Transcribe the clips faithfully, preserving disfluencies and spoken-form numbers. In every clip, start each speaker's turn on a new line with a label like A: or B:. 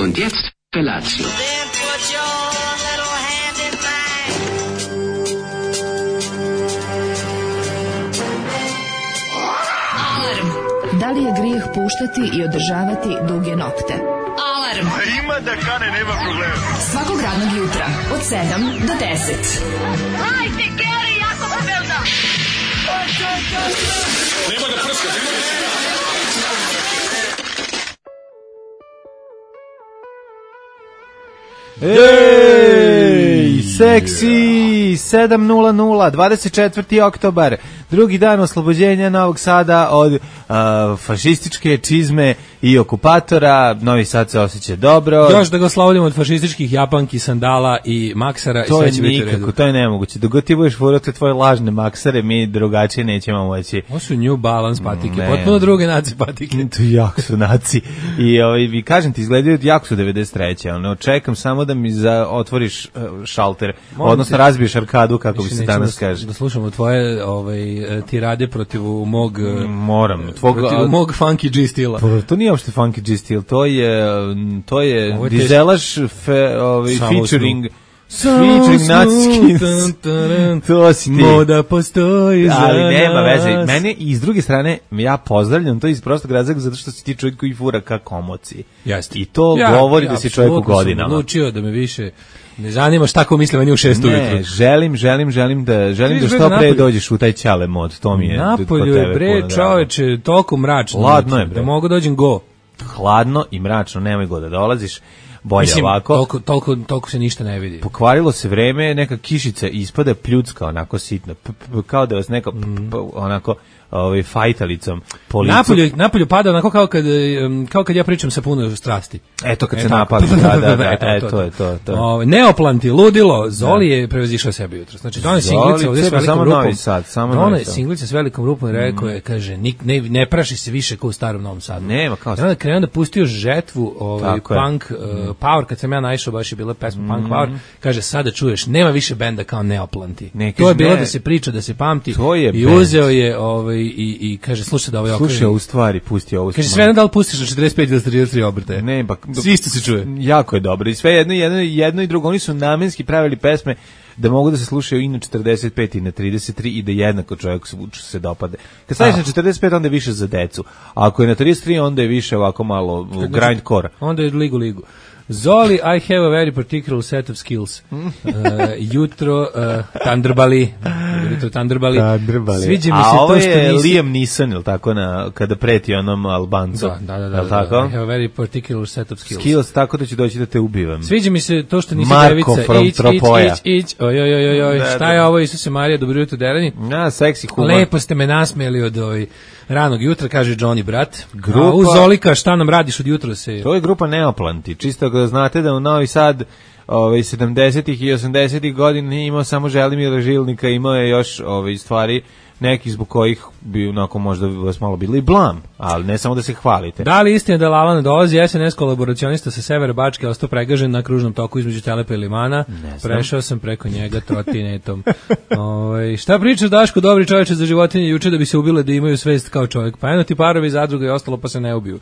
A: Und jetzt Felatio.
B: Da li je grijeh puštati i održavati duge nokte? Alarm!
C: A ima da kane, nema problema.
B: Svakog radnog jutra, od sedam do deset.
D: Hajde, Geri, jako se velda!
C: Nema da prska, nema da prska!
E: Ej, seksi, sedam nula nula, dvadeset četvrti oktobar, drugi dan oslobođenja Novog Sada od uh, fašističke čizme i okupatora. Novi Sad se osjeća dobro.
F: Još da ga oslovodimo od fašističkih japanki, sandala i maksara
E: to
F: i sve će biti u redu.
E: Nikako, to je nemoguće. Dok ti budeš furati tvoje lažne maksare, mi drugačije nećemo moći.
F: Ovo su New Balance patike,
E: Ne.
F: potpuno druge naci patike.
E: To jako su naci. I ovaj, vi kažem ti, izgledaju jako su devedeset treće Ono, čekam samo da mi za, otvoriš uh, šalter,
F: Molim
E: odnosno
F: te,
E: razbiješ arkadu, kako bi
F: više
E: se
F: nećemo
E: danas
F: da,
E: kaže.
F: da slušamo tvoje ovaj, tirade protiv mog...
E: Moram. Tvog,
F: protiv mog funky G stila.
E: Pa, to nije uopšte funky G stil, to je to je
F: Ovo je
E: dizelaš fe, ovaj
F: Samo
E: featuring
F: Samo
E: featuring naciski.
F: tan, taran,
E: To si ti.
F: moda postoji za
E: Ali nema
F: nas.
E: veze. Mene i s druge strane ja pozdravljam to iz prostog razloga zato što si ti čovjek koji fura ka komoci.
F: Jeste.
E: I to
F: Ja,
E: govori
F: ja,
E: da si čovjek u
F: apsolutno sam
E: godinama.
F: odlučio da me više ne zanima šta ko misle meni u šest ujutru.
E: Ne, želim, želim, želim da želim da
F: Vidiš,
E: što
F: bre,
E: pre
F: napolju-
E: dođeš u taj ćale mod. To mi je kod
F: Napolju
E: tebe
F: je bre
E: puno drago.
F: čoveče toliko mračno.
E: Hladno je, bre.
F: Da mogu dođem go.
E: Hladno i mračno, nemoj go da dolaziš. Bolje
F: Mislim,
E: ovako.
F: toliko, toliko, toliko se ništa ne vidi.
E: Pokvarilo se vreme, neka kišica ispada pljudska, onako sitna, p, p, kao da vas neka p, p, onako ovaj fajtalicom po licu.
F: Napolju, napolju pada onako kao kad, em, kao kad ja pričam sa puno strasti.
E: Eto kad
F: E,
E: se
F: tako.
E: napali, da, da, da,
F: Eto,
E: e,
F: to,
E: to je to. to.
F: Ove, neoplanti, ludilo, Zoli je prevazišao sebe jutro. Znači, donaj
E: Zoli,
F: singlica ovdje s
E: cepa
F: velikom
E: samo
F: rupom.
E: Novi Sad, samo
F: Donaj
E: Novi Sad.
F: singlica s velikom rupom i rekao je, kaže, nik, ne, ne praši se više kao u starom Novom Sadu.
E: Nema, kao
F: I onda krenuo da pustio žetvu, ovaj,
E: Tako je.
F: punk, uh, power, kad sam ja naišao, baš je bila pesma punk power, kaže, sada čuješ, nema više benda kao neoplanti.
E: Ne,
F: to je
E: kaže,
F: bilo
E: ne.
F: da se priča, da se pamti.
E: To je
F: I
E: bend.
F: uzeo je, ovaj, i, i kaže, slušaj da ovaj okreži.
E: Slušaj, u stvari, pusti ovo.
F: Kaže, sve jedno da li pustiš na četrdeset pet ili trideset tri obrtaje?
E: Ne, pa
F: Svi isto se čuje.
E: Jako je dobro. I sve jedno, jedno, jedno i drugo. Oni su namenski pravili pesme da mogu da se slušaju i na četrdeset pet i na trideset tri i da jednako čovjek se, se dopade. Kad staviš
F: Ah.
E: na četrdeset pet, onda je više za decu. A ako je na trideset tri, onda je više ovako malo uh, grindcore.
F: Onda je ligu ligu. Zoli, I have a very particular set of skills. Uh, jutro uh, Thunderbali. Jutro Thunderbali.
E: Thunderbali.
F: Sviđa mi
E: A
F: se
E: ovo
F: to što
E: je
F: nisi...
E: Liam Neeson, ili tako, na, kada preti onom Albancu.
F: Da, da, da, da,
E: Jel tako?
F: I have a very particular set of skills.
E: Skills, tako da ću doći da te ubivam.
F: Sviđa mi se to što nisi
E: Marko
F: devica.
E: from
F: Ić, ić,
E: Tropoja.
F: ić, ić. Oj, oj, oj, oj, oj.
E: Da,
F: Šta
E: da.
F: je ovo, Isuse Marija, dobro jutro, derani?
E: Na, seksi humor.
F: Lepo ste me nasmijeli od ovaj ranog jutra, kaže Johnny brat.
E: Grupa-
F: A u Zolika, šta nam radiš od jutra se...
E: To je grupa Neoplanti. Čisto da znate da u Novi Sad ovaj sedamdesetih i osamdesetih godina nije imao samo Želimira Žilnika, imao je još ovaj stvari neki zbog kojih bi onako možda vas malo bili blam, ali ne samo da se hvalite.
F: Da li istina da Lala ne dolazi? S N S kolaboracionista sa Severa Bačke ostao pregažen na kružnom toku između Telepa i Limana. Prešao sam preko njega trotinetom. Ove, šta pričaš, Daško, dobri čovječe za životinje juče da bi se ubile da imaju svest kao čovjek? Pa eno ti parovi zadruga i ostalo pa se ne ubiju.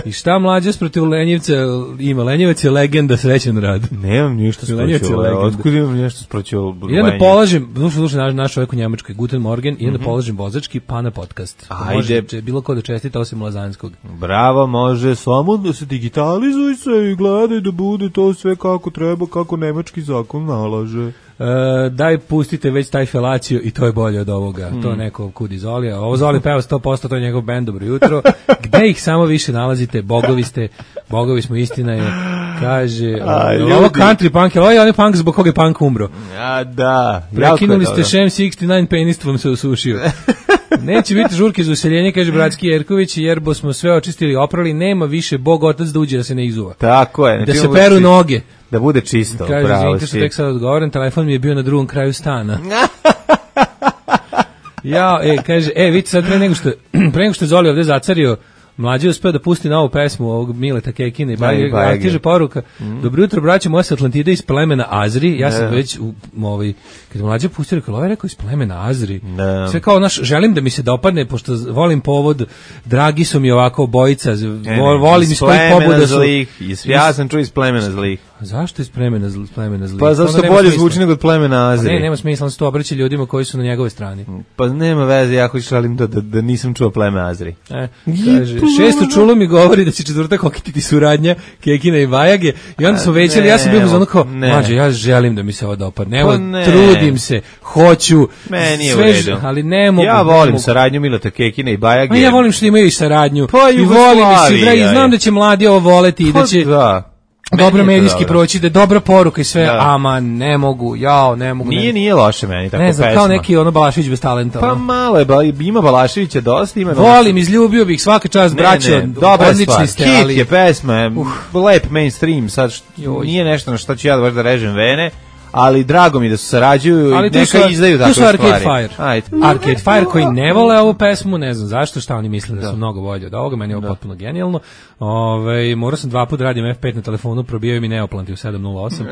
F: I šta mlađe protiv Lenjevca ima? Lenjevac je legenda, srećen rad.
E: Nemam ništa
F: Lenjevac je
E: sproću.
F: legenda.
E: Otkud imam nešto sproću?
F: I onda polažem, slušaj, slušaj, naš, naš čovjek u Njemačkoj, Guten Morgen, i onda polažem vozački pa na podcast.
E: Ajde.
F: Može če- bilo ko da čestita osim Lazanskog.
E: Bravo, može samo da se digitalizuj se i gledaj da bude to sve kako treba, kako nemački zakon nalaže.
F: E, daj pustite već taj felacio i to je bolje od ovoga. To je neko kudi Zoli. A ovo Zoli peva sto posto, to je njegov bend, dobro jutro. Gde ih samo više nalazite? Bogovi ste, bogovi smo, istina je. Kaže,
E: A,
F: ovo
E: ljudi.
F: country punk, ovo je onaj punk zbog koga je punk umro.
E: A da,
F: Prekinuli
E: jako
F: ste
E: je
F: Šem šezdeset devet, penist vam se osušio. Neće biti žurke za useljenje, kaže bratski Jerković, jer bo smo sve očistili, oprali, nema više Bog otac da uđe da se ne izuva.
E: Tako je.
F: Da
E: znači
F: se
E: bude
F: peru
E: čisto.
F: noge.
E: Da bude čisto,
F: Kaže,
E: pravo
F: izvinite što
E: si.
F: tek sad odgovorim, telefon mi je bio na drugom kraju stana. Ja, e, kaže, e, vidite sad pre nego što, pre nego što je Zoli ovde zacario Mlađi uspeo da pusti novu pesmu ovog Mileta Kekina i
E: Bajage.
F: Bajage. Stiže poruka. Mm. Dobro jutro, braće moje sa Atlantide iz plemena Azri. Ja sam ne. već u ovaj kad mlađi pustio rekao, ovaj rekao iz plemena Azri. Ne. Sve kao naš želim da mi se dopadne pošto volim povod, dragi su mi ovako obojica, ne, vol, volim iz kojih pobuda su.
E: Iz, ja sam čuo iz plemena zlih.
F: Zašto iz plemena, zl, plemena zlih?
E: Pa zašto bolje zvuči nego od plemena Azri.
F: Pa ne, nema smisla, on se to obraća ljudima koji su na njegove strani.
E: Pa nema veze, ja hoću želim da, da, da nisam čuo pleme Azri.
F: E, kaže, šesto čulo mi govori da će četvrtak okititi suradnja Kekina i Bajage i onda smo većali, ja sam bio ono kao, mlađe, ja želim da mi se ovo dopadne, evo, pa trudim se, hoću,
E: meni je
F: sve,
E: u redu.
F: Ali ne mogu.
E: Ja volim mogu. Saradnju Milota Kekina i Bajage.
F: A ja volim što imaju i saradnju.
E: Pa
F: i volim i svi, i znam da će mladi ovo voleti i da će...
E: Da.
F: Dobro medijski dobro. Proći, da je dobra poruka i sve, da. Ama ne mogu, jao, ne mogu.
E: Nije,
F: ne.
E: nije loše meni tako
F: ne znam,
E: pesma.
F: Kao neki ono Balašević bez talenta.
E: Pa malo je, ba, ima Balaševića dosta, ima...
F: Volim, izljubio bih, svaka čast, braćo, odlični ste,
E: ali...
F: Hit
E: je pesma, uh. lep mainstream, sad št, nije nešto na što ću ja baš da režem vene, ali drago mi da su sarađuju i neka su, izdaju takve stvari.
F: Tu su Arcade Fire. Ajde. Arcade Fire koji ne vole ovu pesmu, ne znam zašto, šta oni misle da, da su mnogo bolje od ovoga, meni je ovo potpuno genijalno. Ove, morao sam dva puta radim F pet na telefonu, probijaju mi neoplanti u sedam nula osam.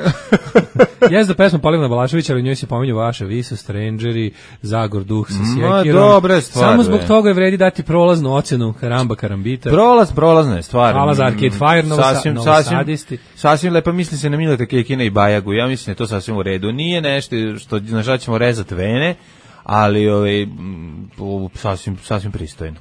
F: Jezda pesma Polivna Balaševića, ali u njoj se pominju vaše Viso, Strangeri, Zagor Duh sa sjekirom.
E: Dobre stvari.
F: Samo zbog toga je vredi dati prolaznu ocenu Karamba Karambita.
E: Prolaz, prolazna je stvar.
F: Hvala za Arcade Fire, novo,
E: sasvim,
F: novo
E: sasvim,
F: sadisti.
E: Sasvim lepa misli se na Mileta Kekina i Bajagu. Ja mislim da je to sasvim u redu. Nije nešto što na žal ćemo rezati vene, ali ovaj, sasvim, sasvim pristojno.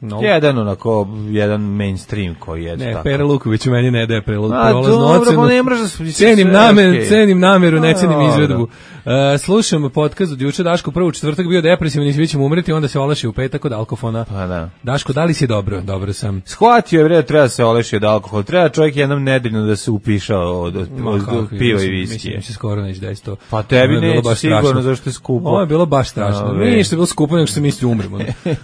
E: No. Jedan onako, jedan mainstream koji je
F: ne,
E: tako.
F: Pera Luković u meni ne daje prolaznu
E: ocenu. Ne
F: cenim, namer, okay. cenim nameru, ne cenim izvedbu. Uh, slušam podcast od juče, Daško prvo četvrtak bio depresivan i svi ćemo umreti, onda se oleši u petak od alkofona.
E: Pa da.
F: Daško, da li si dobro? Dobro sam.
E: Shvatio je vreda, treba se oleši od alkohola. Treba čovjek jednom nedeljno da se upiša od, od, Ma, od, od piva i viskije.
F: Mislim, mislim, skoro neće da isto.
E: Pa tebi neće sigurno, zašto je skupo.
F: Ovo je bilo baš strašno. Ništa je bilo skupo, nego što se misli umremo.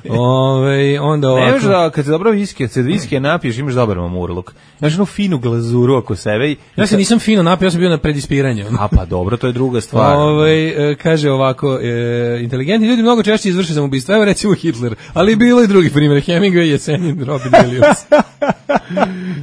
F: Ove, onda ovako.
E: Nemaš da, kad se dobro viskije, kad se viskije napiješ, imaš dobar mamurluk. Imaš jednu finu glazuru oko sebe. I
F: ja se nisam fino napio, ja sam bio na predispiranju.
E: A pa dobro, to je druga stvar.
F: Ove, kaže ovako, e, inteligentni ljudi mnogo češće izvrše samoubistvo, evo recimo Hitler, ali bilo i drugih primjera, Hemingway, Jesenin, Robin Williams.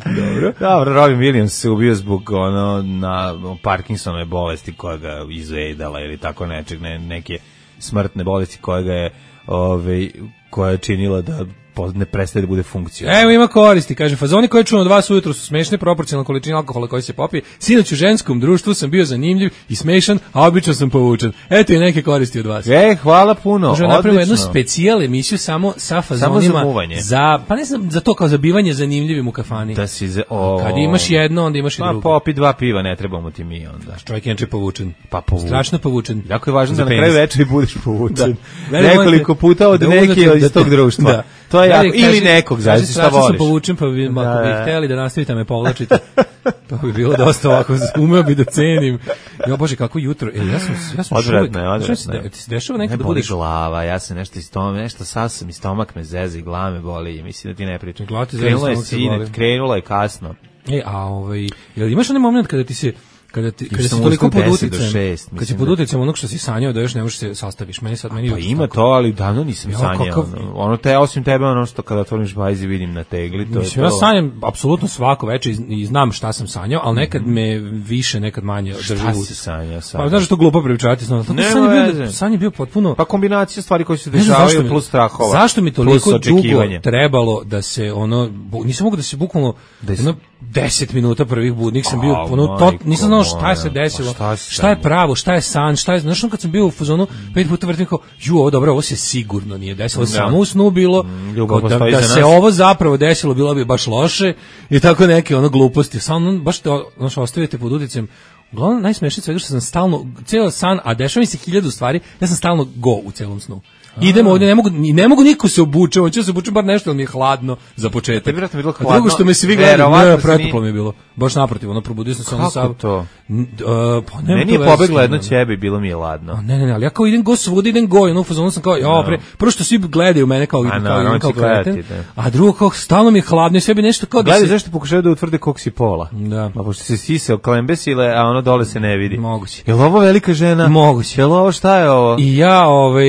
F: Dobro.
E: Dobro, Robin Williams se ubio zbog ono, na Parkinsonove bolesti koja ga izvedala ili tako nečeg, ne, neke smrtne bolesti koja ga je, ove, koja je činila da ne prestaje da bude funkcija.
F: Evo ima koristi, kaže, fazoni koje čujem od vas ujutro su smešne, proporcionalno količini alkohola koji se popije. Sinoć u ženskom društvu sam bio zanimljiv i smešan, a obično sam povučen. Eto i neke koristi od vas.
E: E, hvala puno,
F: Možemo napravimo jednu specijal emisiju samo sa fazonima.
E: Samo za
F: za, pa ne znam, za to kao zabivanje zanimljivim u kafani.
E: Da si za, o,
F: kad imaš jedno, onda imaš i drugo.
E: Pa popi dva piva, ne trebamo ti mi onda.
F: Čovjek je povučen.
E: Pa povučen.
F: Strašno povučen.
E: Jako je važno da na kraju večeri budeš povučen.
F: Da.
E: Nekoliko puta od neke iz tog društva.
F: Da.
E: To je jako, ili nekog, zavisno šta voliš.
F: Sam povučen, pa bi, ako bi htjeli da nastavite me povlačite, to bi bilo dosta ovako, umeo bi da cenim. Jo, Bože, kako jutro. E, ja sam, ja sam
E: odvratno je, odvratno
F: je. Ti se dešava nekad
E: ne
F: da budeš...
E: glava, ja se nešto iz stomak, nešto sasam i stomak me zezi, glava me boli, mislim da ti ne pričam.
F: Glava ti zezi,
E: krenula je sine, krenula je kasno.
F: E, a ovaj, jel imaš onaj moment kada ti se kada ti kada si toliko pod uticajem, kad si pod uticajem onog što si sanjao da još ne možeš se sastaviš, meni sad meni
E: pa ima to, ali davno nisam ja, sanjao. Kakav... Ono te osim tebe ono što kada otvoriš bajzi vidim na tegli, to
F: mislim,
E: je to.
F: Ja sanjam apsolutno svako veče i znam šta sam sanjao, al nekad me više, nekad manje drži.
E: Šta si sanjao sad?
F: Pa znaš što glupo pričati, znači to sanje bio, sanje bio potpuno
E: pa kombinacija stvari koje se dešavaju plus strahova.
F: Zašto mi toliko dugo trebalo da se ono nisam mogao da se bukvalno jedno deset minuta prvih budnih sam bio ono to nisam znao šta se desilo. Šta, šta je pravo, šta je san, šta je, znaš, kad sam bio u fazonu pet puta vrtim kao, ju, ovo dobro, ovo se sigurno nije desilo, samo u snu bilo, mm, da, da se ovo zapravo desilo, bilo bi baš loše i tako neke ono gluposti, samo baš te, znaš, ostavite pod uticajem. Uglavnom, najsmešnije svega što sam stalno, cijel san, a dešava mi se hiljadu stvari, ja sam stalno go u celom snu. Idemo ovdje, ne mogu, ne mogu niko se obuče, hoće se obuče bar nešto, ali mi je hladno za početak.
E: Tebi vjerojatno bilo
F: hladno. A drugo što me svi gledaju, ne, pretoplo mi je bilo. Baš naprotiv, ono probudio sam se ono
E: Kako to?
F: N- uh, pa nema
E: Meni
F: to
E: je
F: veze s
E: pobegla
F: tim,
E: jedno
F: ono.
E: ćebe i bilo mi je ladno.
F: A ne, ne, ne, ali ja kao idem go svuda, idem go, ono, u fazonu sam kao, ja, pre, prvo što svi gledaju mene kao,
E: A,
F: kao,
E: naravno
F: idem kao
E: će gledati,
F: kreten,
E: da.
F: a drugo kao, stalno mi je hladno i sve bi nešto kao da
E: Gledaj,
F: se...
E: zašto pokušaju da utvrde koliko si pola?
F: Da.
E: Ma pošto se sise oklembesile, a ono dole se ne vidi.
F: Moguće.
E: Je li ovo velika žena?
F: Moguće.
E: Je li ovo šta je ovo?
F: I ja, ovaj,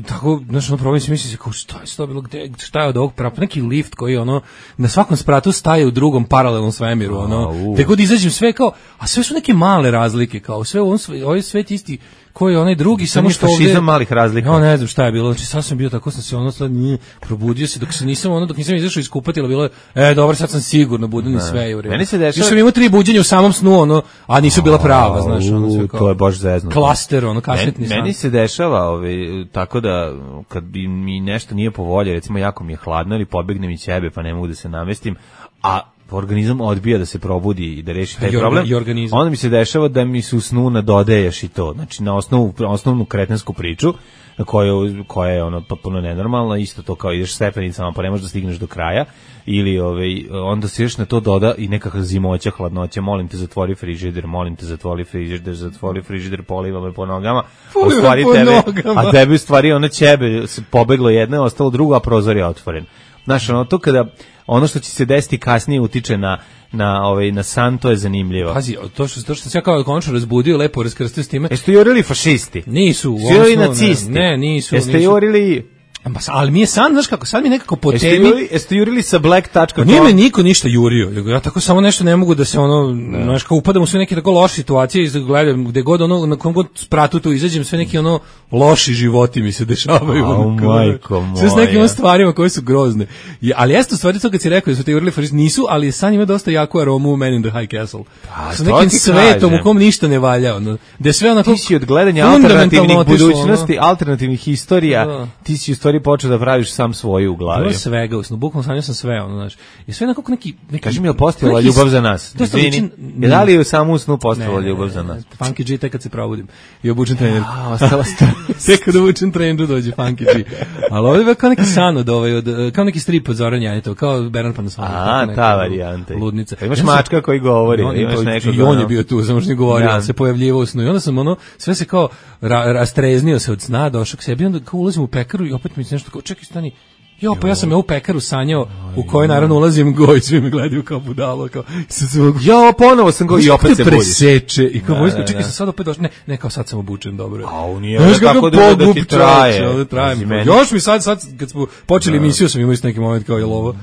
F: tako, znaš, ono, probam se misli, kao, šta je to bilo, gde, šta je od ovog prava, neki lift koji, ono, na svakom spratu staje u drugom paralelnom svemiru, ono,
E: u.
F: te god izađem sve kao, a sve su neke male razlike, kao, sve, on, sve, ovaj svet isti, koji je onaj drugi, samo
E: nije
F: što ovde...
E: fašizam malih razlika.
F: Ja ne znam šta je bilo, znači sad sam bio tako, sam se ono sad nije probudio se, dok se nisam ono, dok nisam izašao iz kupatila, bilo je, e, dobro, sad sam sigurno budan i sve je u redu.
E: Meni se dešava-
F: Još sam imao tri buđenja u samom snu, ono, a nisu bila prava, znaš, ono sve
E: U,
F: kao...
E: to je baš zeznuto.
F: Klaster, ono, kasetni
E: Meni,
F: san.
E: meni se dešava ovaj, tako da kad bi mi nešto nije po volji, recimo jako mi je hladno ili pobegnem i ćebe pa ne mogu da se namestim, a organizam odbija da se probudi i da reši taj
F: I orga-
E: problem,
F: i organizam.
E: onda mi se dešava da mi se u snu nadodaješ i to, znači na osnovu, osnovnu kretensku priču, koja, koja je ono potpuno nenormalna, isto to kao ideš stepenicama pa ne možeš da stigneš do kraja, ili ovaj, onda se još na to doda i nekakva zimoća, hladnoća, molim te zatvori frižider, molim te zatvori frižider, zatvori frižider, poliva me po nogama, a u
F: Poliva
E: stvari
F: po
E: tebe,
F: nogama.
E: a tebi u stvari ono ćebe se pobeglo jedno, je ostalo drugo, a prozor je otvoren. Znaš, ono to kada ono što će se desiti kasnije utiče na na ovaj na san, to je zanimljivo.
F: Pazi, to što, to što se ja kao konačno razbudio, lepo raskrstio s time.
E: Jeste jurili fašisti?
F: Nisu, u
E: Jeste jurili
F: ovom snu,
E: nacisti?
F: Ne, ne, nisu.
E: Jeste
F: nisu.
E: jurili...
F: Ma, ali mi je san, znaš kako, sad mi nekako po
E: Jeste
F: temi...
E: jurili, jeste jurili sa black tačka com?
F: Pa nije me niko ništa jurio, nego ja tako samo nešto ne mogu da se ono, znaš, kao upadam u sve neke tako loše situacije i gledam gde god ono, na kom god spratu tu izađem, sve neki ono loši životi mi se dešavaju.
E: Au,
F: ono, kao,
E: majko
F: sve s nekim
E: moja.
F: ono stvarima koje su grozne. I, ali jeste u stvari to kad si rekao da su te jurili fašisti, nisu, ali san ima dosta jaku aromu u Man in the High Castle.
E: Pa,
F: Sa
E: to
F: nekim
E: ti
F: svetom
E: kažem.
F: u kom ništa ne valja, ono, gde sve onako...
E: Ti si od gledanja
F: fundamentalno
E: alternativnih
F: otišlo,
E: budućnosti, alternativnih istorija,
F: Da.
E: ti si u stvari počeo da praviš sam svoju u glavi.
F: Bilo je svega, usno, bukvalno sanjao sam sve, ono, znaš. I sve onako neki... neki
E: Kaži mi, je li postojala
F: neki-
E: ljubav za nas?
F: Dosta
E: Izvini,
F: liči-
E: je da li je u samu snu
F: Ne,
E: postojala
F: ne,
E: ljubav
F: ne,
E: za
F: ne,
E: nas?
F: Funky G tek kad se probudim i obučem trenerku.
E: A, ostala ste.
F: Tek kad obučem treneru dođe Funky G. Ali ovdje je kao neki san od ovaj, od, kao neki strip od Zoran Janjetov, kao Bernard Panasonic.
E: A,
F: tako neka
E: ta varijanta.
F: Ludnica.
E: Pa imaš
F: Ja sam-
E: mačka koji govori,
F: On,
E: imaš
F: pa,
E: nekog,
F: I on je
E: ono-
F: bio tu, samo što nije govorio,
E: Da.
F: ali se pojavljivao u snu. I onda sam ono, sve se kao ra, rastreznio se od sna, došao k sebi, onda kao ulazim u pekaru i opet mi se nešto kao, čekaj, stani, jo, pa ja sam ja u pekaru sanjao, u kojoj naravno ulazim go i svi me gledaju kao budalo, kao, i sad sam
E: Jo, ponovo sam go i opet se budiš.
F: preseče i kao
E: Da,
F: vojsko,
E: da,
F: čekaj,
E: da.
F: sam sad opet došao, ne, ne, kao sad sam obučen, dobro.
E: Au, nije
F: Znaš
E: ovo tako
F: kakav
E: dugo da ti
F: pogub,
E: traje.
F: čoveče, ovde traje mi.
E: Pazi, meni-
F: Još mi sad, sad, kad smo počeli emisiju, sam imao isto neki moment kao, jel ovo,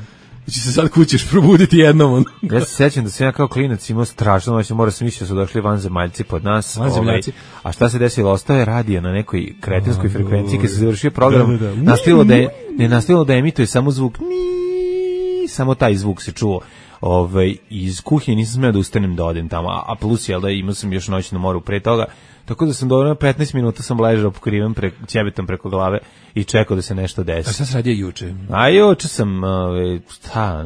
F: će se sad kućeš probuditi jednom, ono.
E: Ja se sećam da sam ja kao klinac imao strašno noć, mora sam mislio da su došli vanzemaljci pod nas.
F: Vanzemljaci.
E: ovaj, a šta se desilo? Ostao je radio na nekoj kretenskoj frekvenciji kad se završio program.
F: Da, da, da.
E: Nastavilo da je, ne nastavilo da emituje samo zvuk. Ni, samo taj zvuk se čuo. Ovaj, iz kuhinje nisam smeo da ustanem da odem tamo, a, a plus jel da imao sam još noćnu moru pre toga. Tako da sam dobro petnaest minuta sam ležao pokriven pre, ćebetom preko glave i čekao da se nešto
F: A
E: desi.
F: šta se radio juče?
E: A juče sam, ove, šta,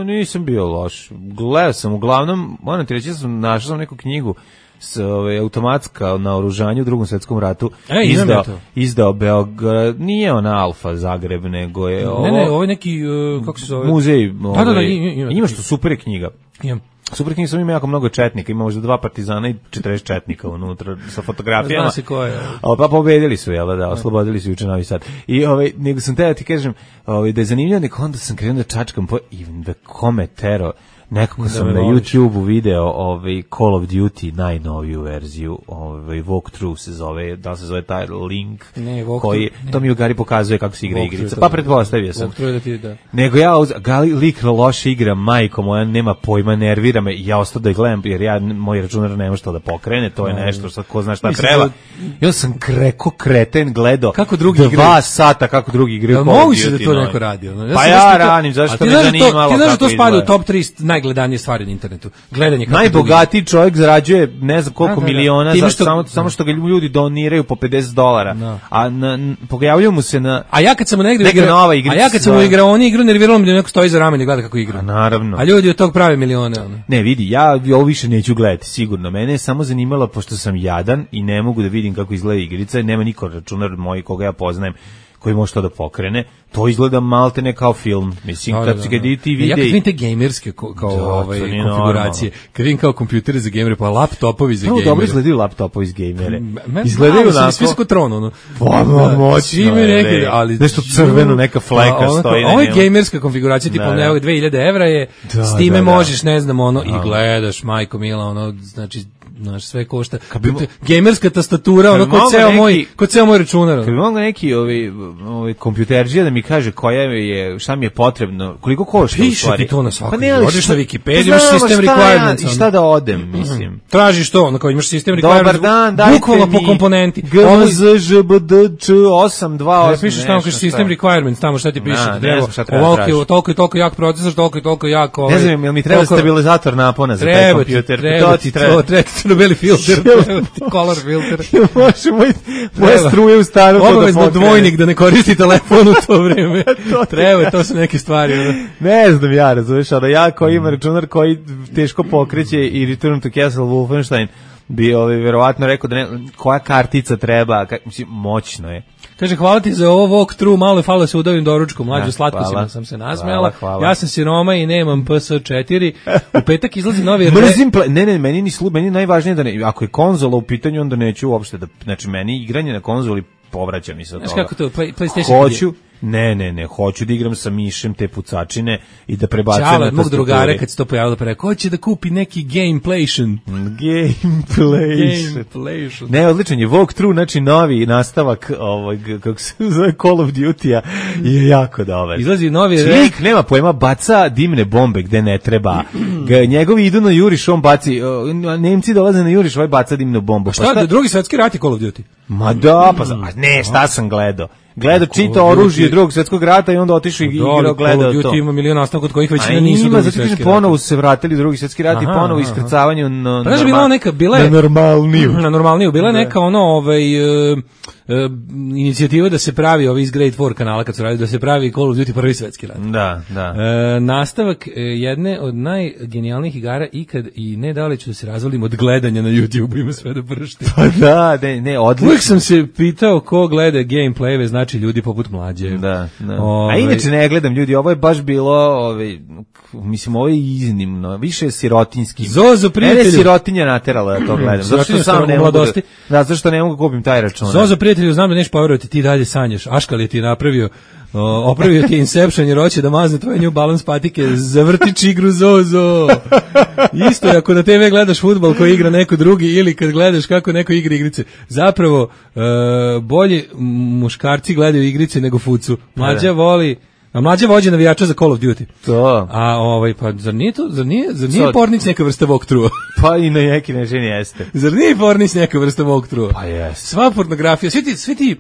E: nisam bio loš. Gledao sam, uglavnom, moram ti reći, ja sam našao sam neku knjigu s ove, automatska na oružanju u drugom svetskom ratu.
F: E, imam
E: izdao,
F: ja to.
E: izdao Beograd, nije ona Alfa Zagreb, nego je ovo...
F: Ne, ne, ovo je neki, uh, kako se zove?
E: Muzej.
F: Da, da, da,
E: ovaj,
F: ima- ima-
E: ima što super je knjiga.
F: Imam.
E: Super knjiga, sam ima jako mnogo četnika, ima možda dva partizana i četrdeset četnika unutra sa fotografijama.
F: Zna se ko je.
E: A pa pobedili su, jel da, da, oslobodili su juče Novi Sad. I ovaj, nego sam te da ti kažem, ovaj, da je zanimljivo, nego onda sam krenuo da čačkam po, i da kome tero, nekako sam
F: me
E: na
F: voliš.
E: YouTubeu video ovaj, Call of Duty, najnoviju verziju, ovaj, walkthrough se zove, da li se zove taj link,
F: Ne, walkthrough,
E: koji,
F: ne.
E: to mi u Gari pokazuje kako se igra
F: Walkthrough
E: igrica,
F: je to,
E: pa
F: da.
E: pretpostavio sam.
F: Walkthrough je da ti, da.
E: Nego ja, uz, gali, lik loše igra, majko moja, nema pojma, nervira me, i ja ostao da je gledam, jer ja, moj računar ne može to da pokrene, to je nešto što ko zna šta
F: Mislim
E: treba.
F: da-
E: Ja sam kreko kreten gledao
F: Kako drugi
E: dva
F: igraju.
E: sata kako drugi igraju.
F: Jel
E: Call of
F: moguće da
E: Duty
F: to
E: novi.
F: neko radi? Ono?
E: Pa
F: sam
E: ja
F: baš pitao-
E: ranim, zašto
F: A ti
E: me
F: znaš da to-
E: zanimalo
F: Ti znaš da
E: kako
F: to spada u
E: izgleda.
F: top tri najgledanije stvari na internetu. Gledanje kako drugi-
E: Najbogatiji čovjek zarađuje ne znam koliko
F: Da, da, da.
E: miliona
F: Time
E: za,
F: što-
E: samo, samo što ga ljudi doniraju po pedeset dolara.
F: Da.
E: A na, n- pojavljuju mu se na...
F: A ja kad sam mu negde
E: Neka
F: igra,
E: nova igrica
F: a ja kad sam mu
E: zove.
F: igrao, on igra nerviralo me da neko stoji za ramen i gleda kako igra.
E: A naravno.
F: A ljudi od tog prave milione. Ono.
E: Ne, vidi, ja ovo više neću gledati, sigurno. Mene je samo zanimalo, pošto sam jadan i ne mogu da vidim kako izgleda igrica, nema niko računar moj koga ja poznajem koji može to da pokrene, to izgleda maltene kao film. Mislim,
F: Da,
E: kad
F: da,
E: se
F: da.
E: ga ti
F: Ja
E: vide...
F: kad vidim te gamerske ko- kao
E: Da,
F: ovaj,
E: to nije
F: konfiguracije, kad vidim kao kompjutere za gamere, pa laptopovi za
E: Prvo
F: gamere.
E: dobro izgledaju laptopovi iz gamere.
F: Men-
E: Izgledaju
F: malo su mi
E: onako...
F: svi su kao tron, ono.
E: Pa,
F: Da,
E: moćno
F: svi mi
E: je,
F: rekli,
E: bre.
F: ali
E: Nešto crveno, neka fleka
F: Pa, ono kao,
E: stoji na
F: ovo je
E: njemu.
F: gamerska konfiguracija, tipa
E: Da, da.
F: evo dve hiljade evra je,
E: Da,
F: s time
E: da, da.
F: možeš, ne znam, ono, i gledaš, majko mila, ono, znači, znaš, sve košta.
E: Kad bi mo-
F: Gamerska tastatura, ono,
E: bi
F: kod
E: mogao
F: ceo
E: neki-
F: moj, kod ceo moj računar.
E: Kad bi mogao neki ovi, ovi kompjuterđija da mi kaže koja je, šta mi je potrebno, koliko košta u
F: Piše
E: stvari.
F: ti to na svakoj.
E: Pa ne, ali
F: Odeš
E: šta-
F: na Wikipediju,
E: Pa
F: imaš
E: znam,
F: sistem
E: šta
F: requirements,
E: Ja, I
F: ono.
E: šta da odem, mislim.
F: Tražiš to, ono, kao imaš sistem requirements.
E: Dobar dan, dajte
F: bukvalno
E: mi
F: po komponenti.
E: G
F: Ovo-
E: M Z Ž B D Č osam dva osam.
F: Ne pišeš tamo kaže system requirements, tamo šta ti piše,
E: Da, ne
F: treba,
E: znam šta treba
F: ovoliki,
E: tražiti.
F: toliko i toliko jak procesor, toliko i toliko jak ovaj.
E: Ne znam, jel mi treba
F: toliko-
E: stabilizator napona za taj
F: Treba ti,
E: kompjuter?
F: treba
E: To
F: ti,
E: treba.
F: to, treba ti crno-beli filter, treba ti color filter.
E: Može moj, moje
F: Treba.
E: struje u stanu to da
F: Obavezno
E: pokrene.
F: dvojnik da ne koristi telefon u to vreme. Treba, to su neke stvari. Ono.
E: Ne znam ja, razumiješ, ali ja koji ima računar koji teško pokreće i Return to Castle Wolfenstein bi ovaj, verovatno rekao da ne, koja kartica treba, ka, mislim, moćno je.
F: Kaže, hvala ti za ovo walkthrough, malo je falo se udavim doručkom, mlađu
E: Da,
F: slatko
E: hvala.
F: sam se nasmejala.
E: Hvala, hvala.
F: Ja sam siroma i nemam P S četiri. U petak izlazi novi... re-
E: Mrzim, ple- ne, ne, meni ni slu, meni je najvažnije da ne, ako je konzola u pitanju, onda neću uopšte da, znači meni igranje na konzoli povraća mi se od
F: Znaš
E: toga.
F: kako to, Play, PlayStation...
E: Hoću, ne, ne, ne, hoću da igram sa mišem te pucačine i da prebacujem
F: Čala
E: na
F: od mog
E: tastaturi.
F: drugara kad se to pojavilo, pa rekao, hoće da kupi neki gameplation.
E: Gameplay.
F: Gameplation.
E: Ne, odličan je walkthrough, znači novi nastavak ovog, kako se zove, Call of Duty-a je jako dobar.
F: Izlazi novi... re-
E: Lik, nema pojma, baca dimne bombe gde ne treba. Ga, njegovi idu na juriš, on baci, o, Nemci dolaze na juriš, ovaj baca dimnu bombu. Pa
F: Šta, drugi svetski rat je Call of Duty?
E: Ma da, pa za- a ne, šta sam gledao? Gledao čita oružje drugog svetskog rata i onda otišao i igrao,
F: Call
E: gledao
F: of
E: to.
F: Duty ima milion nastavka od kojih
E: A
F: većina nisu
E: ima,
F: drugi
E: zato
F: svetski
E: kažem,
F: rat.
E: ponovo su se vratili u drugi svjetski rat i
F: Aha,
E: ponovo
F: aha.
E: iskrcavanju na,
F: Pa znaš, bila
E: norma-
F: je neka, bila je-
E: na normalniju.
F: Na normalniju, bila je neka ono, ovaj, e, e, inicijativa da se pravi ovi iz Great War kanala kad su radili, da se pravi Call of Duty prvi svetski rat.
E: Da, da.
F: E, nastavak e, jedne od najgenijalnijih igara ikad i ne da li ću da se razvalim od gledanja na YouTube, ima sve da pršti.
E: Pa da, ne, ne, odlično.
F: Uvijek sam se pitao ko gleda gameplayeve, znači ljudi poput mlađe.
E: Da, da.
F: Ovaj,
E: A inače ne gledam ljudi, ovo je baš bilo, ovaj, mislim, ovo je iznimno, više je sirotinski.
F: Zozo, prijatelju.
E: Mene je sirotinja naterala da to gledam. Zato što
F: Sirotinja
E: sam
F: stara
E: ne
F: u
E: mogu da,
F: mladosti.
E: da, zato što ne mogu kupim taj račun.
F: Zozo, prijatelju, znam da neš poverovati, ti dalje sanjaš. Aškal je ti napravio, o, opravio ti Inception jer hoće da mazne tvoje New Balance patike, zavrtić igru Zozo. Isto je ako na te ve gledaš fudbal koji igra neko drugi ili kad gledaš kako neko igra igrice. Zapravo, e, bolje muškarci gledaju igrice nego fucu. Mlađa voli, a mlađa vođe navijača za Call of Duty.
E: To.
F: A ovaj, pa zar nije to, zar nije, zar nije
E: Sad-
F: pornić neka vrsta walkthrougha?
E: Pa i na neki način jeste.
F: Zar nije pornić neka vrsta walkthrougha?
E: Pa jeste.
F: Sva pornografija, svi ti, svi ti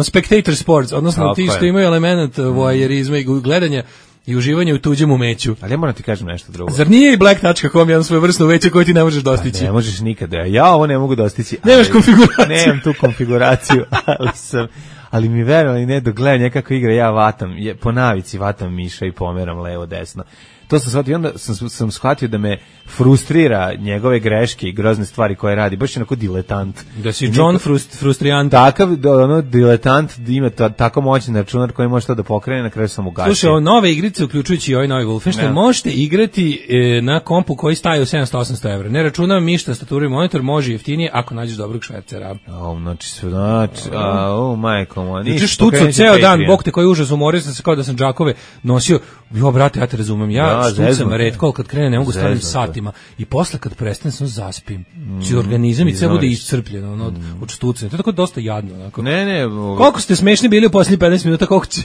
F: spectator sports, odnosno
E: Tako
F: ti
E: je.
F: što imaju element voajerizma i gledanja i uživanja u tuđem umeću.
E: Ali ja moram ti kažem nešto drugo.
F: Zar nije i black touch kako jedan svoje vrstno uveće koje ti ne možeš dostići?
E: Ne možeš nikada. Ja ovo ne mogu dostići.
F: Nemaš
E: ali-
F: konfiguraciju.
E: Nemam tu konfiguraciju, ali sam ali mi verovali ne dok gledam nekako igra ja vatam, je, po navici vatam miša i pomeram levo desno. To sam shvatio, onda sam, sam shvatio da me frustrira njegove greške i grozne stvari koje radi, baš je onako diletant.
F: Da si
E: I
F: John
E: niko-
F: frust, frustrijan.
E: Takav, da, ono, diletant, da ima ta, tako moćan računar koji može to da pokrene, na kraju sam ugasio.
F: Slušaj, ove nove igrice, uključujući i ovaj novi Wolfenstein,
E: Ja.
F: možete igrati e, na kompu koji staje u sedamsto do osamsto evra. Ne računam ništa, tastaturu i monitor, može jeftinije ako nađeš dobrog švercera.
E: O, znači, sve, znači, a, o, majko moja,
F: Znači
E: ništa,
F: štuco
E: pokrenut ću
F: ceo dan,
E: Patreon.
F: bog te koji užas, umorio sam se kao da sam džakove nosio. Jo, brate, ja te razumem, ja
E: Da,
F: štucam
E: zeznuto.
F: retko, ali kad krene ne mogu stavim
E: Zeznuto.
F: satima i posle kad prestanem sam zaspim. Znači organizam i sve bude
E: izvoriš.
F: iscrpljen ono, od, od štucanja. To je tako dosta jadno. Onako.
E: Ne, ne, ovo-
F: Koliko ste smešni bili u posljednjih petnaest minuta, koliko će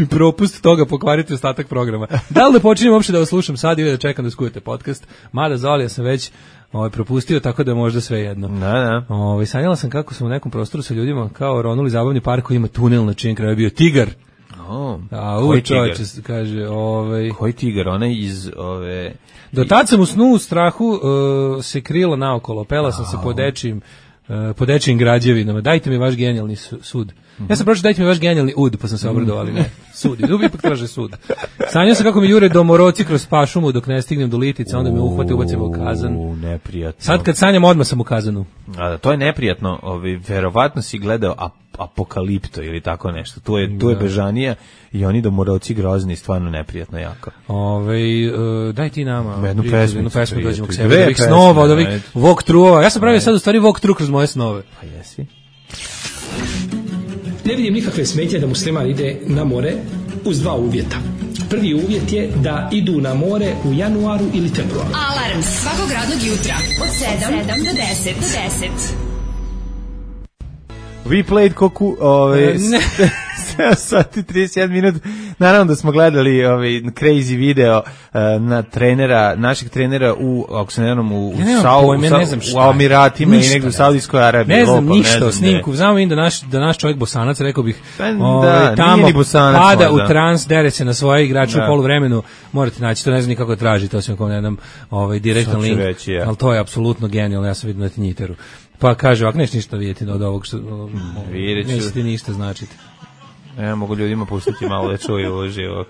F: propust toga pokvariti ostatak programa. Da li da počinjem uopšte da vas slušam sad ili da čekam da skujete podcast? Mada Zolija sam već ovaj, propustio, tako da je možda sve jedno.
E: Da, da.
F: Ovaj, sanjala sam kako sam u nekom prostoru sa ljudima kao ronuli zabavni park koji ima tunel na čijem kraju je bio tigar.
E: O,
F: A
E: koji
F: u čovječe,
E: tigar?
F: kaže, ovaj...
E: Koji tigar, onaj iz ove...
F: Do tad sam u snu u strahu uh, se krila naokolo, pela sam se po dečijim, uh, po dečijim građevinama. Dajte mi vaš genijalni su- sud. Ja sam pročitao dajte mi vaš genijalni ud, pa sam se obradovao, ali ne. Sud, dubi ipak traže sud. Sanjao sam kako mi jure domoroci kroz pašumu dok ne stignem do Litice, onda me uhvate, ubacimo u kazan.
E: U, neprijatno.
F: Sad kad sanjam, odmah sam u kazanu.
E: A, da, to je neprijatno, ovi, verovatno si gledao ap Apokalipto ili tako nešto. Tu je, tu je bežanija i oni domoroci grozni, stvarno neprijatno jako.
F: Ove, uh, daj ti nama
E: jednu
F: prijatelj,
E: pesmu,
F: jednu pesmu
E: prijatelj.
F: dođemo k sebi,
E: Dve
F: od ovih
E: pesme,
F: snova, od ovih
E: ajde.
F: walkthroughova. Ja sam pravio sad u stvari walkthrough kroz moje snove.
E: Pa jesi.
A: Ne vidim nikakve smetnje da musliman ide na more uz dva uvjeta. Prvi uvjet je da idu na more u januaru ili februaru.
G: Alarm svakog radnog jutra od sedam do deset. Do deset.
E: We played koku, ovaj, sedam sati trideset jedan minut. Naravno da smo gledali ovaj crazy video uh, na trenera, našeg trenera u, ako se ne znam, u,
F: ja
E: Sau,
F: pojme,
E: u,
F: ne znam šta
E: u Emiratima i negdje u Saudijskoj Arabiji.
F: Ne znam
E: lopam,
F: ništa
E: ne znam
F: o snimku. Znamo im da naš, da naš čovjek Bosanac, rekao bih,
E: Da,
F: ovaj, tamo
E: nije ni Bosanac
F: pada
E: možda.
F: u trans, dere se na svoje igrače
E: Da.
F: u poluvremenu. Morate naći, to ne znam nikako traži, to sam kao ne znam ovaj, direktan
E: Sad ću
F: link.
E: reći, ja.
F: Ali to je apsolutno genijalno, ja sam vidio na Tinjiteru. Pa kaže, ovak neš ništa vidjeti od ovog što
E: vidjet ću.
F: neće ti ništa značiti.
E: Ja mogu ljudima pustiti malo da čuju uživo.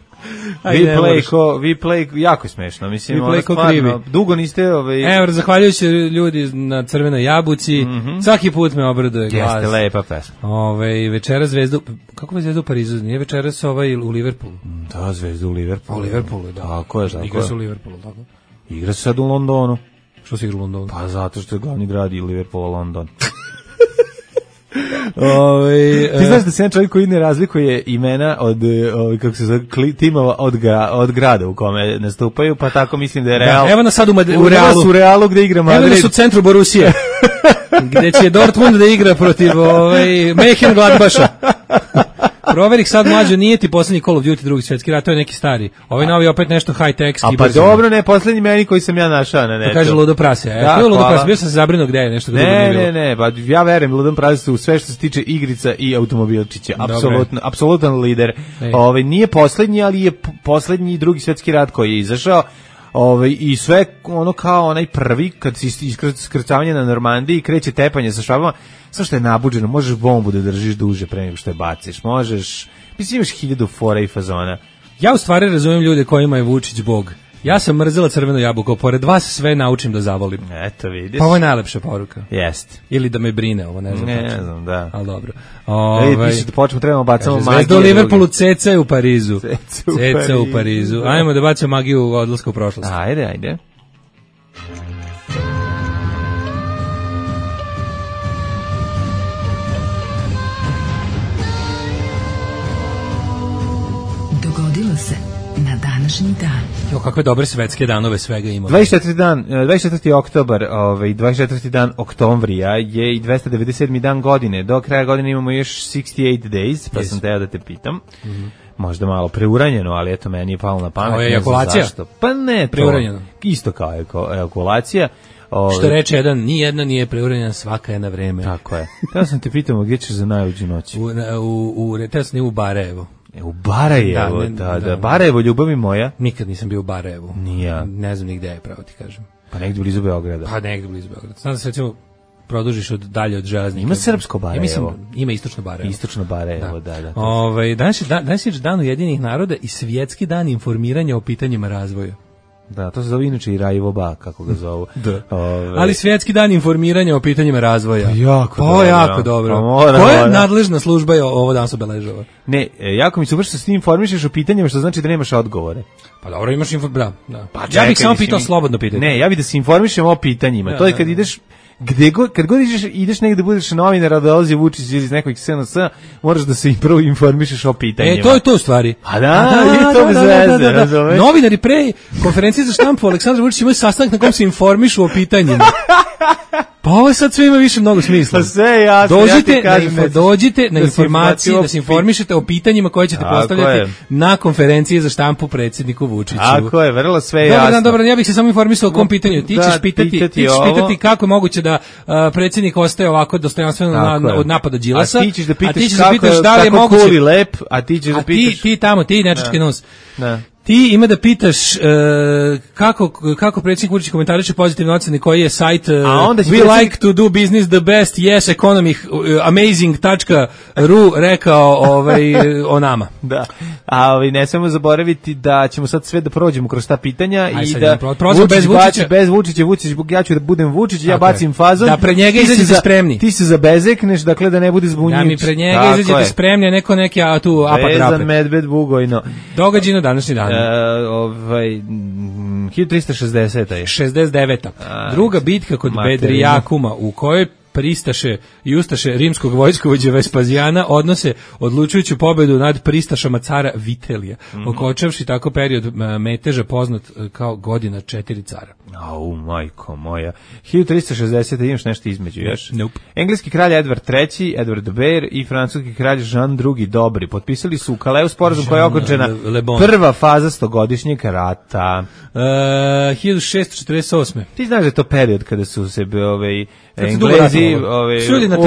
F: Ajde,
E: We
F: ne
E: play
F: moraš.
E: ko, we play, jako je smešno, mislim,
F: We
E: ono
F: play ko
E: stvarno,
F: krivi.
E: dugo niste, ovaj,
F: Evo, zahvaljujući ljudi na Crvenoj jabuci, svaki put me obraduje glas.
E: jeste lepa pesma.
F: Ove, večera zvezdu, kako je zvezda u Parizu? Nije večeras ovaj u Liverpoolu?
E: Da, zvezda u Liverpoolu.
F: U Liverpoolu, da.
E: Tako je, tako
F: Igra se u
E: je.
F: Liverpoolu, tako?
E: Igra se sad u Londonu.
F: Što se igra u Londonu?
E: Pa zato što je glavni grad i Liverpool, London.
F: Ove,
E: Ti znaš da se jedan čovjek koji ne razlikuje imena od, e, ovaj, kako se zove, kli- timova od, gra, od grada u kome nastupaju, pa tako mislim da je Real.
F: Da, evo nas sad u, Mad- u
E: U
F: Realu.
E: u Realu gde igra
F: Evo
E: Madrid.
F: nas u centru Borusije, gde će Dortmund da igra protiv ovaj, Mönchengladbacha. Proveri sad mlađo, nije ti poslednji Call of Duty drugi svjetski rat, to je neki stari. Ovaj novi opet nešto high-tech.
E: A pa dobro, ne, poslednji meni koji sam ja našao na netu.
F: To kaže Ludo Prase. E,
E: Da,
F: to je Ludo
E: hvala.
F: Prase, bio sam se zabrinuo gde je nešto. drugo
E: Ne,
F: nije bilo.
E: ne, ne, pa ja verujem Ludom Prazesu u sve što se tiče igrica i automobilčića.
F: Dobre.
E: Apsolutno, apsolutan lider.
F: Ej.
E: Ovaj nije poslednji, ali je p- poslednji drugi svjetski rat koji je izašao. Ovaj i sve ono kao onaj prvi kad se iskrcavanje na Normandiji kreće tepanje sa švabama, sve što je nabuđeno, možeš bombu da držiš duže pre nego što je baciš. Možeš, mislim imaš hiljadu fora i fazona.
F: Ja u stvari razumijem ljude kojima je Vučić bog. Ja sam mrzela crveno jabuko, pored vas sve naučim da zavolim.
E: Eto vidiš.
F: Pa ovo je najlepša poruka.
E: Jeste.
F: Ili da me brine, ovo ne znam.
E: Ne,
F: tačno.
E: ne znam, da.
F: Ali dobro.
E: Ej,
F: Ovaj,
E: piše da počnemo, trebamo bacamo
F: kaže,
E: magiju.
F: Zvezda u Liverpoolu, Ceca je u Parizu.
E: Ceca u
F: Ceca u
E: Parizu.
F: Parizu. Ajmo da bacimo magiju odlaska u prošlost.
E: Ajde, ajde.
B: Dogodilo se na današnji dan.
F: Jo, kakve dobre svetske danove svega ima.
E: dvadeset četvrti dan, eh, dvadeset četvrti oktobar, ovaj dvadeset četvrti dan oktomvrija je i dvesta devedeset sedmi dan godine. Do kraja godine imamo još šezdeset osam days, pa
F: Yes.
E: sam teo da te pitam. Možda malo preuranjeno, ali eto meni je palo na pamet.
F: Ovo je
E: ne znam
F: ejakulacija?
E: zašto. Pa ne, to.
F: Preuranjeno.
E: Isto kao eko- ejakulacija. Ovaj,
F: Što reče jedan, ni jedna nije preuranjena, svaka je na vreme.
E: Tako je. Teo sam te pitamo gdje ćeš za najluđu noć.
F: U, na- u, u, teo sam nije u Barajevo.
E: E, u Barajevo,
F: Da, ne,
E: da, da,
F: da.
E: Barajevo, ljubavi moja.
F: Nikad nisam bio u Barajevu.
E: Ni ja.
F: Ne znam ni gde je, pravo ti kažem.
E: Pa negdje blizu Beograda.
F: Pa negdje blizu Beograda. Znam da se recimo produžiš od dalje od železnika.
E: Ima srpsko Barajevo.
F: Ja mislim, ima istočno Barajevo.
E: Istočno Barajevo, da, da.
F: Ovaj, danas je, dan, danas je dan Ujedinjenih naroda i svjetski dan informiranja o pitanjima razvoja.
E: Da, to se zove inače i Rajevo Ba, kako ga zovu.
F: Da.
E: Ove,
F: Ali svjetski dan informiranja o pitanjima razvoja.
E: Jako
F: Pa,
E: dobro.
F: jako dobro.
E: Pa mora,
F: Koja
E: mora.
F: nadležna služba je ovo danas obeležava?
E: Ne, e, jako mi se super što s tim informišeš o pitanjima, što znači da nemaš odgovore.
F: Pa dobro, imaš info... Da, da.
E: Pa
F: ja
E: čekaj,
F: bih samo
E: mislim,
F: pitao slobodno pitanje.
E: Ne, ja bih da se informišem o pitanjima.
F: Da,
E: to je
F: da,
E: kad
F: da.
E: ideš gde god, kad god ideš, ideš negde budeš novinar, a dolazi Vučić iz nekog S N S, moraš da se i prvo informišeš o pitanjima.
F: E, to je to u stvari.
E: A da, i to bez veze, razumeš?
F: Novinari pre konferencije za štampu Aleksandar Vučić imaju sastanak na kom se informišu o pitanjima. Pa ovo sad sve ima više mnogo smisla.
E: Pa sve je jasno,
F: Dođite,
E: ja ti kažem,
F: na, info,
E: nećeš
F: dođite na
E: da se
F: informacije,
E: informacije
F: da se informišete o pitanjima koje ćete
E: Tako
F: postavljati
E: je.
F: na konferenciji za štampu predsjedniku Vučiću.
E: Tako je, vrlo sve je
F: Dobar
E: jasno.
F: dan, dobar dan, ja bih se samo informisao o kom pitanju. Ti
E: Da,
F: ćeš pitati,
E: pitati
F: ti ćeš
E: ovo.
F: pitati kako je moguće da uh, predsjednik ostaje ovako dostojanstveno na,
E: Tako
F: na,
E: je.
F: od napada Đilasa.
E: A ti ćeš da pitaš
F: a ti ćeš
E: kako,
F: da pitaš da li je
E: kako
F: moguće.
E: Kuli lep, a ti ćeš da
F: A ti,
E: pitaš...
F: ti tamo, ti nečački nos.
E: Da.
F: Ti ima da pitaš uh, kako, kako predsjednik Vučić komentariše pozitivne ocene koji je sajt uh, We
E: predsjednik...
F: like to do business the best, yes, economy, uh, amazing dot ru rekao ovaj, o nama.
E: Da, a ovaj, ne smemo zaboraviti da ćemo sad sve da prođemo kroz ta pitanja.
F: Aj,
E: i da
F: Vučić bez Vučića,
E: bez Vučića, Vučić, ja ću da budem Vučić, ja
F: Tako
E: bacim
F: je.
E: fazon.
F: Da pred njega izađete spremni.
E: Ti se zabezekneš, dakle da ne bude zbunjujući.
F: Da mi pred njega izađete spremni, a neko neki a tu apak rape.
E: Vezan medved bugojno.
F: Događaj današnji dan.
E: E, ovaj hiljadu trista šezdeseta je
F: šezdeset deveta Druga bitka kod Bedrijakuma u kojoj pristaše i ustaše rimskog vojskovođe Vespazijana odnose odlučujuću pobedu nad pristašama cara Vitelija, mm-hmm. okončavši tako period meteža poznat kao godina četiri cara.
E: Au, majko moja. hiljadu trista šezdeseta imaš nešto između još?
F: Nope.
E: Engleski kralj Edward treći, Edward de Vere i francuski kralj Jean drugi Dobri potpisali su u Kaleu sporazum koja je okončena prva faza stogodišnjeg rata.
F: Uh, hiljadu šessto četrdeset osme
E: Ti znaš da je to period kada su se ovaj Englezi ovaj,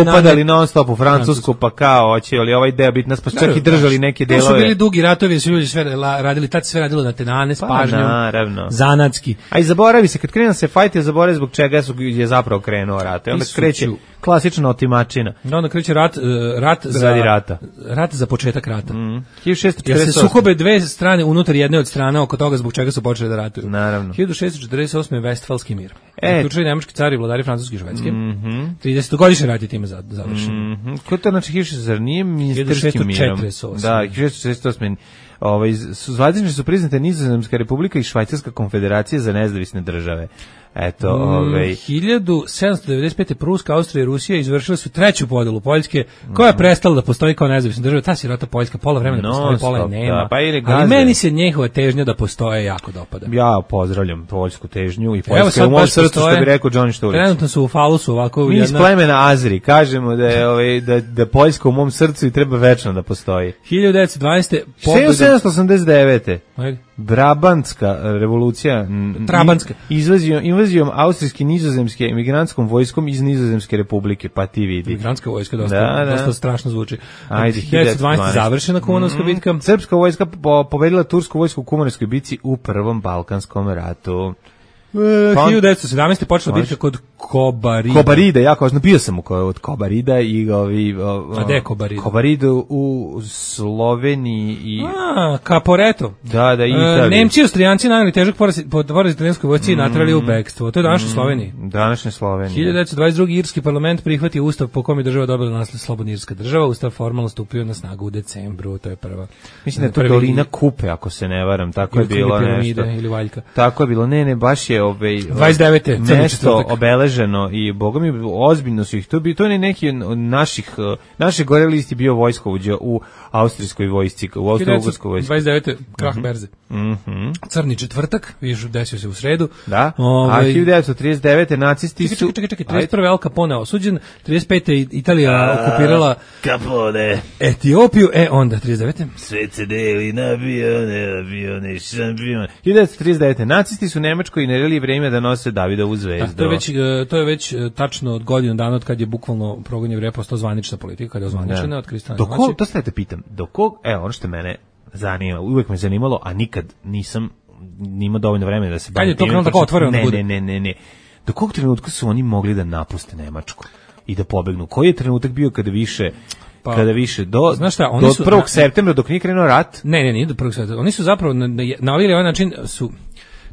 E: upadali non stop u Francusku, pa kao hoće li ovaj deo biti nas, pa čak i držali neke delove.
F: To su bili dugi ratovi, su ljudi sve radili, tad sve radilo na tenane, s
E: pa,
F: pažnjom,
E: naravno.
F: zanatski.
E: A i zaboravi se, kad krenu se fajti, zaboravi zbog čega su, je zapravo krenuo rat. I onda kreće klasična otimačina.
F: Da, onda kreće rat, rat za
E: radi rata.
F: Rat za početak rata.
E: Mm. hiljadu šessto četrdeset osme
F: Jer se sukobe dve strane unutar jedne od strana oko toga zbog čega su počeli da ratuju.
E: Naravno.
F: hiljadu šessto četrdeset osme Vestfalski mir.
E: E,
F: uključili nemački cari i vladari Francuske i Švedske.
E: Mm-hmm.
F: tridesetogodišnji rat je time završen.
E: Mm-hmm. Ko to znači hiljadu zar nije ministarskim mirom? Da, hiljadu šessto četrdeset osme Ovaj, zvanično su priznate Nizozemska republika i Švajcarska konfederacija za nezavisne države. Eto, ovaj
F: hiljadu sedamsto devedeset pete Pruska, Austrija i Rusija izvršile su treću podelu Poljske, koja je prestala da postoji kao nezavisna država. Ta sirota Poljska pola vremena no, postoji, pola je nema. Da, pa ali meni se njihova težnja da postoje jako dopada.
E: Ja pozdravljam poljsku težnju i Poljska u mom srcu, što bi rekao Johnny Štulić.
F: Trenutno su u falusu ovako.
E: Mi iz plemena Azri kažemo da je ovaj da da Poljska u mom srcu i treba večno da postoji.
F: hiljadu devetsto dvanaeste
E: sedamsto osamdeset devete Brabantska revolucija,
F: Trabantska.
E: Invazijom, invazijom austrijske nizozemske emigrantskom vojskom iz Nizozemske republike, pa ti vidi.
F: Emigrantska vojska, dosta,
E: da, da.
F: dosta strašno zvuči.
E: Ajde,
F: hiljadu devetsto dvanaeste završena Kumanovska mm-hmm. bitka.
E: Srpska vojska po, pobedila tursku vojsku u Kumanovskoj bitci u Prvom Balkanskom ratu.
F: Uh, hiljadu devetsto sedamnaeste počela bitka kod Kobarida.
E: Kobarida, ja kao bio sam u od Kobarida i ovi
F: A gde je Kobarida?
E: Kobarida u Sloveniji i
F: A, Caporetto.
E: Da, da, i Italija.
F: Uh, Nemci i Austrijanci naneli težak poraz poraz italijanskoj vojsci i naterali u bekstvo. To je današnja mm, Slovenija.
E: Današnja Slovenija.
F: hiljadu devetsto dvadeset druge Irski parlament prihvatio ustav po kome je država dobila naslov slobodna irska država. Ustav formalno stupio na snagu u decembru, to je prva.
E: Mislim da je to prvi... dolina Kupe, ako se ne varam, tako je bilo nešto.
F: Ili Valjka.
E: Tako je bilo. Ne, ne, baš je ovaj
F: dvadeset devete
E: nešto obeleženo i bogami ozbiljno su ih to bi to ne neki od naših naše gore listi bio vojskovođa u austrijskoj vojsci, u austrougarskoj vojsci.
F: dvadeset devete krah berze.
E: Mhm.
F: Crni četvrtak, vidiš, desio se u sredu.
E: Da. Ove, a hiljadu devetsto trideset devete nacisti
F: čekaj,
E: su
F: čekaj, čekaj, trideset prve Al Capone osuđen, trideset pete Italija a, okupirala
E: Capone
F: Etiopiju, e onda trideset devete
E: sve se deli na avione, avione, šampion. hiljadu devetsto trideset devete nacisti su Nemačkoj naredili vreme da nose Davidovu zvezdu.
F: Da, to je već to je već tačno od godinu dana od kad je bukvalno progon Jevreja postao zvanična politika, kada je ozvaničena od Kristana.
E: Do kog, to ste te pitam, do kog, evo ono što mene zanima, uvek me zanimalo, a nikad nisam nimao dovoljno vremena da se bavim.
F: Kad je to krenuo tako otvoreno da bude?
E: Ne, ne, ne, ne. Do kog trenutka su oni mogli da napuste Nemačku i da pobegnu? Koji je trenutak bio kada više pa, kada više do
F: znaš šta, oni
E: do
F: su,
E: prvog septembra dok nije krenuo rat?
F: Ne, ne, nije do prvog septembra. Oni su zapravo na, na ovaj način su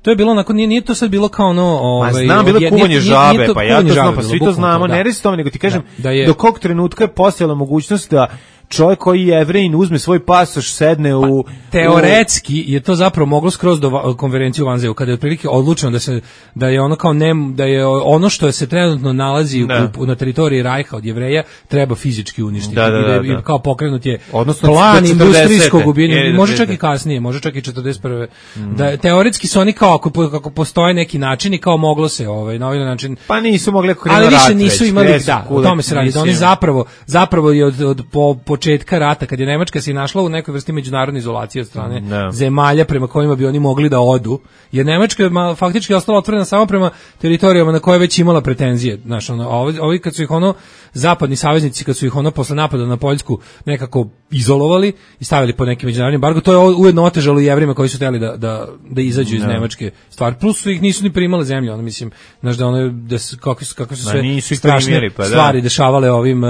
F: to je bilo onako, nije, nije to sad bilo kao ono ovaj,
E: ma znam, bilo kuvanje žabe, nije, nije
F: pa
E: ja to znam, pa svi to znamo, ne reci to, nego ti kažem da, da je, do kog trenutka je postojala mogućnost da čovjek koji je Jevrejin uzme svoj pasoš, sedne u... Pa,
F: teoretski je to zapravo moglo skroz do konferencije u Vanzeju, kada je otprilike odlučeno da se da je ono kao ne, da je ono što se trenutno nalazi u, na teritoriji Rajha od Jevreja treba fizički uništiti.
E: Da, da, da,
F: I da, kao pokrenut je
E: odnosno
F: plan industrijskog ubijanja, može čak i kasnije, može čak i četrdeset prve Mm. Da, teoretski su oni kao, ako, ako postoje neki način i kao moglo se ovaj, na ovaj način...
E: Pa nisu mogli ako
F: ali više nisu imali, da, o tome se radi, da oni zapravo, zapravo je od, od po, po početka rata, kad je Nemačka se našla u nekoj vrsti međunarodne izolacije od strane
E: no.
F: zemalja prema kojima bi oni mogli da odu, jer Nemačka je faktički ostala otvorena samo prema teritorijama na koje je već imala pretenzije. Znaš, ono, a ovi, ovi kad su ih ono, zapadni saveznici, kad su ih ono posle napada na Poljsku nekako izolovali i stavili po neki međunarodni embargo, to je ujedno otežalo i Jevrima koji su hteli da, da, da izađu iz no. Nemačke stvari. Plus su ih nisu ni primale zemlje, ono, mislim, znaš da ono, da su, kako su, kako su sve strašne primjeri, pa, stvari da. dešavale ovim uh,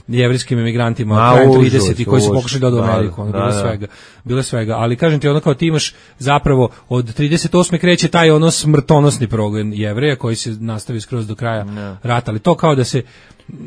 F: jevrijskim emigrantima krajem tridesetih koji su pokušali da odu u Ameriku, ono, da, bilo da. svega, bilo svega, ali kažem ti, ono kao ti imaš zapravo od trideset osme kreće taj ono smrtonosni progon Jevreja koji se nastavi skroz do kraja no. rata, ali to kao da se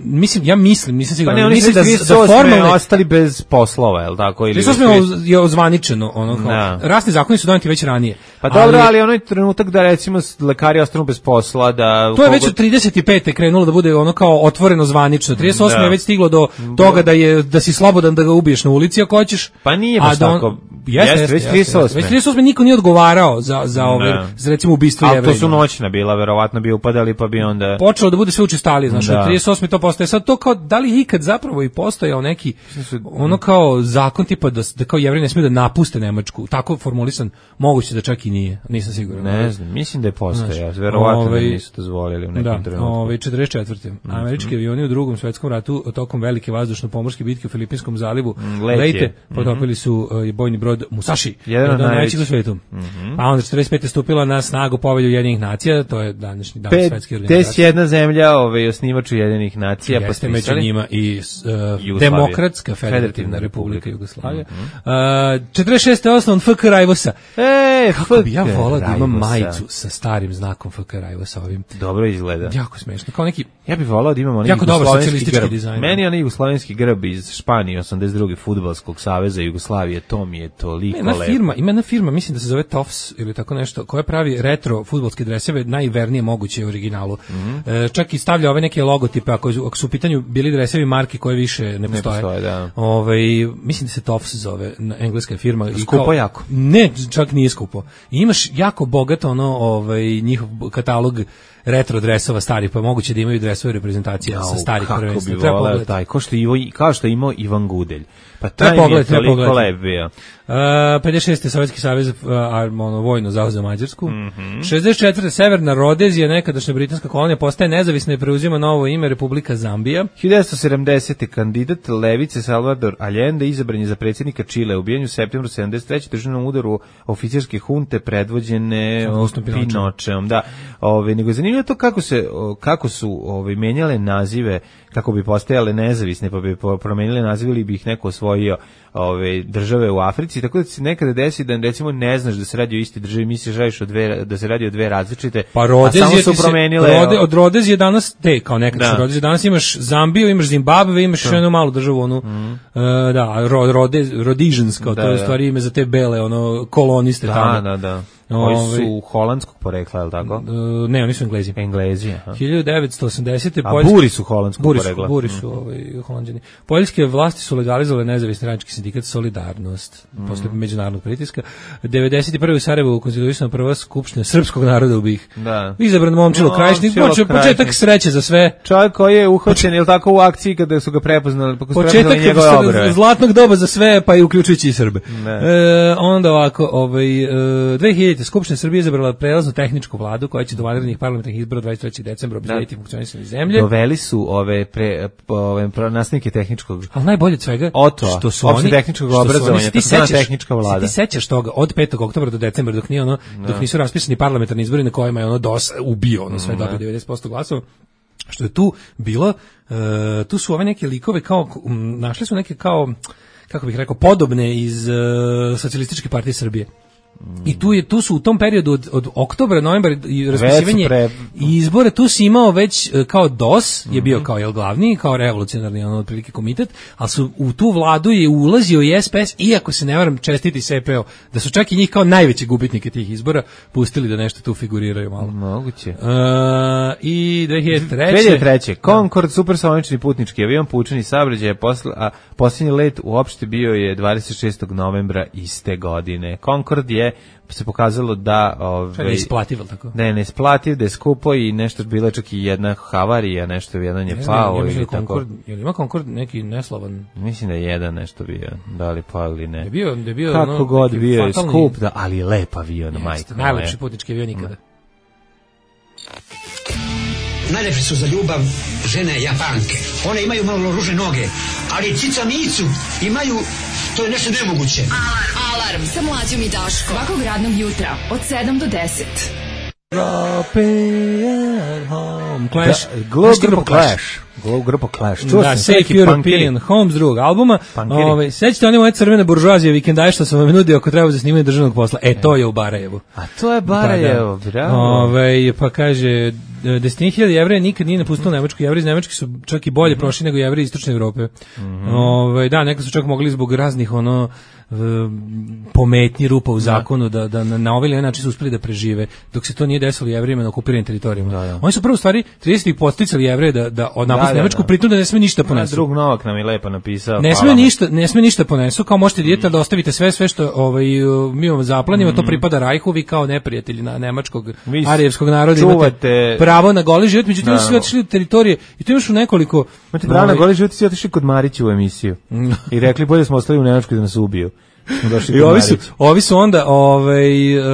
F: mislim, ja mislim, nisam siguran,
E: pa ne,
F: mislim da,
E: da formalne ostali bez poslova, je l' tako? Ili
F: trideset osme je ozvaničeno, ono kao, no. rasni zakoni su doneti već ranije.
E: Pa dobro, ali, ali onaj trenutak da recimo lekari ostanu bez posla, da...
F: To je već od trideset pete krenulo da bude ono kao otvoreno zvanično, trideset osme da. je već stiglo do toga da je da si slobodan da ga ubiješ na ulici ako hoćeš.
E: Pa nije baš da on, tako.
F: Jeste, jeste, već trideset osme. Već trideset osme niko nije odgovarao za, za, ove, no. za recimo ubistvo Jevreja.
E: Ali to su noćna bila, verovatno bi upadali pa bi onda...
F: Počelo da bude sve učestalije, znaš, od trideset osme to postaje. Sad to kao, da li je ikad zapravo i postojao neki, ono kao zakon tipa da, da kao Jevreji ne smiju da napuste Nemačku, tako formulisan, moguće da čak i nije, nisam siguran.
E: Ne znam, mislim da je postojao, verovatno
F: ove,
E: da nisu dozvolili u nekim
F: da,
E: trenutku.
F: Ove, četrdeset četvrte Mm-hmm. Američki avioni u drugom svetskom ratu tokom velike vazdušno-pomorske bitke u Filipinskom zalivu Leyte potopili su uh, bojni brod Musashi, jedan od najvećih u svetu. Mm-hmm. A onda četrdeset pete stupila na snagu Povelja Ujedinjenih nacija, to je današnji dan svetske organizacije.
E: Pedeset jedna zemlja, ovaj osnivač Ujedinjenih nacija,
F: jeste među njima i uh, Demokratska federativna republika Jugoslavija. Mm-hmm. uh, četrdeset šeste osnovan F K Rajvosa.
E: E,
F: kako bi ja volao da imam majicu sa starim znakom F K Rajvosa ovim.
E: Dobro izgleda.
F: Jako smešno, kao neki.
E: Ja bih volao da imamo onaj jugoslovenski grb. Meni je onaj jugoslovenski grb iz Španije osamdeset druge fudbalskog saveza Jugoslavije, to mi je toliko lepo.
F: Ima firma, ima jedna firma, mislim da se zove Toffs ili tako nešto, koja pravi retro fudbalske dreseve, najvernije moguće u originalu. Mm-hmm. E, čak i stavlja ove neke logotipe, ako, ako su u pitanju bili dresevi marki koje više ne postoje. Ne postoje, da. Ove, mislim da se Toffs zove, engleska firma.
E: Skupo kao, jako?
F: Ne, čak nije skupo. I imaš jako bogato ono, ovaj, njihov katalog retro dresova stari, pa moguće da imaju dresove reprezentacije sa starih prvenstva.
E: Kako bi voleo taj, kao što, Ivo, kao što je imao Ivan Gudelj. Pa taj mi je toliko lep bio.
F: Uh, pedeset šeste Sovjetski savez uh, ono, vojno zauzeo Mađarsku.
E: Mm-hmm.
F: šezdeset četvrte Severna Rodezija, nekadašnja britanska kolonija, postaje nezavisna i preuzima novo ime Republika Zambija.
E: hiljadu devetsto sedamdesete kandidat levice Salvador Allende izabran je za predsjednika Čile, ubijen u septembru sedamdeset treće državnom udaru oficirske hunte predvođene Pinočeom. Da, ove, nego je zanimljivo to kako, se, kako su ove, menjale nazive, kako bi postajale nezavisne, pa bi promenile nazive ili bi ih neko osvojio ove države u Africi, tako da se nekada desi da recimo ne znaš da se radi o isti državi, misliš radiš o dve, da se radi o dve različite,
F: pa
E: a samo su promenile.
F: Se, rode, od Rodezije danas, te kao nekada da. Rodezije, danas imaš Zambiju, imaš Zimbabve, imaš jednu malu državu, onu, mm. uh, da, Rode, Rhodesians, kao da, to je u stvari ime za te bele, ono, koloniste
E: da,
F: tamo.
E: Da, da, koji su holandskog porekla, je li tako?
F: Uh, ne, oni su Englezi.
E: Englezi, aha.
F: hiljadu devetsto osamdesete
E: A Poljski, buri su holandskog
F: buri
E: porekla.
F: Su, buri su mm. ovaj, holanđani. Poljske vlasti su legalizovale nezavisni radnički sindikat Solidarnost, mm. posle međunarodnog pritiska. devedeset prve u Sarajevu konstituisana prva skupština srpskog naroda u B i H.
E: Da.
F: Izabran Momčilo no, Krajišnik, počeo početak sreće za sve.
E: Čovjek koji je uhvaćen, je li tako, u akciji kada su ga prepoznali, pa
F: početak zlatnog doba za sve, pa i uključujući i Srbe. E, onda ovako, ovaj, e, dve hiljadite Skupština Srbije izabrala prelaznu tehničku vladu koja će do vanrednih parlamentarnih izbora dvadeset trećeg decembra obezbediti funkcionisanje zemlje.
E: Doveli su ove pre ove nastavnike tehničkog.
F: Al najbolje od svega
E: Oto,
F: što su oni
E: tehničkog obrazovanja,
F: ti sećaš
E: tehnička vlada.
F: Ti sećaš toga od petog oktobra do decembra dok nije ono no. dok nisu raspisani parlamentarni izbori na kojima je ono dos ubio ono sve no. dobio devedeset posto glasova. Što je tu bilo, uh, tu su ove neke likove kao um, našli su neke kao kako bih rekao podobne iz uh, Socijalističke partije Srbije. I tu je tu su u tom periodu od, od oktobra, novembra i raspisivanje pre... i izbore, tu si imao već kao D O S je bio kao jel glavni, kao revolucionarni ono otprilike komitet, ali su u tu vladu je ulazio i S P S, iako se ne varam čestiti S P O, da su čak i njih kao najveći gubitnike tih izbora pustili da nešto tu figuriraju malo.
E: Moguće.
F: Uh, I dve hiljade treće
E: dve hiljade treće Concorde supersonični putnički avion pučeni saobraćaj, posle a posljednji let uopšte bio je dvadeset šestog novembra iste godine. Concorde je se pokazalo da ovaj
F: Šta je isplativo tako?
E: Da je neisplativ, da je skupo i nešto bilo čak i jedna havarija, nešto jedan je pao
F: ja
E: ili
F: Concord,
E: tako.
F: Je li ima Concord neki neslavan?
E: Mislim da je jedan nešto bio, da li pao ili ne.
F: Je bio, je bio
E: kako
F: no,
E: god bio je
F: fatalni...
E: skup, da, ali je lep avion, majko.
F: Najlepši putnički avion nikada.
H: Najlepše su za ljubav žene Japanke. One imaju malo ružne noge, ali cica micu imaju, to je nešto nemoguće.
G: Alarm, alarm sa mlađom i Daškom. Svakog radnog jutra od sedam do deset.
F: European Home Clash.
E: Glow grupa Clash. Glow grupa Clash. Čuo
F: da,
E: sam
F: Safe European Home s drugog albuma. Ove, sećate one moje crvene buržuazije vikendaje što sam vam nudio ako treba za snimanje državnog posla. E, to je u Barajevu.
E: A to je Barajevo,
F: pa, da.
E: bravo.
F: Ove, pa kaže, desetine hiljada Jevreja nikad nije napustilo Nemačku. Jevreji iz Nemačke su čak i bolje mm-hmm. prošli nego Jevreji iz Istočne Evrope. Mm-hmm. Ove, da, nekad su čak mogli zbog raznih ono pometnji rupa u zakonu da, da na, na ovaj način su uspeli da prežive dok se to nije desilo Jevrejima na okupiranim teritorijama. Da, da. Oni su prvo u stvari tridesetih podsticali Jevreje da da od napuste Nemačku, pritom da ne sme ništa ponesu.
E: Drug Novak nam je lepo napisao.
F: Ne sme ništa, ne sme ništa ponesu, kao možete dijete da ostavite sve sve što ovaj mi vam zaplanimo, mm. to pripada Rajhu, vi kao neprijatelji na nemačkog arijevskog naroda imate pravo na goli život, međutim su otišli u teritorije i to još u nekoliko
E: imate pravo na goli život, i otišli kod Marića u emisiju i rekli bolje smo ostali u Nemačkoj da nas ubiju.
F: I ovi su, ovi su onda ovaj, uh,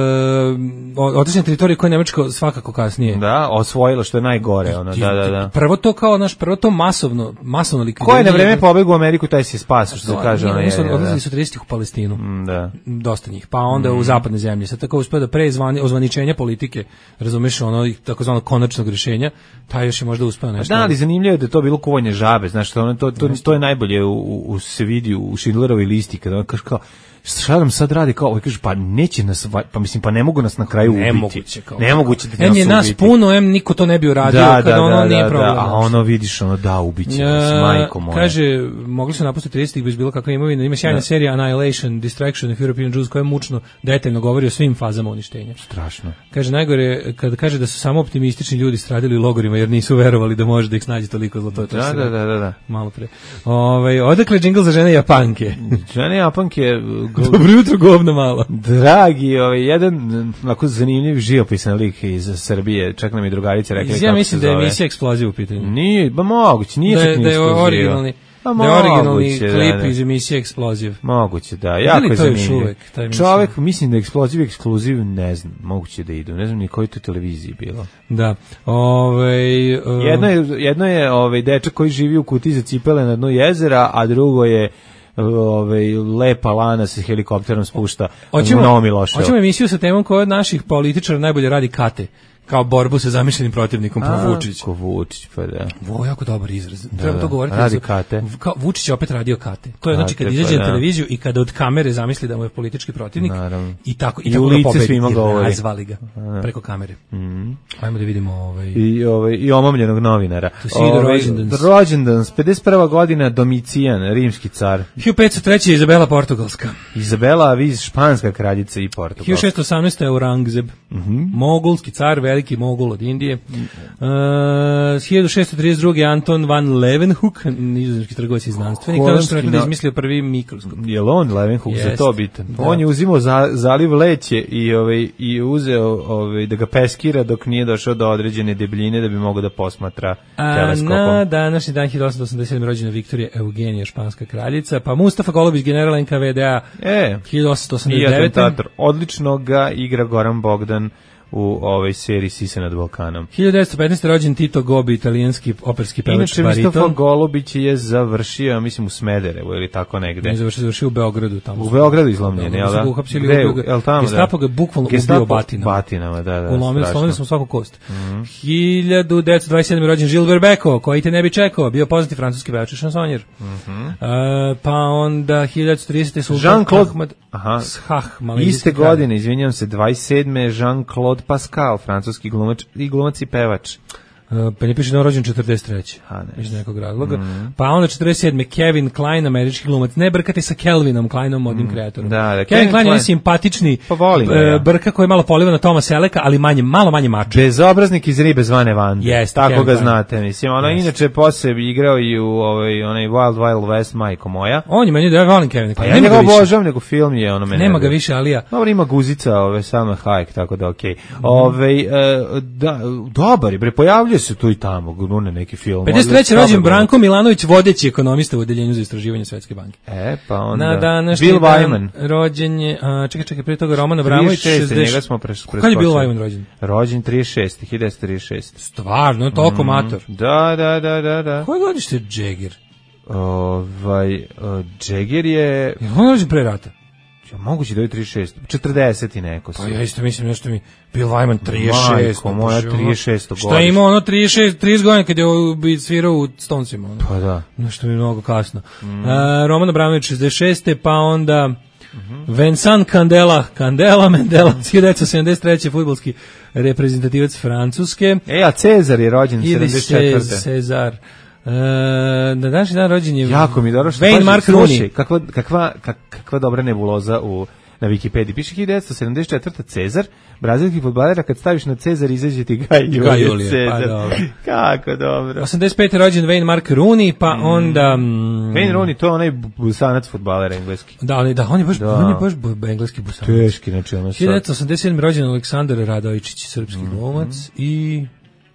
F: otišli na teritorije koje je Nemačka svakako kasnije.
E: Da, osvojilo što je najgore. Ono, da, da, da.
F: Prvo to kao, naš, prvo to masovno, masovno likvidiranje.
E: Ko je na vreme pobegao u Ameriku, taj se spasa, što se kaže.
F: Oni su odlazili su tridesetih u Palestinu.
E: Mm, da.
F: Dosta njih. Pa onda mm. u zapadne zemlje. Sad tako uspio da pre ozvaničenja politike, razumeš, ono, takozvano konačnog rješenja, taj još je možda uspio nešto.
E: Da, ali zanimljivo je da to bilo kuvanje žabe, znaš, ono, to, to, to je najbolje u, u, u se vidi u Schindlerovoj listi, kada on kaže kao, šta nam sad radi, kao, ovaj kaže, pa neće nas, pa mislim, pa ne mogu nas na kraju ubiti.
F: Nemoguće, kao.
E: Nemoguće da nas
F: ubiti.
E: ubiti.
F: Em je nas puno, em niko to ne bi uradio,
E: da,
F: kada
E: da,
F: ono
E: da,
F: nije
E: da,
F: problem.
E: Da, a ono vidiš, ono da, ubiće nas, majko moja.
F: Kaže, mogli su napustiti tridesetih bez bilo kakve imovine, ima sjajna serija Annihilation, Distraction of European Jews, koja mučno, detaljno govori o svim fazama uništenja.
E: Strašno.
F: Kaže, najgore, kada kaže da su samo optimistični ljudi stradili u logorima, jer nisu verovali da može da ih snađe toliko zlo, to je to.
E: Da, da, da, da, da.
F: Malo pre. Ovaj, odakle džingl za žene Japanke?
E: Žene Japanke...
F: Dobro jutro, govna malo.
E: Dragi, ovaj, jedan onako zanimljiv živopisan lik iz Srbije, čak nam i drugarice rekli kako se zove.
F: Ja mislim da je emisija Eksploziv u pitanju.
E: Nije, ba moguće, nije
F: da,
E: čak ni
F: da je originalni,
E: da
F: je originalni
E: moguće,
F: klip
E: da, da.
F: iz emisije Eksploziv.
E: Moguće, da, jako je zanimljiv.
F: Uvek,
E: čovek, mislim da je Eksploziv, Ekskluziv, ne znam, moguće da idu, ne znam ni koji to televiziji bilo.
F: Da, ovaj... Uh...
E: Jedno je, jedno je ovaj, dečak koji živi u kutiji za cipele na dnu jezera, a drugo je ovaj lepa lana se helikopterom spušta u Novom Miloševu.
F: Hoćemo emisiju sa temom koja od naših političara najbolje radi kate, kao borbu sa zamišljenim protivnikom, po Vučić.
E: Ko Vučić, pa da.
F: Ovo je jako dobar izraz.
E: Da,
F: treba to govoriti.
E: Radi kate.
F: Kao Vučić je opet radio kate. To je kate, znači kad izađe pa, na televiziju i kada od kamere zamisli da mu je politički protivnik. Naravno. I tako i, I tako u lice svima govori. Razvali ga preko kamere.
E: Mm.
F: Ajmo da vidimo ovaj
E: i ovaj i omamljenog novinara.
F: Ovaj
E: rođendan pedeset prva godina, Domicijan, rimski car.
F: hiljadu petsto treće Izabela Portugalska.
E: Izabela Aviz, španska kraljica i Portugalska.
F: hiljadu šessto osamnaeste Aurangzeb.
E: Mhm.
F: Mogulski car, veliki mogul od Indije. Uh, hiljadu šessto trideset druge Anton van Leeuwenhoek, nizozemski trgovac i znanstvenik, kao što rekli da je izmislio prvi mikroskop.
E: Je li on Leeuwenhoek yes. za to bitan? Da. On je uzimao za, zaliv leće i ovaj i uzeo ovaj da ga peskira dok nije došao do određene debljine da bi mogao da posmatra teleskopom.
F: Na današnji dan hiljadu osamsto osamdeset sedme rođena Viktorija Eugenija, španska kraljica, pa Mustafa Golubić, general en ka ve de a,
E: e,
F: hiljadu osamsto osamdeset devete.
E: Odlično ga igra Goran Bogdan u ovoj seriji Sise nad Balkanom.
F: hiljadu devetsto petnaeste rođen Tito Gobi, italijanski operski pevač,
E: inače,
F: bariton.
E: Mustafa Golubić je završio, ja mislim, u Smederevu ili tako negde.
F: Ne, završio, završio u Beogradu. Tamo
E: u Beogradu izlomljen, jel da?
F: Gde, jel tamo, da? Gestapo ga bukvalno ubio batinama.
E: Batinama, da, da.
F: Ulomili, slomili smo svaku kost.
E: Mm-hmm.
F: hiljadu devetsto dvadeset sedme rođen Žil Verbeko, koji te ne bi čekao, bio poznati francuski pevač i šansonjer.
E: Mm-hmm.
F: Uh, pa onda hiljadu devetsto tridesete Sultan
E: Jean-Claude
F: Ahmad Shah,
E: iste godine, izvinjam se, dvadeset sedme Jean-Claude Pascal, francuski glumač i glumac i pevač.
F: Uh, pa ne piše da je rođen četrdeset treće
E: A, ne.
F: iz nekog razloga. Mm. Pa onda četrdeset sedme Kevin Kline, američki glumac. Ne brkate sa Kelvinom Kleinom, modnim mm. kreatorom.
E: Da, da,
F: Kevin,
E: Kevin
F: Kline je
E: Kline.
F: simpatični
E: Pa volim ga,
F: uh,
E: ja.
F: brka koji je malo poliva na Toma Seleka, ali manje, malo manje mačo.
E: Bezobraznik iz ribe zvane Vande.
F: Jeste,
E: tako
F: Kevin
E: ga
F: Kline.
E: znate, mislim. Ono
F: Jeste.
E: inače posle igrao i u ovaj onaj Wild Wild West, majko moja.
F: On je meni da ja volim Kevin
E: Pa
F: Kline.
E: ja
F: Nema
E: njega
F: ga više.
E: obožavam, nego film je ono mene.
F: Nema ga više, ali ja.
E: Dobro, ima guzica, ove, Salma Hayek, tako da okej. Okay. Ove, e, da, dobar je, bre, pojavljuje se tu i tamo, gune neki film.
F: pedeset treće rođen Branko Milanović, vodeći ekonomista u odeljenju za istraživanje Svetske banke.
E: E, pa onda...
F: Na današnji
E: Bill
F: dan
E: Wyman.
F: rođen je, a, čekaj, čekaj, prije toga Roman Abramović,
E: trideset šeste,
F: šezdeset
E: njega smo preš,
F: Kad je Bill Wyman rođen?
E: Rođen trideset šeste, hiljadu devetsto trideset šeste.
F: Stvarno, toliko mator.
E: Da, da, da, da, da.
F: Koje godište je Jagger?
E: Ovaj, uh, Jagger je...
F: Je on rođen pre rata?
E: Ja, moguće da je trideset šest, četrdeset i neko su.
F: Pa ja isto mislim nešto mi Bill Wyman trideset šest.
E: Majko moja, trideset šesto
F: Šta je imao ono trideset šest, trideset godina kad je bi svirao u Stonesima. Ono.
E: Pa da.
F: Nešto mi je mnogo kasno. Mm. Uh, Roman Abramović šezdeset šeste pa onda mm-hmm. Vincent Candela, Candela Mandela, hiljadu devetsto sedamdeset treće fudbalski reprezentativac Francuske.
E: E, a Cezar je rođen sedamdeset četvrte.
F: Cezar. Uh, na današnji dan rođen je
E: jako mi dobro što
F: Wayne Mark Rooney.
E: Kakva, kakva, kak, kakva dobra nebuloza u, na Wikipediji. Piše hiljadu devetsto sedamdeset četvrte. Cezar, brazilski fudbaler, kad staviš na Cezar izađe ti Gaj Julije,
F: Julije
E: Cezar.
F: pa dobro.
E: Kako dobro.
F: osamdeset pete rođen Wayne Mark Rooney, pa mm. onda... Mm,
E: Wayne Rooney, to je onaj busanac fudbalera engleski.
F: Da, on je, da, on je baš,
E: da.
F: on je baš bu, engleski busanac.
E: Teški, znači ono sad.
F: hiljadu devetsto osamdeset sedme rođen Aleksandar Radojičić, srpski mm. glumac, i...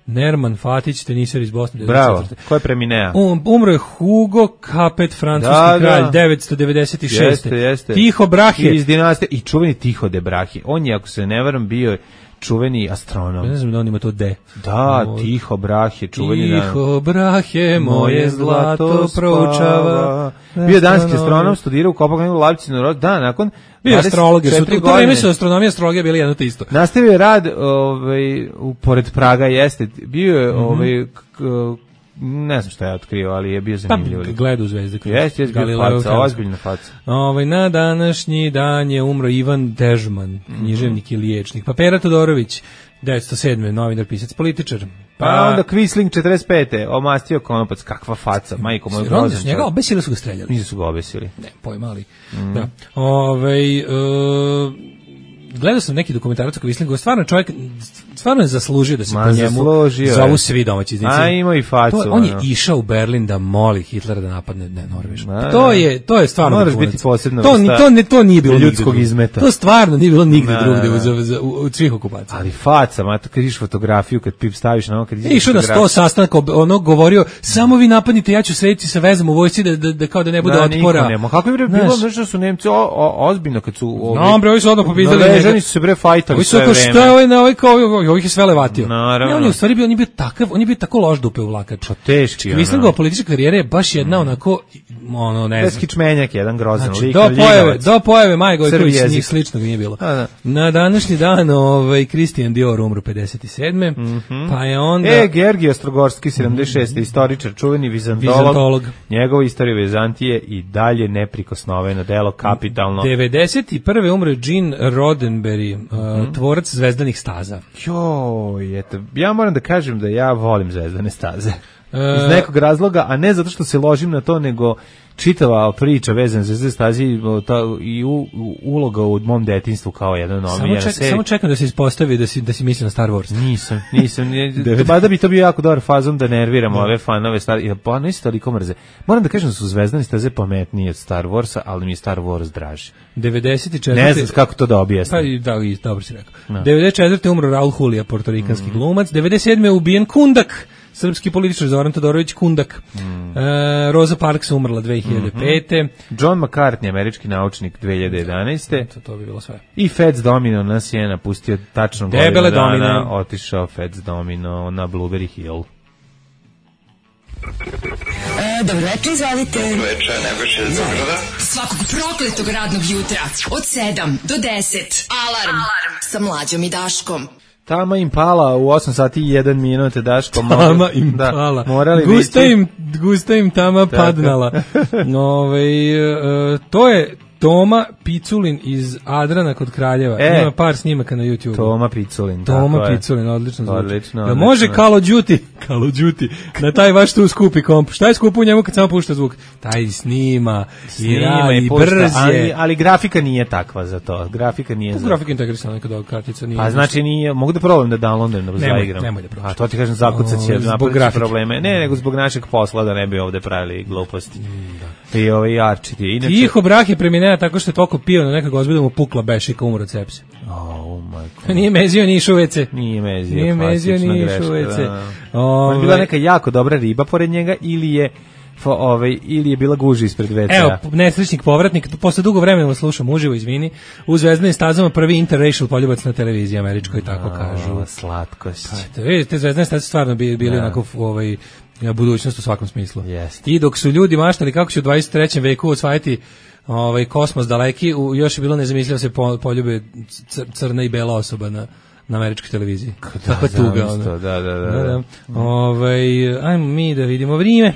F: Nerman Fatić, teniser iz Bosne.
E: Bravo, ko je preminea?
F: Um, umro je Hugo Capet, francuski
E: da,
F: kralj,
E: da.
F: devetsto devedeset šeste.
E: Jeste, jeste.
F: Tiho Brahe.
E: Iz dinastije, i čuveni Tiho de Brahe. On je, ako se ne varam, bio čuveni astronom.
F: Ne znam da on ima to de.
E: Da, o, Tiho Brahe, čuveni dan.
F: Tiho Brahe, moje zlato proučava.
E: Bio danski astronom, studirao u Kopenhagenu, Leipzigu, da, nakon
F: bio astrolog, su to vreme su astronomija i astrologija bili jedno te isto.
E: Nastavio je rad, ovaj, u pored Praga jeste, bio je, mm-hmm. ovaj, k, ne znam šta je otkrio, ali je bio zanimljiv.
F: Pa, gledu zvezde.
E: Jeste, jeste, bio faca, ozbiljna faca.
F: Ovaj, na današnji dan je umro Ivan Dežman, književnik i liječnik. Pa Pera Todorović, devetsto sedme novinar, pisac, političar.
E: Pa, pa onda Quisling četrdeset pete, omastio konopac, kakva faca, majko moj grozan.
F: Onda su njega obesili, su ga streljali.
E: Nisu su ga obesili.
F: Ne, pojma, ali. Mm. Da. Ove, uh, gledao sam neki dokumentarac o Quislingu, stvarno čovjek stvarno je zaslužio da se
E: Ma,
F: po njemu zovu svi domaći iznici.
E: A ima i facu.
F: To, on je išao u Berlin da moli Hitlera da napadne ne, Norvešku. To je to je stvarno
E: moraš biti posebno
F: to, ni, to, ne, to nije bilo
E: ljudskog izmeta.
F: To stvarno nije bilo nigde drugde u, u, u, u svih okupacija.
E: Ali faca, ma, kad vidiš fotografiju, kad pip staviš na ono, kad
F: je išao na sto sastanaka, ono govorio, samo vi napadnite, ja ću srediti sa vezom u vojsci da, da, da kao da ne bude da, otpora.
E: Ne, kako je bilo, nešto su Nemci o, o, ozbiljno kad su ovi...
F: No, bre, ovi su odmah pobjedili.
E: Norvežani su se bre fajtali sve vreme.
F: Ovi su kao šta je ovaj na ovaj, kao ovih je sve levatio.
E: Naravno.
F: Ne, on je u stvari bio, on je bio takav, on je bio tako loš dupe uvlakač.
E: Pa teški, ono.
F: Mislim da politička karijera je baš jedna onako, ono, ne znam.
E: Kičmenjak, jedan grozan
F: znači,
E: lik.
F: Do pojave, do pojave Maje Gojković, njih slično nije bilo. A, da. Na današnji dan, ovaj, Christian Dior umro pedeset sedme
E: Mm-hmm.
F: Pa je onda...
E: E, Georgij Ostrogorski, sedamdeset šeste Mm-hmm. Istoričar, čuveni vizantolog. Vizantolog. Njegova istorija Vizantije i dalje neprikosnoveno delo, kapitalno.
F: devedeset prve umro Gene Roddenberry, mm-hmm. uh, tvorac zvezdanih staza.
E: Joj, eto, ja moram da kažem da ja volim zvezdane staze. Iz nekog razloga, a ne zato što se ložim na to, nego čitava priča vezana za zvezdane staze i u, u, uloga u mom detinjstvu kao jedan omiljena
F: ček,
E: serija.
F: Samo čekam da se ispostavi da si, da si misli na Star Wars.
E: Nisam, nisam. Ba da bi to bio jako dobar fazon da nerviramo ove fanove Star Wars. Pa ne isto toliko mrze. Moram da kažem da su zvezdane staze pametnije od Star Warsa, ali mi je Star Wars draži.
F: devedeset četvrte
E: Ne znam kako to da objasnim.
F: Pa da, i dobro si rekao. No. devedeset četvrte umro Raul Julia, portorikanski mm. glumac. devedeset sedme ubijen Kundak, srpski političar Zoran Todorović Kundak. Mm. E, Rosa Parks umrla dve hiljade pete
E: Mm-hmm. John McCartney, američki naučnik, dve hiljade jedanaeste
F: To, to bi bilo sve.
E: I Fats Domino nas je napustio tačno
F: Debele
E: godinu dana.
F: Domine.
E: Otišao Fats Domino na Blueberry Hill.
G: E, dobro večer, izvalite.
C: Dobro večer, Nebojša iz Beograda.
G: Svakog prokletog radnog jutra od sedam do deset. Alarm, Alarm. Sa Mlađom i Daškom.
E: Tama Impala u osam sati i jedan minut, Daško.
F: Tama Impala.
E: Da, morali
F: gusta, im, gusta im tama padnala. Ove, uh, to je Toma Piculin iz Adrana kod Kraljeva.
E: E,
F: ima par snimaka na YouTube.
E: Toma Piculin.
F: Toma Piculin, odlično zvuči.
E: Odlično,
F: da
E: odlično.
F: može Call of Duty, Call of Duty, na taj vaš tu skupi komp. Šta je skupo u njemu kad samo pušta zvuk? Taj snima, snima i radi, brz je.
E: Ali, ali grafika nije takva za to. Grafika nije za...
F: Grafika integrisana neka da kartica nije.
E: Pa znači nije, mogu da probam da downloadujem da zaigram.
F: Nemoj da probaš.
E: A to ti kažem, zakucat će
F: zbog
E: napraviti
F: grafike.
E: probleme. Ne, nego zbog našeg posla da ne bi ovde pravili gluposti. Mm, da. I ovaj jarčiti. Inače...
F: Tiho brak je preminea tako što je toliko pio na nekog ozbiljda mu pukla bešika, umro od sepse.
E: Oh, majko.
F: Nije mezio, ni išao u ve ce.
E: Nije mezio,
F: Nije mezio, ni išao u ve ce.
E: On je bila neka jako dobra riba pored njega ili je ovaj ili je bila guža ispred ve ce.
F: Evo, nesrećnik povratnik, posle dugo vremena slušam uživo, izvini, u Zvezdanim stazama prvi interracial poljubac na televiziji američkoj, tako kažu.
E: O, slatkost.
F: Pa, te, te Zvezdane staze stvarno bili, bili onako ovaj, budućnost u svakom smislu.
E: Jest.
F: I dok su ljudi maštali kako će u dvadeset trećem veku osvajati ovaj kosmos daleki, u, još je bilo nezamislivo se po, poljube cr, crna i bela osoba na na američkoj televiziji. Tako tuga ona.
E: Da, da, da.
F: da, da. Ovaj, ajmo mi da vidimo vrijeme.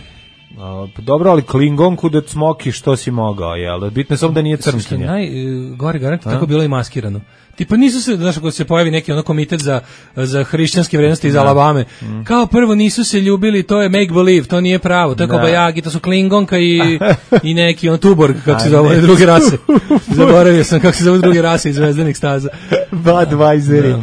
E: A, dobro, ali Klingonku da cmoki što si mogao, jel? Bitno je samo da nije crnkinja.
F: Naj, gore garant, tako bilo i maskirano. Tipa nisu se, znaš, ako se pojavi neki ono komitet za, za hrišćanske vrednosti iz da. Alabame, mm. kao prvo nisu se ljubili, to je make believe, to nije pravo, to je kao Bajagi, to su Klingonka i, i neki on Tuborg, kako se zove druge rase. Zaboravio sam kako se zove druge rase iz Zvezdanih staza.
E: Budweiseri.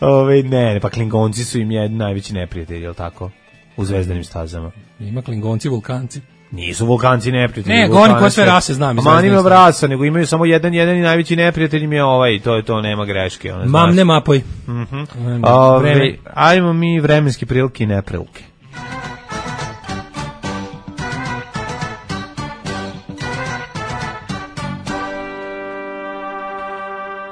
E: Ove, ne, ne, pa Klingonci su im jedni najveći neprijatelji, je li tako? U Zvezdanim stazama.
F: Ima Klingonci, Vulkanci.
E: Nisu Vulkanci neprijatelji.
F: Ne, govorim koje sve rase znam.
E: Ma nima rasa, nego imaju samo jedan, jedan i najveći neprijatelj im je ovaj, to je to, nema greške. Ona,
F: Mam ne mapoj.
E: Mm-hmm. Ove, ajmo mi vremenski prilike i neprilike.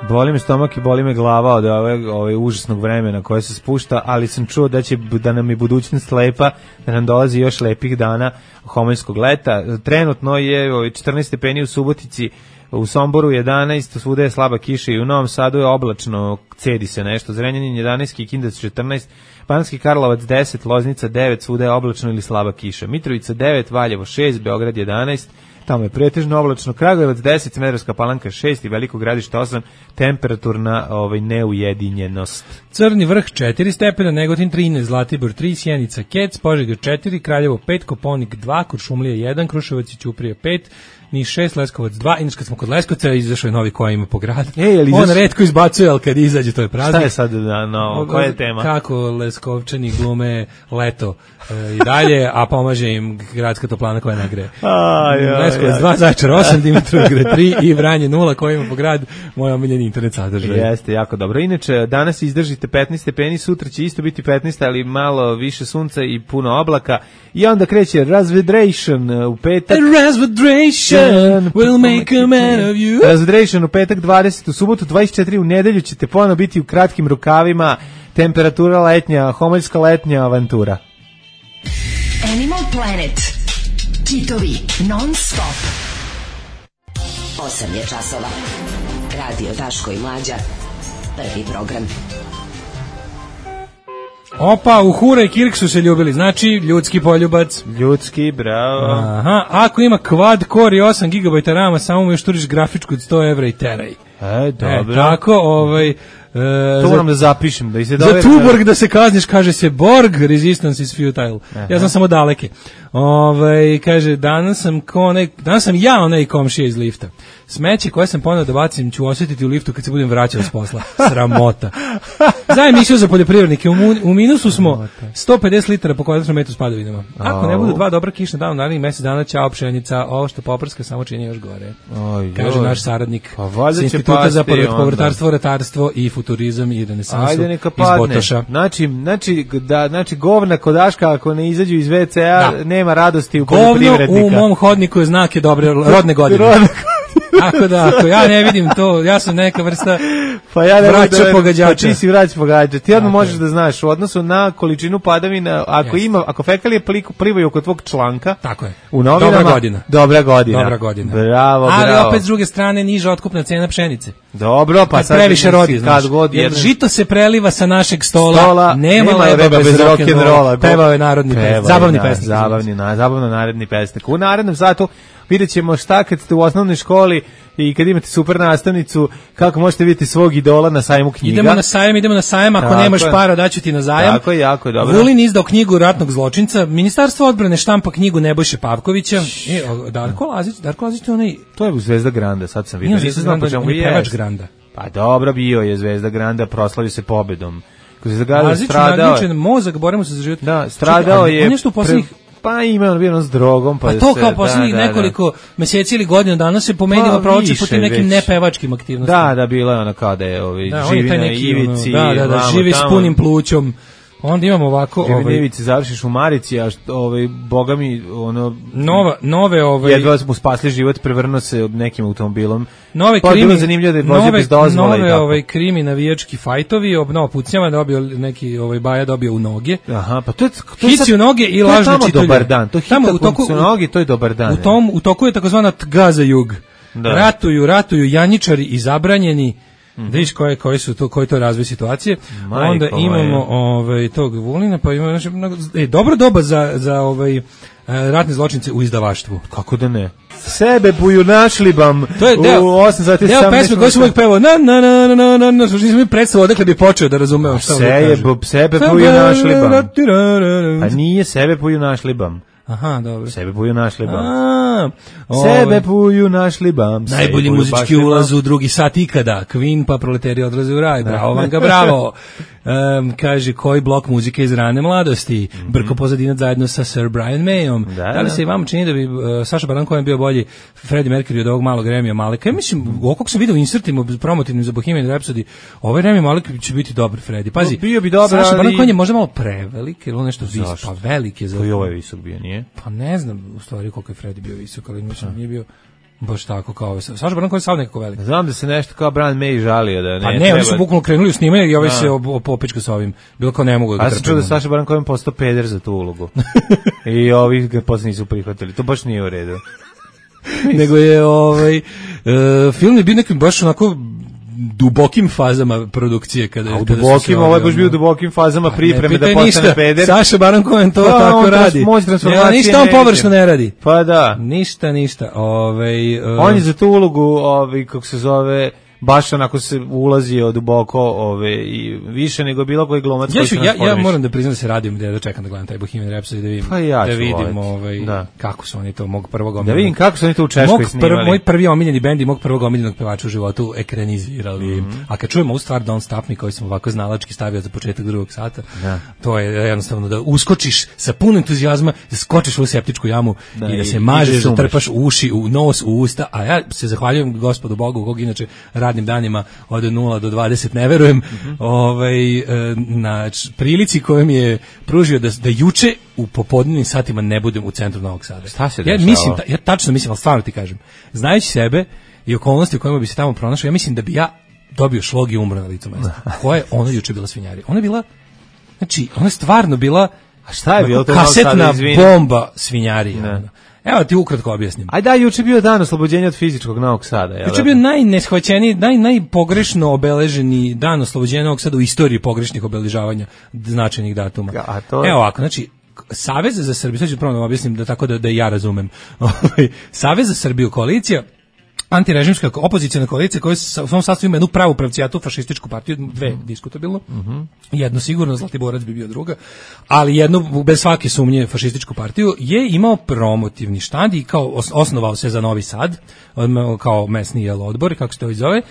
E: Boli me stomak i boli me glava od ove, ove užasnog vremena koje se spušta, ali sam čuo da će da nam je budućnost lepa, da nam dolazi još lepih dana homoljskog leta. Trenutno je četrnaest stepeni u Subotici, u Somboru jedanaest, svuda je slaba kiša i u Novom Sadu je oblačno, cedi se nešto. Zrenjanin jedanaest, Kikinda četrnaest, Banatski Karlovac deset, Loznica devet, svuda je oblačno ili slaba kiša. Mitrovica devet, Valjevo šest, Beograd jedanaest, tamo je pretežno oblačno, Kragujevac deset, Smederevska Palanka šest i Veliko Gradište osam, temperaturna ovaj, neujedinjenost.
F: Crni vrh četiri stepena, Negotin trinaest, Zlatibor tri, Sjenica Kec, Požega četiri, Kraljevo pet, Koponik dva, Kuršumlija jedan, Kruševac i Ćuprija pet, Niš šest, Leskovac dva, inače kad smo kod Leskovca izašao je novi koji ima po gradu.
E: E, on
F: izaš... retko izbacuje, ali kad izađe to je praznik.
E: Šta je sad na novo, koja je tema?
F: Kako Leskovčani glume leto e, i dalje, a pomaže im gradska toplana koja nagreje. Leskovac dva, Zaječar osam, Dimitrovgrad tri i Vranje nula koji ima po gradu, moj omiljeni internet sadržaj.
E: Jeste, jako dobro. Inače, danas izdržite petnaest stepeni, sutra će isto biti petnaest, ali malo više sunca i puno oblaka. I onda kreće Razvedration u petak.
F: Razvedration will make a man of you.
E: Razvedration u petak dvadeset, u subotu dvadeset četiri, u nedelju ćete ponovno biti u kratkim rukavima, temperatura letnja, homoljska letnja avantura.
G: Animal Planet. Kitovi non stop. osam je časova. Radio Daško i Mlađa. Prvi program.
F: Opa, Uhura i Kirk su se ljubili, znači ljudski poljubac.
E: Ljudski, bravo.
F: Aha, ako ima quad core i osam gigabajta rama, samo mu još turiš grafičku od sto evra i teraj.
E: E, dobro.
F: E, tako, ovaj... E,
E: to moram da zapišem. Da se
F: za Tuborg da se kazniš, kaže se Borg, resistance is futile. Aha. Ja znam samo daleke. Ovaj kaže, danas sam, ko onaj, danas sam ja onaj komšija iz lifta. Smeće koje sam poneo da bacim ću osjetiti u liftu kad se budem vraćao s posla. Sramota. Za emisiju za poljoprivrednike. U, u minusu smo sto pedeset litara po kvadratnom metru s padavinama. Ako ne budu dva dobra kišna dana, narednih mjesec dana, ćao pšenica, ovo što poprska samo čini još gore.
E: Oj,
F: kaže naš saradnik
E: pa
F: s Instituta za povrtarstvo, ratarstvo i futurizam i renesansu iz Botoša.
E: Znači, znači, da, znači govna kodaška ako ne izađu iz ve ce a da. Nema radosti u poljoprivrednika.
F: Govno u mom hodniku je znak je dobre rodne godine. Rodne Tako da, ako ja ne vidim to, ja sam neka vrsta
E: pa ja
F: vraća
E: da,
F: pogađača.
E: Pa ti si vrać pogađača. Ti odmah možeš da znaš, u odnosu na količinu padavina, ako yes. ima, ako fekalije plivaju oko tvog članka,
F: tako je.
E: U novinama,
F: dobra godina.
E: Dobra godina.
F: Dobra godina.
E: Bravo,
F: ali
E: bravo.
F: opet s druge strane niža otkupna cena pšenice.
E: Dobro, pa
F: kad
E: sad
F: previše rodi,
E: kad god
F: jer žito se preliva sa našeg stola,
E: stola
F: nema, nema leba bez, bez rock'n'rolla. Pevao je narodni pesnik, zabavni pesnik.
E: Zabavni, na, zabavno narodni pesnik. U narednom satu vidjet ćemo šta kad ste u osnovnoj školi i kad imate super nastavnicu, kako možete vidjeti svog idola na sajmu knjiga.
F: Idemo na sajam, idemo na sajam, ako
E: tako
F: nemaš
E: je.
F: para, daću ti na zajam.
E: Tako je, jako je dobro.
F: Vulin izdao knjigu ratnog zločinca, Ministarstvo odbrane štampa knjigu Nebojše Pavkovića. E, Darko Lazić, Darko Lazić je onaj...
E: To je Zvezda Granda, sad sam vidio.
F: Nije Zvezda Granda, on je pevač Granda.
E: Pa dobro, bio je Zvezda Granda, proslavio se pobedom. Zvezda Granda
F: Lazić
E: stradao.
F: Lazić je mozak, borimo se za život.
E: Da, stradao je.
F: On je što u poslednjih
E: Pa ima on bio s drogom, pa,
F: pa to
E: se,
F: kao poslednjih
E: da, da,
F: nekoliko meseci ili godina dana se po medijima
E: pa,
F: provlači po tim nekim
E: već.
F: nepevačkim aktivnostima.
E: Da, da, bilo je ono kao da je ovaj,
F: da,
E: živi na
F: neki,
E: ivici.
F: Ono, da, da, da,
E: vamo,
F: živi
E: tamo,
F: s punim plućom. Onda imamo ovako...
E: Živi
F: ovaj,
E: na ivici, završiš u Marici, a što, ovaj, boga mi, ono...
F: Nova, nove, ovaj...
E: Jedva mu spasli život, prevrnuo se nekim automobilom.
F: Nove
E: pa
F: krimi,
E: bilo zanimljivo da je vozio
F: nove,
E: bez dozvola i
F: nove
E: tako.
F: ovaj, krimi navijački fajtovi, obnova pucnjama, dobio neki ovaj, Baja dobio u noge.
E: Aha, pa to je... To je
F: Hici
E: sad,
F: u noge i
E: to je
F: lažne
E: tamo
F: čitulje.
E: dobar dan, to je
F: Tamo
E: hita
F: u toku,
E: u noge, to je dobar dan.
F: U, tom, u toku je takozvana Tgaza jug.
E: Da.
F: Ratuju, ratuju janjičari i zabranjeni. Mm. Da viš koje, koje su to, koji to razvoj situacije.
E: Majko
F: onda imamo ovaj, tog Vulina, pa imamo znači, e, dobro doba za, za ovaj, ratne zločince u izdavaštvu.
E: Kako da ne? Sebe buju našli bam.
F: To je deo,
E: u osam sati
F: deo pesme koji su uvijek pevao na na na na na na na što nisam mi predstavio odakle bi počeo da razumeo šta on kaže.
E: Sebe buju našli bam. Pa nije sebe buju našli bam.
F: Aha, dobro.
E: Sebe buju našli bam.
F: A,
E: sebe buju našli bam.
F: Najbolji muzički ulaz u drugi sat ikada. Queen pa proleteri odlaze u raj. Bravo vam ga, bravo. Um, kaže, koji blok muzike iz rane mladosti? Mm -hmm. Brko pozadinac zajedno sa Sir Brian Mayom. Da, da li se i vama čini da bi uh, Saša Baron Cohen bio bolji Freddie Mercury od ovog malog Remija Maleka? Ja mislim, kako sam vidio u insertima promotivnim za Bohemian Rhapsody, ovaj Remi Malek će biti dobar Freddie. Pazi,
E: no, bio bi dobar,
F: Saša Baron
E: ali...
F: Cohen je možda malo prevelik, ili on nešto visok, pa velik je za...
E: Koji ovaj visok bio, nije?
F: Pa ne znam u stvari koliko je Freddie bio visok, ali mislim nije bio baš tako kao ovaj. Saša Baron Cohen je sav nekako velik.
E: Znam da se nešto kao Brian May žalio da ne.
F: Pa ne,
E: treba...
F: oni su bukvalno krenuli u snimanje i ovaj se popečka sa ovim. Bilo kao ne mogu da ga
E: trpim. A sam čuo da Saša Baron Cohen postao peder za tu ulogu. I ovi ga posle nisu prihvatili. To baš nije u redu.
F: Nego je ovaj uh, film je bio nekim baš onako dubokim fazama produkcije kada
E: a u
F: kada
E: dubokim, ovo je baš bio u dubokim fazama pripreme da postane ništa. Peder.
F: Saša Baron Cohen to
E: pa,
F: tako
E: on
F: radi.
E: Ja,
F: ništa on površno ne radi.
E: Pa da.
F: Ništa, ništa. Ovaj uh,
E: on je za tu ulogu, ovaj kako se zove, baš onako se ulazio duboko, ove i više nego bilo koji glumac.
F: Ja, ću, ja, ja moram da priznam da se radim da čekam da gledam taj Bohemian Rhapsody da vidim,
E: pa ja
F: da vidim
E: voliti.
F: ovaj
E: da.
F: kako su oni to mog prvog omiljenog.
E: Da vidim kako su oni to u Češkoj snimali.
F: Prv, moj prvi omiljeni bend i mog prvog omiljenog pevača u životu ekranizirali. Mm -hmm. A kad čujemo ovu stvar Don't Stop Me koju sam ovako znalački stavio za početak drugog sata, da. To je jednostavno da uskočiš sa puno entuzijazma, da skočiš u septičku jamu da, i da se i, mažeš, da, da trpaš u uši, u nos, u usta, a ja se zahvaljujem Gospodu Bogu, kog inače radnim danima od nula do dvadeset ne verujem, mm-hmm. ovaj, na prilici koju mi je pružio da, da juče u popodnevnim satima ne budem u centru Novog Sada.
E: Šta se
F: ja mislim, ja tačno mislim, ali stvarno ti kažem, znajući sebe i okolnosti u kojima bi se tamo pronašao, ja mislim da bi ja dobio šlog i umro na licu mesta. Koja je ona juče bila svinjarija? Ona je bila, znači, ona je stvarno bila
E: a šta je bilo
F: kasetna bomba svinjarija. Evo ti ukratko objasnim.
E: Aj da, juče bio dan oslobođenja od fizičkog Novog Sada.
F: Juče bio najneshvaćeniji, naj, najpogrešno obeleženi dan oslobođenja Novog Sada u istoriji pogrešnih obeležavanja značajnih datuma.
E: A to...
F: Evo ovako, znači, Savez za Srbiju, sad ću prvo da objasnim da tako da, da ja razumem. Savez za Srbiju, koalicija, antirežimska opozicijna koalicija koja u svom sastavu ima jednu pravu pravcijatu fašističku partiju, dve mm. diskutabilno, mm-hmm. jedno sigurno, Zlatiborac bi bio druga, ali jednu bez svake sumnje fašističku partiju, je imao promotivni štand i kao osnovao se za Novi Sad, kao mesni jel odbor, kako se to zove,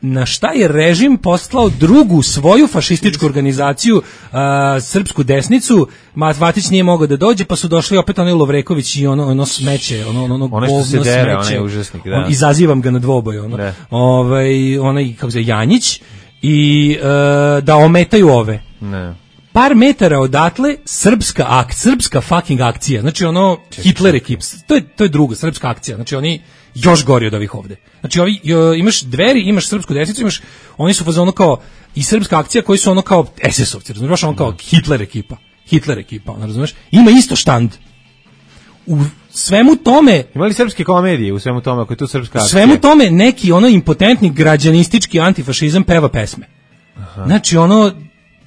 F: na šta je režim poslao drugu svoju fašističku organizaciju, uh, srpsku desnicu. Matvatić nije mogao da dođe, pa su došli opet onaj Lovreković i ono, ono smeće, ono, ono, ono govno smeće.
E: Onaj užasnik, da.
F: On, izazivam ga na dvoboj, ono. Ovaj, onaj, kako se Janjić, i uh, da ometaju ove.
E: Ne.
F: Par metara odatle srpska akt, srpska fucking akcija. Znači ono Čekaj, Hitler ekips. To je to je druga srpska akcija. Znači oni još gori od ovih ovde. Znači ovi jo, imaš Dveri, imaš srpsku desnicu, imaš oni su fazonu kao i srpska akcija koji su ono kao es es ovci, razumiješ, ono kao Hitler ekipa. Hitler ekipa, ono razumiješ? Ima isto štand. U svemu tome,
E: imali srpske komedije u svemu tome, ako je tu srpska akcija.
F: U svemu tome neki ono impotentni građanistički antifašizam peva pesme. Aha. Znači ono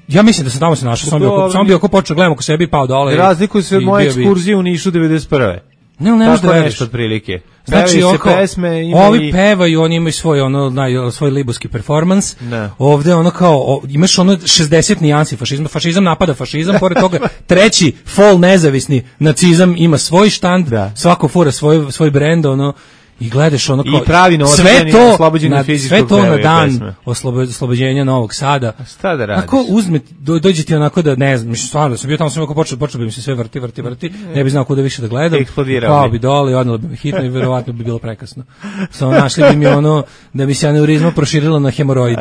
F: ja mislim da se tamo se našao, samo bio samo bio ako počeo gledamo ko sebi pao dole.
E: Razlikuje se od moje ekskurzije u Nišu devedeset prve.
F: Ne, ne,
E: tako nešto otprilike.
F: Znači,
E: Pevaju se
F: oko,
E: pesme, ima
F: ovi
E: i-
F: pevaju, oni imaju svoj, ono, naj, svoj libuski performans.
E: Da.
F: Ovde ono kao, o, imaš ono šezdeset nijansi fašizma, fašizam napada fašizam, pored toga treći fol nezavisni nacizam ima svoj štand,
E: Da.
F: svako fura svoj, svoj brend, ono, i gledaš ono kao
E: I pravi
F: sve
E: novotareni
F: to
E: oslobođeni
F: na,
E: od fizičkog
F: sve to na
E: pevaju
F: dan
E: pesme.
F: oslobo- oslobođenja Novog Sada.
E: Šta da radiš?
F: Ako uzme, do, dođe ti onako da, ne znam, mislim, stvarno, sam bio tamo, sam ako počeo, počeo bi mi se sve vrti, vrti, vrti, ne bi znao kuda više da gledam.
E: Eksplodirao
F: Kao
E: bi.
F: bi dole i odnalo bi me hitno i verovatno bi bilo prekasno. Samo našli bi mi ono, da bi se aneurizma proširila na hemoroid.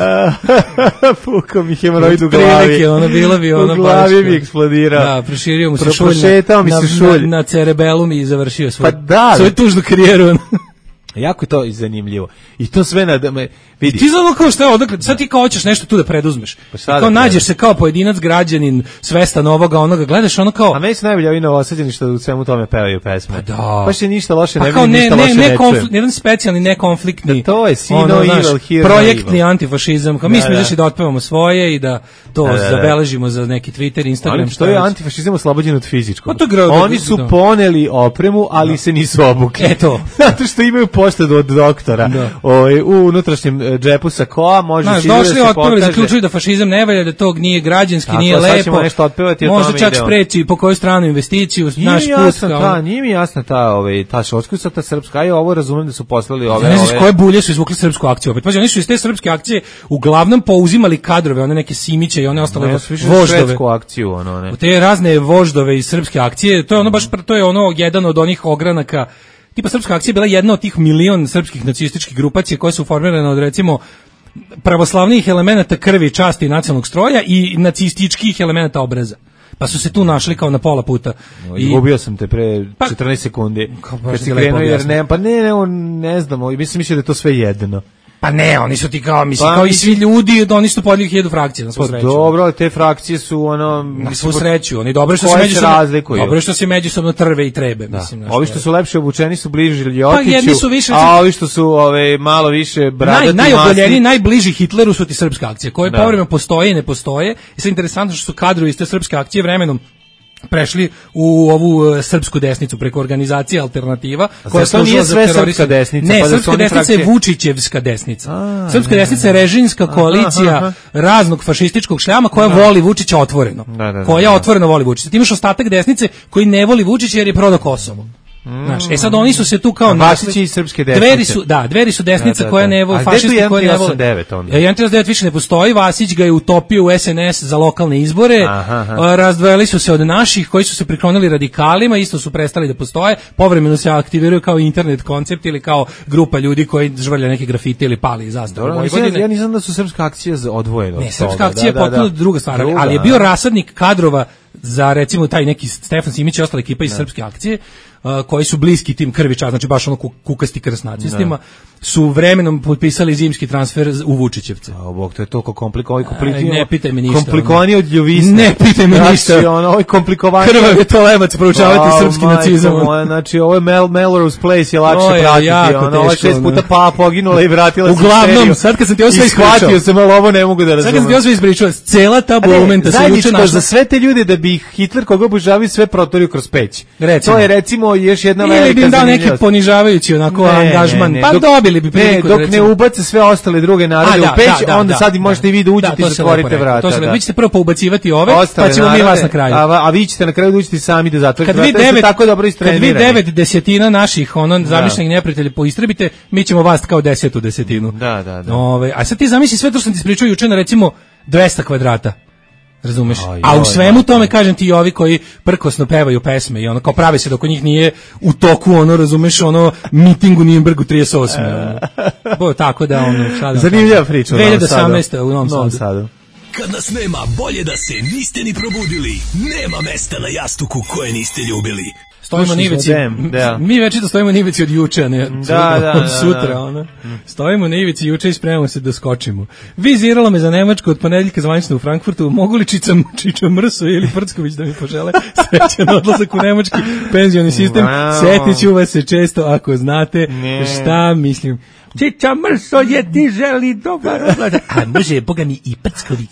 E: Pukao mi hemoroid u
F: Prilike,
E: glavi.
F: ono, bilo bi ono
E: U glavi
F: baš-
E: mi eksplodirao.
F: Da, proširio mu se
E: Pro-
F: šulj
E: prošetao mi
F: na,
E: se
F: na,
E: šulj.
F: na, na cerebelum i završio svoj,
E: Pa da.
F: svoju tužnu karijeru. ono.
E: Jako je to zanimljivo. I to sve na... da me- Vidi.
F: Ti znamo kao šta je odakle, sad ti kao hoćeš nešto tu da preduzmeš.
E: Pa
F: I
E: šta da
F: kao nađeš
E: preduzmeš?
F: se kao pojedinac, građanin, svestan ovoga, onoga, gledaš ono kao...
E: A meni su najbolje ovi novosađeni što u svemu tome pevaju pesme.
F: Pa da.
E: Baš je ništa loše,
F: Pa
E: ne
F: kao
E: vidim
F: ne,
E: ništa
F: ne,
E: loše,
F: ne,
E: ne
F: konflikt,
E: čujem.
F: jedan specijalni nekonfliktni.
E: Da, to je see no
F: ono,
E: evil,
F: znaš,
E: hear no
F: projektni
E: evil.
F: antifašizam. Kao mi
E: Da,
F: smo
E: da.
F: izašli da otpevamo svoje i da to
E: Da, da, da.
F: zabeležimo za neki Twitter, Instagram.
E: Ali
F: šta
E: što je
F: već.
E: antifašizam oslobođen od fizičkog.
F: Pa to gra-
E: Oni su
F: da.
E: poneli opremu, ali se nisu obukli.
F: E to.
E: Zato što imaju poštedu od doktora.
F: Da.
E: Ovaj, u unutrašnjem e, džepu sakoa može
F: Znaš,
E: si da
F: došli,
E: se
F: otpevali,
E: pokaže.
F: zaključili da fašizam ne valja, da to nije građanski,
E: Tako,
F: nije
E: sad
F: lepo.
E: ćemo nešto otpevati, o
F: Možda
E: tome
F: čak
E: ide on.
F: spreči po koju stranu investiciju,
E: Nije
F: naš
E: mi
F: put.
E: jasna
F: kao-
E: ta, nije mi jasna ta, ovaj, ta šotska, ta srpska, a ja ovo razumem da su poslali ove...
F: Ne znaš
E: ove-
F: koje bulje su izvukli srpsku akciju opet. Pazi, oni su iz te srpske akcije uglavnom pouzimali kadrove, one neke Simiće i one ostale
E: Ne, ja sam više
F: voždove.
E: švedsku akciju, ono, ne.
F: U te razne voždove iz srpske akcije, to je ono baš, to je ono jedan od onih ogranaka, tipa srpska akcija je bila jedna od tih milion srpskih nacističkih grupacija koje su formirane od recimo pravoslavnih elemenata krvi, časti i nacionalnog stroja i nacističkih elemenata obraza. Pa su se tu našli kao na pola puta. I
E: Izgubio sam te pre
F: Pa-
E: četrnaest sekundi.
F: Kao baš
E: Kad
F: ti
E: si
F: lepo
E: krenuo, jer
F: objasnio.
E: ne, pa ne, ne, on, ne znamo, mislim, mislim da je to sve jedno.
F: pa ne, oni su ti kao, mislim,
E: Pa
F: kao i
E: mislim-
F: svi ljudi, oni su podijeli hiljadu frakcija na svu
E: Pa
F: sreću.
E: dobro, ali te frakcije su, ono...
F: Na svu sreću, oni dobro što se
E: Koje se
F: međusobno
E: razlikuju?
F: dobro što se međusobno trve i trebe,
E: Da.
F: mislim. znaš,
E: Ovi
F: to
E: što
F: je-
E: su lepše obučeni su bliži Ljotiću,
F: jedni su više-
E: a ovi što su ove, malo više bradati,
F: Naj, najogoljeniji,
E: masni.
F: najbliži Hitleru su ti srpske akcije, koje
E: Da.
F: povremeno postoje i ne postoje. I sad interesantno što su kadrovi iz te srpske akcije vremenom prešli u ovu e, srpsku desnicu preko organizacije Alternativa, koja
E: zar to nije
F: služila za
E: sve
F: terorisanje.
E: srpska desnica,
F: Ne,
E: pa da su
F: srpska
E: oni
F: desnica je
E: frakcije-
F: Vučićevska desnica.
E: A,
F: Srpska
E: ne,
F: desnica je režimska koalicija
E: aha.
F: raznog fašističkog šljama koja voli Vučića otvoreno.
E: Da, da, da,
F: koja
E: da.
F: otvoreno voli Vučića. Ti imaš ostatak desnice koji ne voli Vučića jer je prodao Kosovo. Znaš, e sad oni su se tu kao
E: A Vasić
F: našli-
E: je iz srpske desnice.
F: Dveri su, da, Dveri su desnica
E: Da, da,
F: koja
E: da.
F: ne voli,
E: A gde je tu
F: fašisti koje ne vole.
E: jedan tri osam devet onda?
F: E, jedan tri osam devet više ne postoji, Vasić ga je utopio u S N S za lokalne izbore,
E: Aha, aha.
F: a, razdvojili su se od naših koji su se priklonili radikalima, isto su prestali da postoje, povremeno se aktiviraju kao internet koncept ili kao grupa ljudi koji žvrlja neke grafite ili pali zastavu
E: Dobro, mislim,
F: Vojvodine.
E: ja nisam znam da su srpska akcija za- odvojena od
F: Ne, srpska
E: toga.
F: akcija je
E: Da, da,
F: potpuno
E: da.
F: druga stvar,
E: Druga,
F: ali je bio
E: a?
F: rasadnik kadrova za recimo taj neki Stefan Simić i ostala ekipa iz srpske akcije, uh, koji su bliski tim krviča, znači baš ono ku- kukasti krst nacistima, su vremenom potpisali zimski transfer z- u Vučićevce.
E: A, Bog, to je toliko komplikovano.
F: Aj, ne pitaj me ništa,
E: Komplikovanije od ljuvisne.
F: Ne pitaj me
E: znači,
F: ništa.
E: Ono, ovo je komplikovanije.
F: Krvav je to levac, proučavati
E: A,
F: srpski
E: majko
F: nacizam.
E: moja, znači, ovo je Mel, Melrose Place je lakše
F: To je
E: pratiti.
F: jako
E: Ono, ovo je
F: teško,
E: šest
F: ono.
E: puta pa poginula i vratila se u
F: Uglavnom,
E: seriju.
F: sad kad sam ti ovo sve
E: I shvatio
F: ispričao.
E: sam, ali ovo ne mogu da
F: Sad kad
E: razumem.
F: sam ti ovo sve ispričao, cela ta
E: A ne,
F: bolumenta se juče
E: zajedničko
F: našla.
E: za sve te ljude da bi Hitler koga obožavaju sve protorio kroz peć.
F: Recimo.
E: To je recimo još jedna velika
F: Ili bi im dao neki
E: zanimljivost.
F: ponižavajući onako angažman, pa
E: dok-
F: dobili bi
E: ne,
F: priliku
E: dok
F: da
E: ne
F: recimo-
E: ubace sve ostale druge narode
F: A, da,
E: u peć,
F: da, da,
E: onda
F: da,
E: sad i
F: da.
E: možete i vi da uđete
F: to
E: i
F: se
E: zatvorite
F: lepo rekao,
E: vrata.
F: To se lepo.
E: da.
F: Vi ćete prvo poubacivati ove,
E: Ostale
F: pa ćemo mi
E: narode,
F: vas na kraju.
E: A, a vi ćete na kraju da uđete sami da zatvorite
F: Kad vi
E: vrata, jer ste
F: devet,
E: tako dobro
F: kad vi
E: istrenirani.
F: devet desetina naših ono zamišljenih neprijatelja poistrebite, mi ćemo vas kao desetu desetinu.
E: Da, da, da.
F: Ove, a sad ti zamisli sve to što sam ti ispričao juče na recimo dvesta kvadrata. Razumeš?
E: Aj,
F: A u
E: aj,
F: svemu
E: aj,
F: tome kažem ti i ovi koji prkosno pevaju pesme i ono kao prave se dok njih nije u toku ono razumeš ono miting u Nürnbergu trideset osme ono. Bo tako da ono šta da
E: Zanimljiva priča u
F: dve
E: Novom
F: hiljade osamnaeste u Novom
E: Novom
F: Sadu.
E: Sadu.
I: Kad nas nema, bolje da se niste ni probudili. Nema mesta na jastuku koje niste ljubili.
F: Stojimo
E: Slušali
F: na
E: smo
F: ivici.
E: Dem, da.
F: Mi večito stojimo na ivici od juče, a ne od,
E: Da, da,
F: od
E: da,
F: sutra,
E: da.
F: ono. Stojimo na ivici juče i spremamo se da skočimo. Viziralo me za Nemačku od ponedeljka zvanično u Frankfurtu. Mogu li Čica, Čiča Mrso ili Prcković da mi požele srećan odlazak u nemački penzioni sistem?
E: Wow.
F: Setit ću vas se često ako znate
E: Ne.
F: šta mislim. Čiča Mrso je ti želi dobar odlazak. A može, boga mi, i Prcković.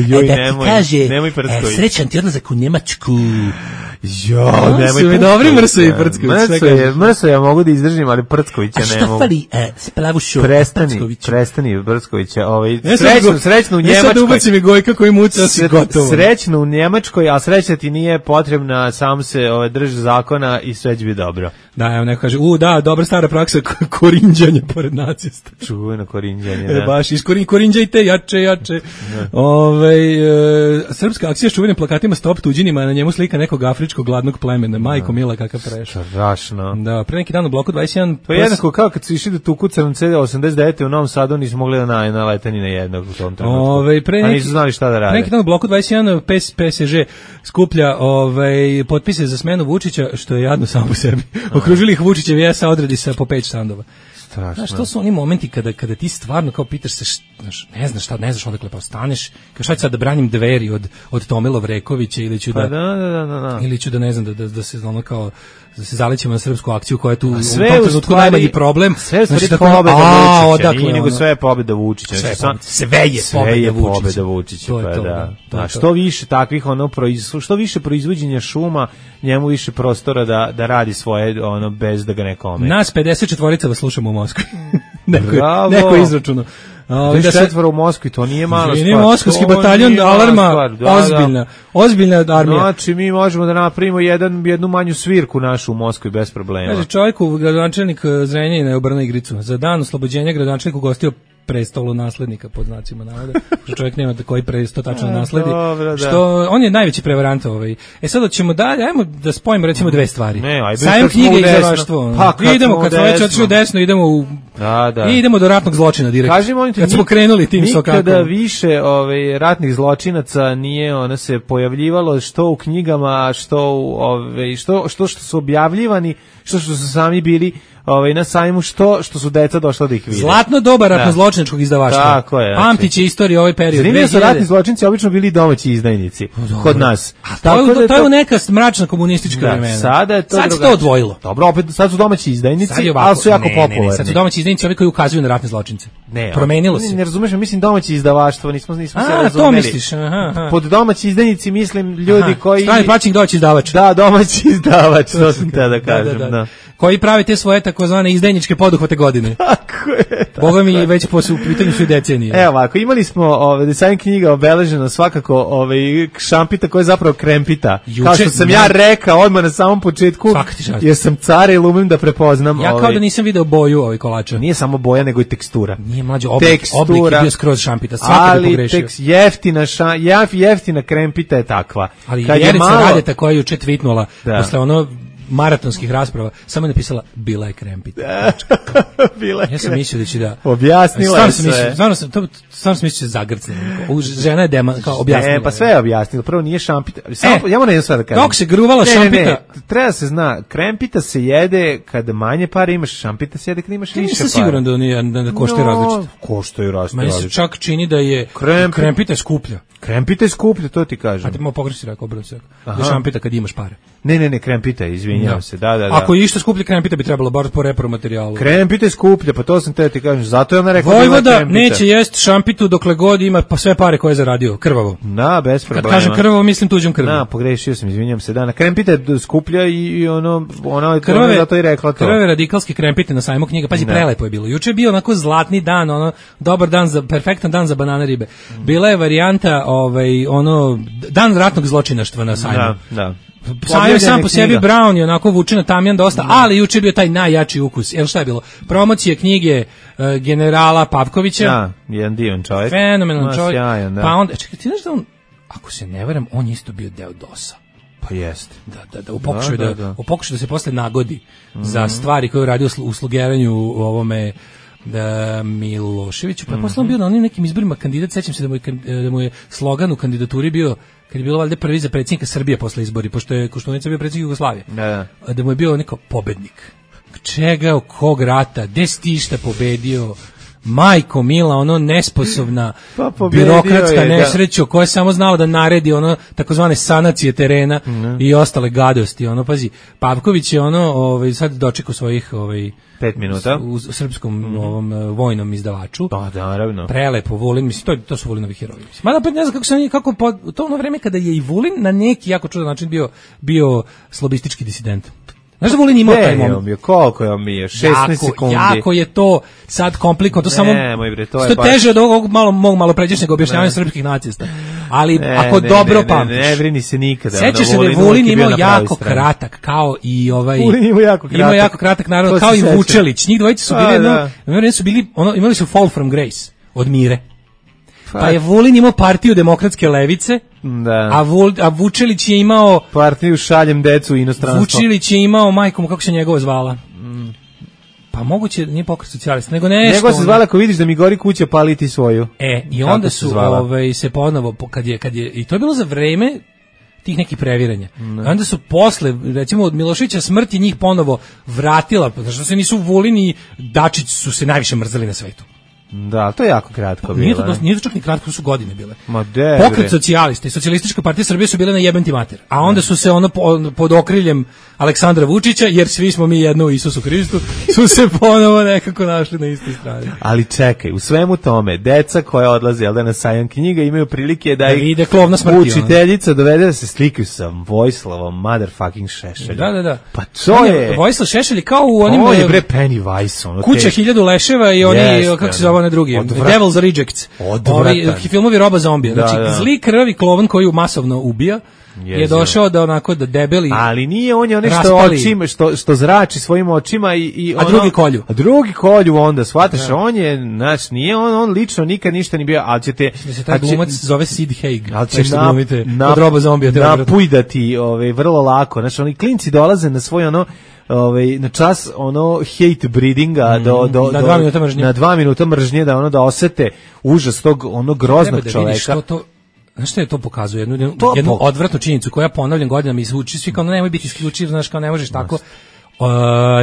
E: Joj,
F: e, da
E: nemoj,
F: ti kaže,
E: nemoj
F: e, srećan ti odlazak u Njemačku.
E: Jo, nemoj.
F: Su mi dobri Mrso i Prcković.
E: Mrso je, Mrso ja mogu da izdržim, ali Prckovića ne mogu.
F: A što fali e, Splavušu
E: Prestani, prestani Prckovića. Ovaj,
F: ja
E: srećno, srećno u Njemačkoj.
F: Ja sad ubaci mi Gojka koji muca, si gotovo.
E: Srećno u Njemačkoj, a sreća ti nije potrebna, sam se ovaj, drži zakona i sve će biti dobro.
F: Da, evo neko kaže, u, da, dobra stara praksa korinđanja pored nacista.
E: Čuveno korinđanje,
F: da.
E: da.
F: E, baš, iskorin, korinđajte, jače, jače. Ove, e, srpska akcija s čuvenim plakatima Stop tuđinima, na njemu slika nekog afričkog gladnog plemena. Majko mila, kakav prešao.
E: Strašno.
F: Da, pre neki dan u bloku dvadeset jedan...
E: To je jednako kao kad su išli da tuku crnom osamdeset devete u Novom Sadu, nisu mogli da na, nalete ni na jednog u tom trenutku.
F: Ove, pre neki,
E: a nisu znali šta da rade.
F: Pre neki dan u bloku dvadeset jedan P S Ž skuplja ove, potpise za smenu Vučića, što je jadno samo po sebi. Okružili ih Vučićev jesa odredi sa po pet štandova.
E: Strašno.
F: Znaš, to su oni momenti kada, kada ti stvarno kao pitaš se, znaš, ne znaš šta, ne znaš odakle pa staneš, kao šta ću sad da branim Dveri od, od Tomila Vrekovića ili ću da,
E: pa da, da, da, da.
F: ili ću da ne znam, da, da, da se ono kao, da se zalećemo na srpsku akciju koja je tu
E: sve
F: u tom trenutku najmanji problem.
E: Sve je
F: znači,
E: pobeda Vučića,
F: odakle,
E: nije nego
F: ono,
E: sve je pobeda Vučića.
F: Sve,
E: Znači,
F: sve je
E: sve
F: pobeda
E: je
F: Vučića.
E: pobeda Vučića,
F: To je
E: pa
F: to,
E: da.
F: da, to je
E: A
F: to.
E: što više takvih ono proiz, što više proizvođenja šuma, njemu više prostora da da radi svoje ono bez da ga neko ometa.
F: Nas pedeset četiri vas slušamo u Moskvi. neko,
E: Bravo.
F: neko izračunao.
E: Da se četvoro u Moskvi, to nije mala stvar.
F: Nije moskovski bataljon alarma, da, ozbiljna, da. ozbiljna armija.
E: Znači, mi možemo da napravimo jedan, jednu manju svirku našu u Moskvi bez problema.
F: Kaže, čovjeku, gradonačelnik Zrenjanina je obrnuo igricu. Za dan oslobođenja gradonačelnik ugostio prestolu naslednika, pod znacima navoda. Što čovjek nema da koji presto tačno nasledi.
E: Dobro, da.
F: Što, on je najveći prevarant ovaj. E sad ćemo dalje, ajmo da spojimo recimo dve stvari.
E: Ne, aj
F: Sajam knjige i izdavaštvo.
E: Pa, kad
F: idemo, kad smo već otišli u desno, idemo u...
E: Da, da.
F: I idemo do ratnog zločina direktno.
E: Kažemo oni ti,
F: kad smo krenuli tim sokakom.
E: Nikada više ovaj, ratnih zločinaca nije ona se pojavljivalo što u knjigama, što u, ovaj, što, što, što su objavljivani, što, što su sami bili ovaj na sajmu, što što su deca došla da ih vide.
F: Zlatno doba ratno-zločinačkog izdavaštva.
E: Tako je.
F: Pamtiće istoriju ovaj period.
E: Zanimljivo su ratni zločinci obično bili domaći izdajnici kod nas.
F: A tako to, je, to je neka mračna komunistička
E: da,
F: vremena.
E: Sada je to
F: sad se to odvojilo.
E: Dobro, opet sad su domaći izdajnici,
F: ovako,
E: ali su jako
F: ne,
E: popularni.
F: Ne, ne, sad su domaći izdajnici ovi koji ukazuju na ratne zločince.
E: Ne,
F: promenilo se.
E: Ne, ne razumeš, mislim domaći izdavaštvo, nismo nismo
F: A,
E: se razumeli.
F: to misliš, aha, aha.
E: Pod domaći izdajnici mislim ljudi aha, koji
F: strani plaćenik domaći izdavač.
E: Da, domaći izdavač, to sam te da kažem, da, da, da.
F: Koji pravi te svoje takozvane izdajničke poduhvate godine.
E: Tako je.
F: Boga mi već po su pitanju su i decenije.
E: Evo ovako, imali smo ovaj dizajn knjiga obeleženo svakako ovaj šampita koja je zapravo krempita. Juče, kao što sam ja, ja rekao odmah na samom početku, jer sam car i lumim da prepoznam.
F: Ja kao
E: ovaj,
F: da nisam video boju ovaj kolača.
E: Nije samo boja, nego i tekstura.
F: Nije mlađe oblik, tekstura, oblik je bio skroz šampita, svaka bi pogrešio.
E: Ali tekst, jeftina, ša, jeftina krempita je takva.
F: Ali kad Jerica malo... Radeta koja je juče tvitnula, da. Posle ono maratonskih rasprava, samo je napisala bila je krempita.
E: Bila je.
F: Ja sam mislio da će da
E: objasnila je sve.
F: Mislio, stvarno sam to stvarno sam mislio zagrcne. Žena je dema kao objasnila.
E: Ne, pa sve je objasnila. Prvo nije šampita. Samo e, ja moram jedno sad da kažem.
F: Dok se gruvala
E: ne,
F: šampita.
E: Ne, ne, treba se zna, krempita se jede kad manje para imaš, šampita se jede kad imaš više para.
F: Nisam siguran da nije da, da koštaju no, različito.
E: Koštaju različito.
F: Meni se čak čini da je
E: Kremp...
F: krempita je skuplja.
E: Krempita je skuplja, to ti kažem.
F: A ti malo pogrešno rekao, obrnuto se. Da šampita kad imaš pare.
E: Ne, ne, ne, krempita, izvinjavam se. Da, da, da.
F: Ako je išta skuplje krempita bi trebalo bar po repromaterijalu.
E: Krempita je skuplja, pa to sam te ti kažem. Zato je ona rekla
F: Vojvoda neće jest šampitu dokle god ima pa sve pare koje je zaradio, krvavo.
E: Na, bez problema.
F: Kad kažem krvavo, mislim tuđom krvom.
E: Na, pogrešio sam, izvinjavam se. Da, na krempita je skuplja i ono ona je zato i rekla to.
F: Krvave radikalske krempite na sajmu knjiga. Pazi, prelepo je bilo. Juče je bio onako zlatni dan, ono dobar dan za perfektan dan za banana ribe. Bila je varijanta ovaj ono dan ratnog zločinaštva na sajmu.
E: Da, da.
F: Sajam sam po sebi Brown je onako vuče na tamjan dosta, mm. ali juče je bio taj najjači ukus. Evo šta je bilo? Promocije knjige uh, generala Pavkovića.
E: Da, jedan divan čovjek.
F: Fenomenalan čovjek.
E: Sjajan, da.
F: Pa onda, čekaj, ti znaš da on, ako se ne varam, on je isto bio deo dosa.
E: Pa jeste.
F: Da, da, da, u pokušaju da, da, da. U pokušaju da se posle nagodi mm. za stvari koje je radio u slugeranju u ovome da Miloševiću, pa mm-hmm. posle on bio na onim nekim izborima kandidat, sećam se da mu je, da mu je slogan u kandidaturi bio kad je bilo valjda prvi za predsjednika Srbije posle izbori, pošto je Koštunica bio predsjednik Jugoslavije.
E: Da, da.
F: Da mu je bio neko pobednik. Čega, kog rata, gde si ti šta pobedio? majko mila, ono nesposobna
E: pa
F: birokratska
E: je,
F: nesreća da. koja je samo znala da naredi ono takozvane sanacije terena mm. i ostale gadosti. Ono, pazi, Pavković je ono, ovaj, sad dočekao svojih ovaj,
E: pet minuta
F: u, u srpskom mm. ovom vojnom izdavaču.
E: Pa da, naravno.
F: Prelepo, Vulin, mislim, to, to su Vulinovi heroji. Mada opet ne znam kako se oni, kako po, to ono vreme kada je i Vulin na neki jako čudan način bio, bio slobistički disident. Znaš da Vulin imao taj moment?
E: Bio, koliko je on bio? šesnaest sekundi.
F: Jako je to sad komplikovano, to
E: ne,
F: samo
E: moj bre, to je
F: što
E: baš...
F: teže od ovog malo, mog malo pređašnjeg objašnjavanja srpskih nacista. Ali ne, ako ne, dobro
E: ne,
F: pamtiš.
E: Ne, ne, vrini se nikada.
F: Sećaš se da je Vulin imao jako kratak, kao i ovaj...
E: Vulin imao jako kratak.
F: Imao jako kratak, naravno, kao i Vučelić. Njih dvojice su bili,
E: da.
F: no, su bili, ono, imali su Fall from Grace od Mire. Pa je Vulin imao partiju demokratske levice,
E: da.
F: a, Vul, a Vučelić je imao...
E: Partiju šaljem decu u inostranstvo.
F: Vučelić je imao majkom, kako se njegova zvala? Mm. Pa moguće, nije pokret socijalista, nego nešto...
E: Nego se zvala, ako vidiš da mi gori kuća, pali ti svoju.
F: E, i onda su se, ovaj, se ponovo, kad je, kad je, i to je bilo za vreme tih nekih previranja. Mm. Onda su posle, recimo od Miloševića smrti njih ponovo vratila, zato što se nisu Vulin i Dačić su se najviše mrzeli na svetu.
E: Da, to je jako kratko bilo.
F: Nije to, nije to čak ni kratko, to su godine bile.
E: Ma de,
F: Pokret socijalista i socijalistička partija Srbije su bile na jebem ti mater. A onda su se ono pod okriljem Aleksandra Vučića, jer svi smo mi jedno u Isusu Hristu, su se ponovo nekako našli na istoj strani.
E: Ali čekaj, u svemu tome, deca koja odlaze da na sajam knjiga imaju prilike da,
F: da ih klovna smrti,
E: učiteljica ono. Dovede da se slikaju sa Vojislavom motherfucking Šešeljom.
F: Da, da, da.
E: Pa to je...
F: Vojislav Šešelj kao u onim...
E: Ovo je bre Pennywise. Ono
F: Kuća hiljadu leševa i oni, yes, kako se zove na drugi, Odvrat... Devil's Rejects. Ovi filmovi Roba zombija. Znači, da, da. Zli krvavi klovan koji masovno ubija, Jezio. je došao da onako da debeli.
E: Ali nije on je onaj što očima, što što zrači svojim očima i i
F: ono, a drugi kolju.
E: A drugi kolju onda shvataš, da. On je, znači nije on on lično nikad ništa ni bio, al ćete
F: se taj glumac zove Sid Haig.
E: Al će glumite od
F: Roba zombija,
E: napujdati, ovaj vrlo lako. Znači oni klinci dolaze na svoj ono ovaj na čas ono hate breedinga mm, do do
F: na dva minuta mržnje.
E: Na dva minuta mržnje da ono da osete užas tog onog groznog
F: da
E: čoveka.
F: Što to Znaš što je to pokazuje? Jednu, jednu, jednu po... odvratnu činjenicu koja ponavljam godinama izvuči svi kao nemoj biti isključiv, znaš kao ne možeš tako. Uh,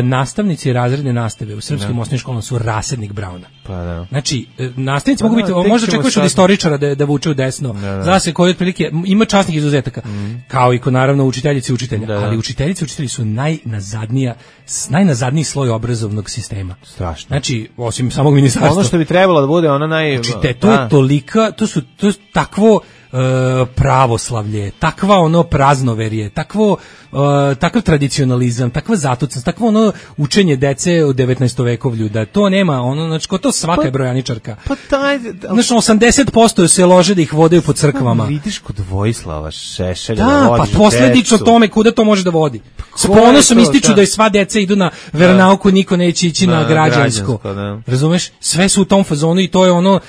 F: nastavnici razredne nastave u srpskim osnovnim školama su rasadnik Brauna.
E: Pa da.
F: Znači, nastavnici pa mogu biti, možda očekuješ od istoričara da, da vuče u desno. Da, da. Zna se koji otprilike, ima časnih izuzetaka, mm. kao i ko naravno učiteljice i učitelja. Da, da. Ali učiteljice i učitelji su najnazadnija, najnazadniji sloj obrazovnog sistema.
E: Strašno.
F: Znači, osim samog ministarstva.
E: Ono što bi trebalo da bude ona naj...
F: Znači, te, to je tolika, to su to je takvo Uh, pravoslavlje, takva ono praznoverje, takvo uh, takav tradicionalizam, takva zatucanost, takvo ono učenje dece u devetnaestovekovlju, da to nema, ono, znači, ko to svaka je brojaničarka.
E: Pa taj...
F: Znači, osamdeset posto se lože da ih vodaju po crkvama.
E: Vidiš kod Vojislava Šešelja
F: da,
E: da vodiš
F: pa posledično
E: decu.
F: Tome kuda to može da vodi. S ponosom ističu da. da je sva deca idu na veronauku, niko neće ići da, na građansko. Da. Razumeš? Sve su u tom fazonu i to je ono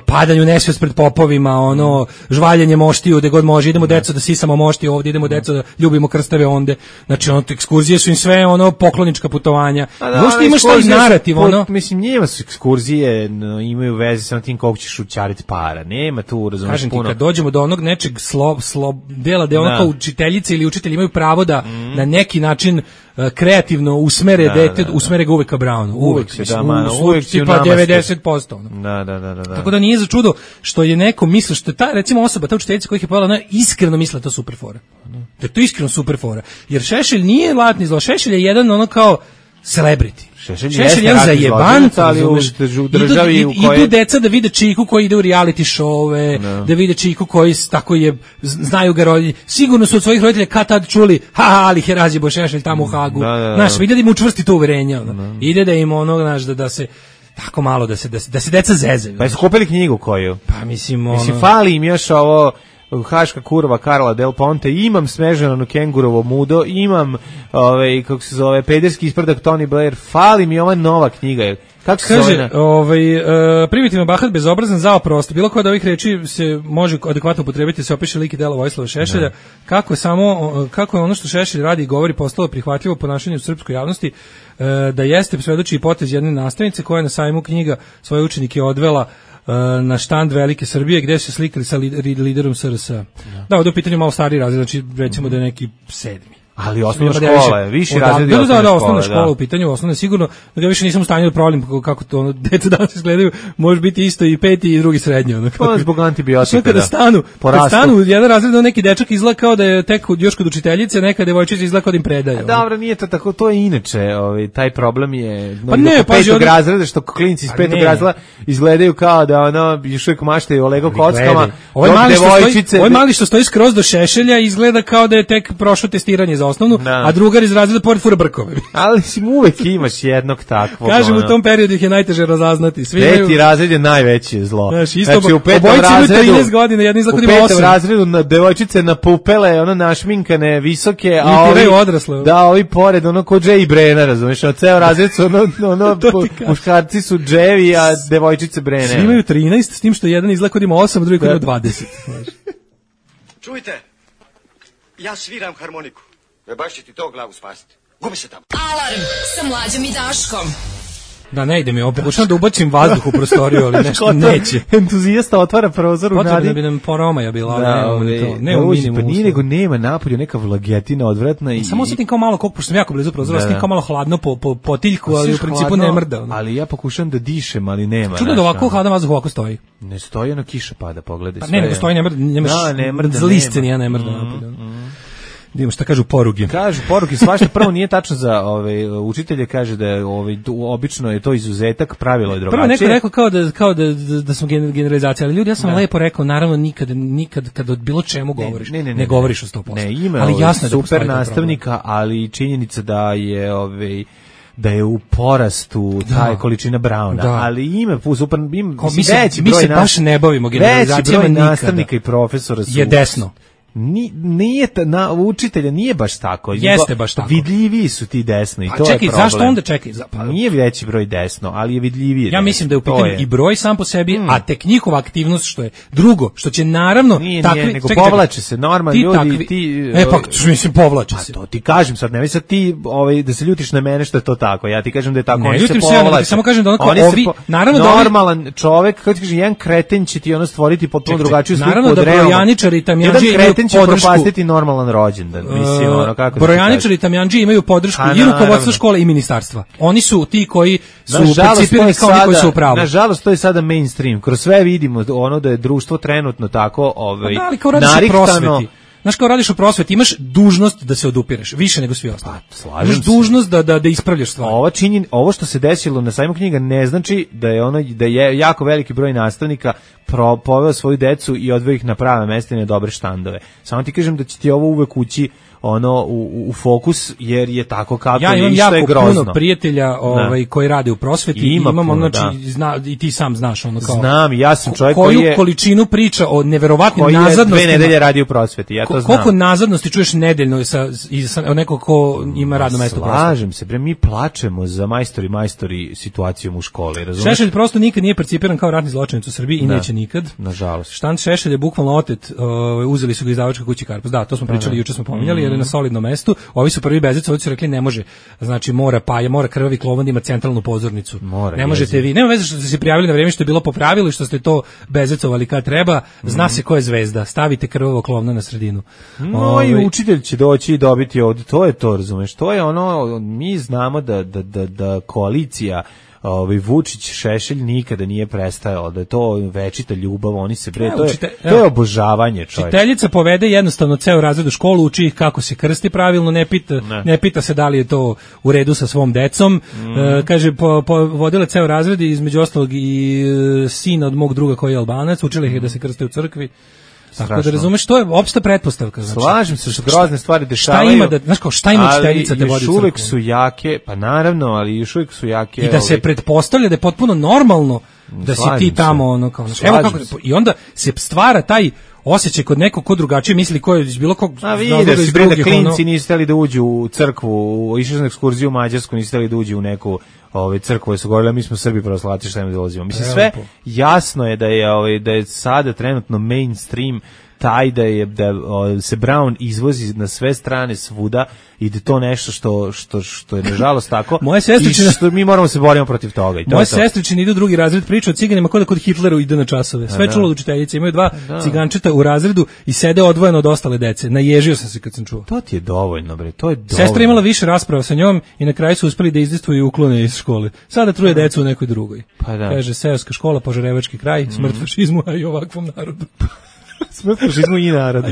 F: padanju nesvijest pred popovima, ono žvaljenje moštiju gde god može, idemo deco da sisamo moštiju ovdje, idemo deco da ljubimo krstave onde. Znači, ono, ekskurzije su im sve ono poklonička putovanja. Možda imaš taj narativ, ono.
E: Mislim, njima su ekskurzije, no, imaju veze sa tim koliko ćeš ućariti para. Nema tu, razumiješ,
F: kažem
E: puno.
F: Kažem ti, kad dođemo do onog nečeg slo, slo, dela, da ono kao učiteljice ili učitelji imaju pravo da mm. na neki način uh, kreativno usmere da, dete, da, da. usmere ga uvek ka Brownu. Uvek, uvek, da, man, uvek tipa devedeset posto. Ono.
E: Da, da, da, da, da.
F: Tako da nije za čudo što je neko mislio, što je ta, recimo osoba, ta učiteljica koja ih je pojela, ona iskreno misle to super fora. Da je to iskreno super fora. Jer Šešelj nije latni zlo, Šešelj je jedan ono kao celebrity.
E: Šešelj,
F: Šešelj je za jebant,
E: ali u državi
F: idu,
E: u kojoj...
F: idu deca da vide Čiku koji ide u reality showe, no. da vide Čiku koji tako je, znaju ga roditelji. Sigurno su od svojih roditelja kad tad čuli, ha, ali Herazi bo Šešelj tamo u Hagu.
E: Da, da, da.
F: Znaš, ide da im učvrsti to uverenje. Ono. Da. Ide da im ono, znaš, da, da se... tako malo da se da se, da se deca zezaju.
E: Pa su kupili knjigu koju?
F: Pa mislim ono...
E: Mislim, fali im još ovo Haška kurva Karla Del Ponte, imam Smežano kengurovo mudo, imam ovaj, kako se zove, pederski isprdak Tony Blair, fali mi ova nova knjiga. Kako se
F: kaže, zove? Ovaj, uh, primitivno bahat, bezobrazan, zao prosto. Bilo koja od ovih reči se može adekvatno upotrebiti, se opiše lik i delo Vojislava Šešelja. Ne. Kako je samo, kako je ono što Šešelj radi i govori postalo prihvatljivo ponašanje u srpskoj javnosti, uh, da jeste svedoči i potez jedne nastavnice koja je na sajmu knjiga svoje učenike odvela na štand Velike Srbije gde se slikali sa liderom S R S. Da, da ovdje u pitanju malo stariji razred, znači recimo da je neki sedmi.
E: Ali osnovna škola je, viši razred je
F: osnovna škola. Da, da, osnovna
E: škola,
F: škola u pitanju, osnovna sigurno, da ga više nisam u stanju da provalim kako to ono, deca danas izgledaju, može biti isto i peti i drugi srednji. Ono,
E: pa zbog antibiotika,
F: kada
E: da.
F: Stanu, kad stanu u jedan razred, neki dečak izgleda kao da je tek još kod učiteljice, neka devojčica izgleda kao da im predaje.
E: Dobro, nije to tako, to je inače, ovaj, taj problem je
F: pa ne, pa
E: petog razreda, što klinci iz petog razreda izgledaju kao da ono, još uvijek maštaju o Lego kockama,
F: ovaj mali, devojčice, ovaj mali što stoji skroz do šešelja izgleda kao da je tek prošlo testiranje za osnovnu, da. A drugar iz razreda pored fura brkove.
E: Ali si uvek imaš jednog takvog.
F: Kažem, ono. U tom periodu ih je najteže razaznati. Svi
E: Peti
F: imaju...
E: razred je najveće zlo.
F: Znači, isto, znači u petom razredu, trinaest godina, jedni izgleda ima osam.
E: U petom razredu na devojčice napupele, ono našminkane, visoke, a ovi,
F: odrasle.
E: Da, ovi pored, ono ko Jay Brena, razumiješ, ono ceo razred su, ono, ono muškarci su dževi, a devojčice Brene.
F: Svi imaju trinaest, s tim što jedan izgleda kod ima osam, drugi kod ima dvadeset.
J: Čujte, ja sviram harmoniku. E baš će ti to glavu spasiti. Gubi se tamo.
G: Alarm sa Mlađom i Daškom.
F: Da, ne ide mi ovo, pokušam da ubacim vazduh u prostoriju, ali nešto neće.
E: Entuzijasta otvara prozor u nadi.
F: Potrebno bi nam poromaja bila, ali
E: da,
F: ne,
E: ne,
F: to. Ne u minimum.
E: Pa nije nego nema napolju neka vlagetina odvratna. I,
F: samo osjetim kao malo, koliko, pošto sam jako blizu prozora, osjetim kao malo hladno po, po potiljku, ali u principu hladno, ne mrda. Ono.
E: Ali ja pokušam da dišem, ali nema.
F: Čudno da ovako hladan vazduh ovako stoji.
E: Ne stoji, ono kiša pada, pogledaj.
F: Pa ne, nego stoji, ne mrda, nemaš
E: da, ne mrda,
F: zliste, nije ne mrda napolju. Vidimo šta kažu poruge.
E: Kažu poruke, svašta prvo nije tačno za ove učitelje, kaže da je ovaj obično je to izuzetak, pravilo je drugačije.
F: Prvo neko rekao kao da kao da da, da smo generalizacija, ali ljudi, ja sam da. lepo rekao, naravno nikad nikad kad od bilo čemu govoriš, ne, ne, ne, ne, ne govoriš o sto posto.
E: Ne, ima
F: ali jasno
E: super da nastavnika, ali činjenica da je ovaj da je u porastu da. taj količina Brauna, da. ali ima super im
F: mi se, mi se baš ne bavimo generalizacijama nikada.
E: Nastavnika i profesora su
F: je desno.
E: Ni, nije ta, na učitelja nije baš tako.
F: Jeste baš tako.
E: Vidljiviji su ti desno i
F: a
E: to
F: čekaj,
E: je problem.
F: Zašto onda čekaj?
E: Pa nije veći broj desno, ali je vidljiviji.
F: Ja
E: desno.
F: mislim da je u pitanju i broj sam po sebi, hmm. a tek njihova aktivnost što je drugo, što će naravno
E: nije,
F: takvi,
E: nije, nego
F: čekaj,
E: povlače se normalni
F: ti
E: ljudi,
F: takvi,
E: ti
F: E pa mislim povlače
E: pa
F: se.
E: To ti kažem sad, ne mislim ti ovaj da se ljutiš na mene što je to tako. Ja ti kažem da je tako,
F: ne,
E: oni se
F: povlače. Samo kažem da onako ovi,
E: po,
F: naravno da
E: normalan čovjek, kako ti kažeš, jedan kreten će ti ono stvoriti potpuno drugačiju sliku od realnog.
F: Naravno da brojaničari i tamjanđije imaju podršku.
E: Normalan rođendan, mislim, ono kako
F: uh, brojaničari i tamjanđije imaju podršku i rukovodstvo škole i ministarstva. Oni su ti koji su percipirani kao oni koji su u pravu.
E: Nažalost, to je sada mainstream. Kroz sve vidimo ono da je društvo trenutno tako ovaj,
F: da, ali kao narihtano. Znaš, kao radiš u prosveti, imaš dužnost da se odupireš, više nego svi ostali.
E: Pa, slažem
F: imaš dužnost da, da, da ispravljaš stvari.
E: Ovo, činjen, ovo što se desilo na sajmu knjiga ne znači da je ono da je jako veliki broj nastavnika pro, poveo svoju decu i odveo ih na prave mesta i na dobre štandove. Samo ti kažem da će ti ovo uvek ući ono u, u fokus, jer je tako kako
F: ja
E: je i što je grozno. Ja imam
F: jako puno prijatelja ovaj, koji rade u prosveti i
E: Ima
F: imam,
E: puno,
F: znači, zna, i ti sam znaš ono kao...
E: Znam, ja sam čovjek
F: koju
E: koji je...
F: količinu priča o neverovatnim
E: koji
F: nazadnostima...
E: Koji je dve nedelje radi u prosveti, ja to
F: ko,
E: znam.
F: Koliko nazadnosti čuješ nedeljno sa, sa nekog ko ima radno mesto u prosveti?
E: Slažem se, bre, mi plačemo za majstori majstori situacijom u školi, razumiješ?
F: Šešelj prosto nikad nije percipiran kao ratni zločinac u Srbiji i da, neće nikad.
E: Nažalost.
F: Štant Šešelj je bukvalno otet, uh, uzeli su ga iz izdavačke kuće Karpus. Da, to smo pričali, juče smo pominjali, jer je na solidnom mestu. Ovi su prvi bezica, ovi su rekli ne može. Znači mora paja, mora krvavi klovan da ima centralnu pozornicu.
E: Mora,
F: ne možete jezim. Vi. Nema veze što ste se prijavili na vrijeme što je bilo po pravilu i što ste to bezecovali kad treba. Zna mm. se ko je zvezda. Stavite krvavo klovno na sredinu.
E: No Ove... i učitelj će doći i dobiti ovdje. To je to, razumeš? To je ono, mi znamo da, da, da, da koalicija ovaj Vučić Šešelj nikada nije prestajao, da je to večita ljubav, oni se bre, to je, to je obožavanje, čovjek.
F: Učiteljica povede jednostavno ceo razred u školu, uči ih kako se krsti pravilno, ne pita, ne. ne pita se da li je to u redu sa svom decom. Mm. E, kaže, po, po, vodila ceo razred, između ostalog i e, sin od mog druga koji je Albanac, učila ih je da se krste u crkvi. Strašno. Tako da razumeš, to je opšta pretpostavka. Znači,
E: slažem se što grozne stvari dešavaju.
F: Šta ima da, znaš kao, šta ima učiteljica te vodi u crkvu?
E: Ali još uvek su jake, pa naravno, ali još uvek su jake.
F: I da se pretpostavlja da je potpuno normalno da si ti tamo, ono kao, znaš, evo kako, i onda se stvara taj osjećaj kod nekog ko drugačije misli, ko je bilo kog...
E: A vidi, si bre da klinci nisu hteli da uđu u crkvu, išli su na ekskurziju u Mađarsku, nisu hteli da uđu u neku ove crkve su govorili, mi smo Srbi pravoslavci, šta im dolazimo. Mislim, sve jasno je da je, ove, da je sada trenutno mainstream taj da je da o, se Brown izvozi na sve strane svuda i da to nešto što što što je nažalost tako.
F: Moje sestričine,
E: što mi moramo se boriti protiv toga i to.
F: Moje sestričine idu u drugi razred, priča o ciganima kod kod Hitleru ide na časove. Sve da. Čulo od učiteljice, imaju dva da. Cigančeta u razredu i sede odvojeno od ostale dece. Naježio sam se kad sam čuo.
E: To ti je dovoljno, bre, to je dovoljno.
F: Sestra imala više rasprava sa njom i na kraju su uspeli da izdejstvuju i uklone iz škole. Sada truje decu u nekoj drugoj.
E: Pa da.
F: Kaže seoska škola, Požarevački kraj, smrt mm. fašizmu, a i ovakvom narodu.
E: Smrt fašizmu i narodu.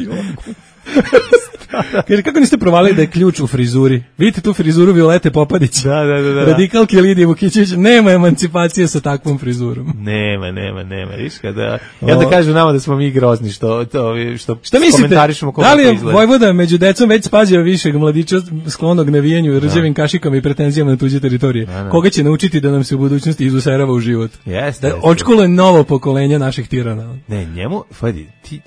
F: Kaže, kako niste provalili da je ključ u frizuri? Vidite tu frizuru Violete Popadić?
E: Da, da, da, da.
F: Radikalke Lidije Vukićević, nema emancipacije sa takvom frizurom.
E: Nema, nema, nema. Viš kada, ja da kažu nama da smo mi grozni što, to, što
F: šta mislite,
E: komentarišemo kako
F: da li je
E: izgleda.
F: Vojvoda među decom već spazio višeg mladića sklonog navijenju, rđevim kašikama i pretenzijama na tuđe teritorije? Da, da. Koga će naučiti da nam se u budućnosti izuserava u život?
E: Jeste.
F: Da očkuluje novo pokolenje naših tirana.
E: Ne, njemu, Fadi, ti,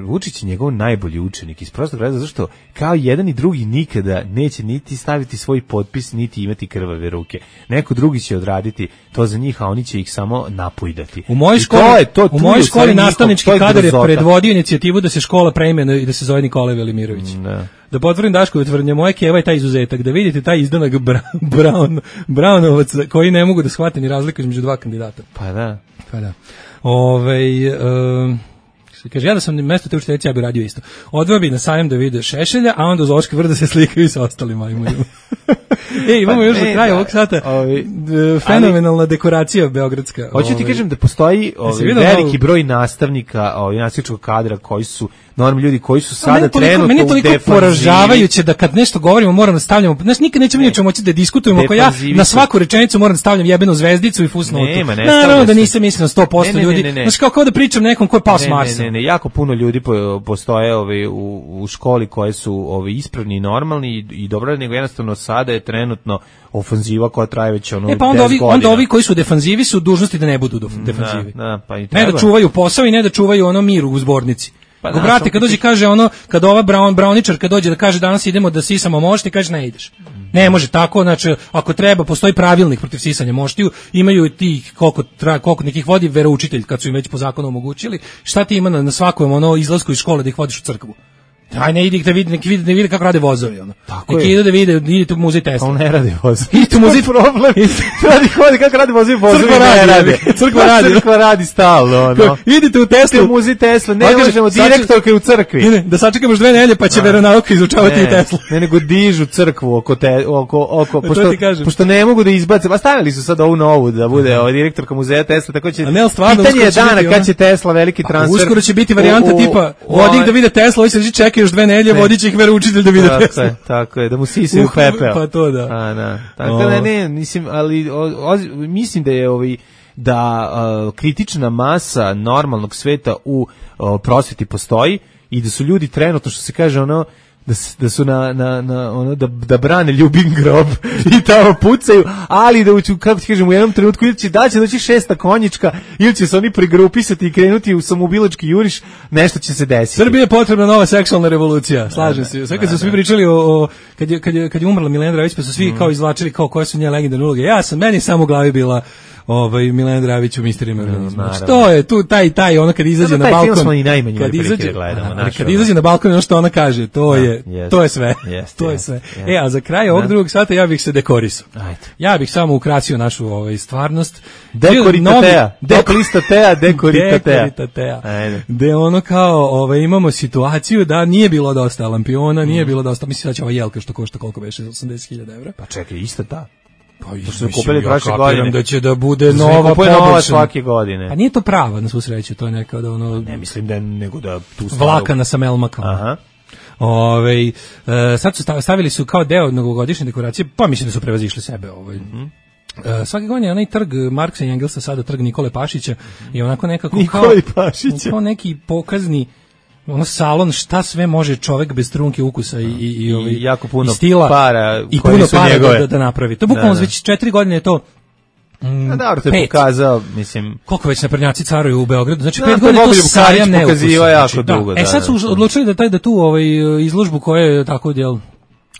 E: Vučić je njegov najbolji učenik iz prostog razloga zašto kao jedan i drugi nikada neće niti staviti svoj potpis, niti imati krvave ruke. Neko drugi će odraditi to za njih, a oni će ih samo napojdati.
F: U mojoj školi, to je, to, u mojoj školi nastavnički kadar je predvodio inicijativu da se škola preimenuje i da se zove Nikola Velimirović. Da. Da potvrdim Daškovu tvrdnju, moje keva je taj izuzetak, da vidite taj izdanak Brown, Brownovac koji ne mogu da shvate ni razliku između dva kandidata.
E: Pa da.
F: Pa da. Ovej... Um, kaže, ja da sam na mesto te učiteljice, ja bi radio isto. Odveo bi na sajam da vide Šešelja, a onda uz Oške vrda se slikaju sa ostalim majmunima. E, imamo pa, još za kraj ovog sata ovi, fenomenalna ali, dekoracija beogradska.
E: Hoću ti kažem da postoji ovi, veliki broj nastavnika, ovi, nastavničkog kadra koji su normalni ljudi koji su sada meni trenutno u defanzivi. Meni je toliko poražavajuće da kad nešto govorimo moram da stavljamo, znaš, nikad nećemo ne. ničemu moći da diskutujemo ako ja na svaku rečenicu moram da stavljam jebenu zvezdicu i fusnotu. Ne, naravno da nisam mislio na sto posto ne, ljudi. Ne, ne, ne. Znaš, kao, kao da pričam nekom ko je pao s Marsa. Ne, ne, ne, jako puno ljudi postoje ovi, u, u školi koje su ovi, ispravni i normalni i, i dobro, nego jednostavno sada je trenutno ofanziva koja traje već ono
F: e, pa onda ovi, onda ovi koji su defanzivi su dužnosti da ne budu defanzivi.
E: Da, da, pa i
F: ne da čuvaju posao i ne da čuvaju ono mir u zbornici. Pa Go, brate, kad dođe kaže ono, kad ova Brown, Browničar kad dođe da kaže danas idemo da sisamo mošti, kaže ne ideš. Ne može tako, znači ako treba postoji pravilnik protiv sisanja moštiju, imaju tih koliko tra, koliko nekih vodi veroučitelj kad su im već po zakonu omogućili. Šta ti ima na, na svakom ono izlasku iz škole da ih vodiš u crkvu? Aj ne idi da vidi, neki vidi, ne vidi kako rade vozovi ono. Neki idu da vide, idite u muzej Tesla.
E: On ne radi vozovi.
F: Idite u muzej
E: problem. Radi hodi kako radi vozovi, vozovi ne rade.
F: Crkva radi,
E: crkva radi stalno ono.
F: Idite u Teslu,
E: u muzej Tesla, ne možemo direktorke u crkvi.
F: Ne, da sačekamo još dve nedelje pa će veronauka izučavati i Teslu.
E: Ne, nego dižu crkvu oko te oko oko pošto pošto ne mogu da izbace. Pa stavili su sad ovu novu da bude ova direktorka muzeja Tesla, tako će. Pitanje je dana kad će Tesla veliki transfer.
F: Uskoro će biti varijanta tipa vodi da vide Tesla, hoće se čeka još dve nedelje. Će ih veroučitelj da vide Tesla.
E: Je, tako je, da mu sisaju uh, pepeo.
F: Pa to da.
E: A, da. Tako da ne, mislim, ali o, o, mislim da je ovaj da uh, kritična masa normalnog sveta u uh, prosveti postoji i da su ljudi trenutno, što se kaže, ono da, da su na, na, na ono da, da brane ljubim grob i tamo pucaju, ali da uću, kako ti kažem, u jednom trenutku ili će da će doći šesta konjička ili će se oni pregrupisati i krenuti u samoubilački juriš, nešto će se desiti.
F: Srbiji je potrebna nova seksualna revolucija, slažem se. Sve kad su svi pričali o, o kad je kad je kad je umrla Milena Dravić, pa su svi mm. kao izvlačili kao koje su njene legendarne uloge. Ja sam meni samo u glavi bila ovaj Milena Dravić u misterima organizma. Što je tu taj taj ona kad izađe na balkon.
E: Kad izađe gledamo,
F: kad izađe na balkon ono što ona kaže, to je to je sve. To je sve. E, a za kraj ovog drugog sata ja bih se dekorisao. Ja bih samo ukrasio našu ovaj stvarnost.
E: Dekoritatea, dekolistatea, dekoritatea.
F: De ono kao, ovaj imamo situaciju da nije bilo dosta lampiona, nije bilo dosta, mislim da će ova jelka što košta koliko beše osamdeset hiljada evra.
E: Pa čekaj, ista ta.
F: Pa i su kupili prošle godine da će da bude nova
E: poboljšana svake godine.
F: A nije to prava na svu sreću, to je neka da ono
E: ne mislim da nego da tu
F: stavu vlakana sa melmakama.
E: Aha.
F: Ovaj e, sad su stavili su kao deo novogodišnje dekoracije, pa mislim da su prevazišli sebe, ovaj. Mm-hmm. E, svake godine onaj trg Marksa i Engelsa, sada trg Nikole Pašića i onako nekako
E: Nikole Pašića.
F: Kao neki pokazni ono salon šta sve može čovjek bez trunke ukusa i i i, ovaj,
E: i jako puno
F: i stila
E: para
F: i puno para da, da, da napravi. To bukvalno već četiri godine je to.
E: Mm, a dobro, to je pokazao, mislim.
F: Koliko već naprednjaci caruju u Beogradu? Znači pet godina to sajam ne
E: pokaziva jako dugo.
F: Da. E sad su odlučili da taj da tu ovaj izložbu koja je tako djel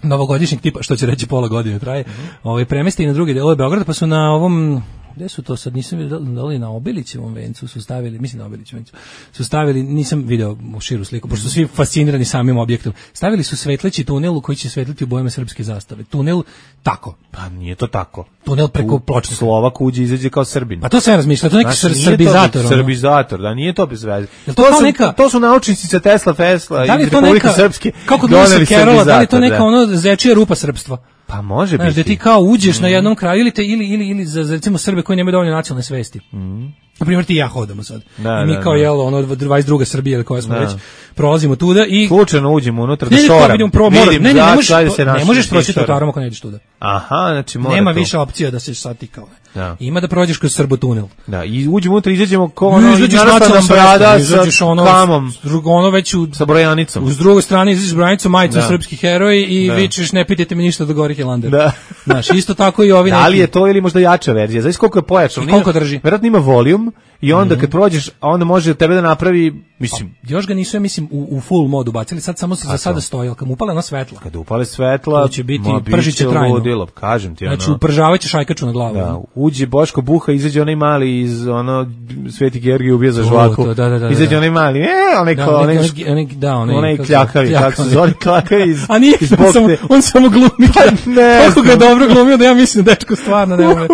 F: novogodišnjeg tipa, što će reći pola godine traje, mm-hmm. ovaj premesti na druge delove Beograda, pa su na ovom Gde su to sad, nisam vidio da li na Obilićevom vencu su stavili, mislim na Obilićevom vencu, su stavili, nisam video u širu sliku, pošto su svi fascinirani samim objektom, stavili su svetleći tunel u koji će svetliti u bojama srpske zastave. Tunel tako.
E: Pa nije to tako.
F: Tunel preko pločnika.
E: Slovak uđe, izađe kao Srbin.
F: Pa to sam razmišljao, to je neki
E: znači,
F: srbizator.
E: To srbizator, da, nije to bez veze.
F: To,
E: to,
F: to,
E: su,
F: neka,
E: to su naučnici sa Tesla, Fesla
F: da
E: i Republike Srpske.
F: Kako doneli Kerola, da li to neka da. ono zečija rupa srpstva?
E: Pa može
F: znaš,
E: biti.
F: Da ti kao uđeš mm. na jednom kraju ili, te, ili, ili, ili za, za recimo Srbe koji nemaju dovoljno nacionalne svesti. Mm. Na primjer ti i ja hodamo sad. Da, I mi da, kao da. jelo, ono dvadeset druga Srbija ili koja smo da. već prolazimo tuda i
E: slučajno uđemo unutra da šoram.
F: Ne, ne, ne, ne možeš, ne možeš proći trotoarom ako ne ideš tuda.
E: Aha, znači mora
F: nema
E: to.
F: više opcija da se sad ti kao.
E: Da.
F: Ima da prođeš kroz Srbo tunel.
E: Da, i uđemo unutra, izađemo kao ono,
F: izađeš nacionalnom brada sa
E: ono, kamom,
F: ono već u,
E: sa brojanicom.
F: Uz drugu stranu izađeš brojanicom, majicom da. srpski heroji i da. vičeš ne pitajte me ništa do Gorih Hilander. Da. Znaš, isto tako i ovi neki.
E: Da li je to ili možda jača verzija? Znaš koliko je pojačano?
F: Koliko drži?
E: Verovatno ima volijum i onda mm-hmm. kad prođeš, onda može tebe da napravi, mislim.
F: A, još ga nisu, ja mislim, u, u full modu bacili, sad samo se za sada stoji, kad mu upale na svetla.
E: Kad upale svetla,
F: to će biti, pržiće trajno.
E: Ludilo, kažem ti, ono.
F: Znači, upržavaće šajkaču na glavu.
E: Da, uđe Boško Buha, izađe onaj mali iz, ono, Sveti Georgij ubija za žvaku.
F: To, da, da, da,
E: izađe onaj mali, e, onaj
F: da,
E: ko, onaj,
F: onaj, onaj, da, onaj,
E: onaj kljakavi, kako se zove, kljakavi iz,
F: a nije,
E: iz
F: on samo, on samo glumi.
E: Pa ne.
F: Kako ga dobro glumio da ja mislim da dečko stvarno ne ume.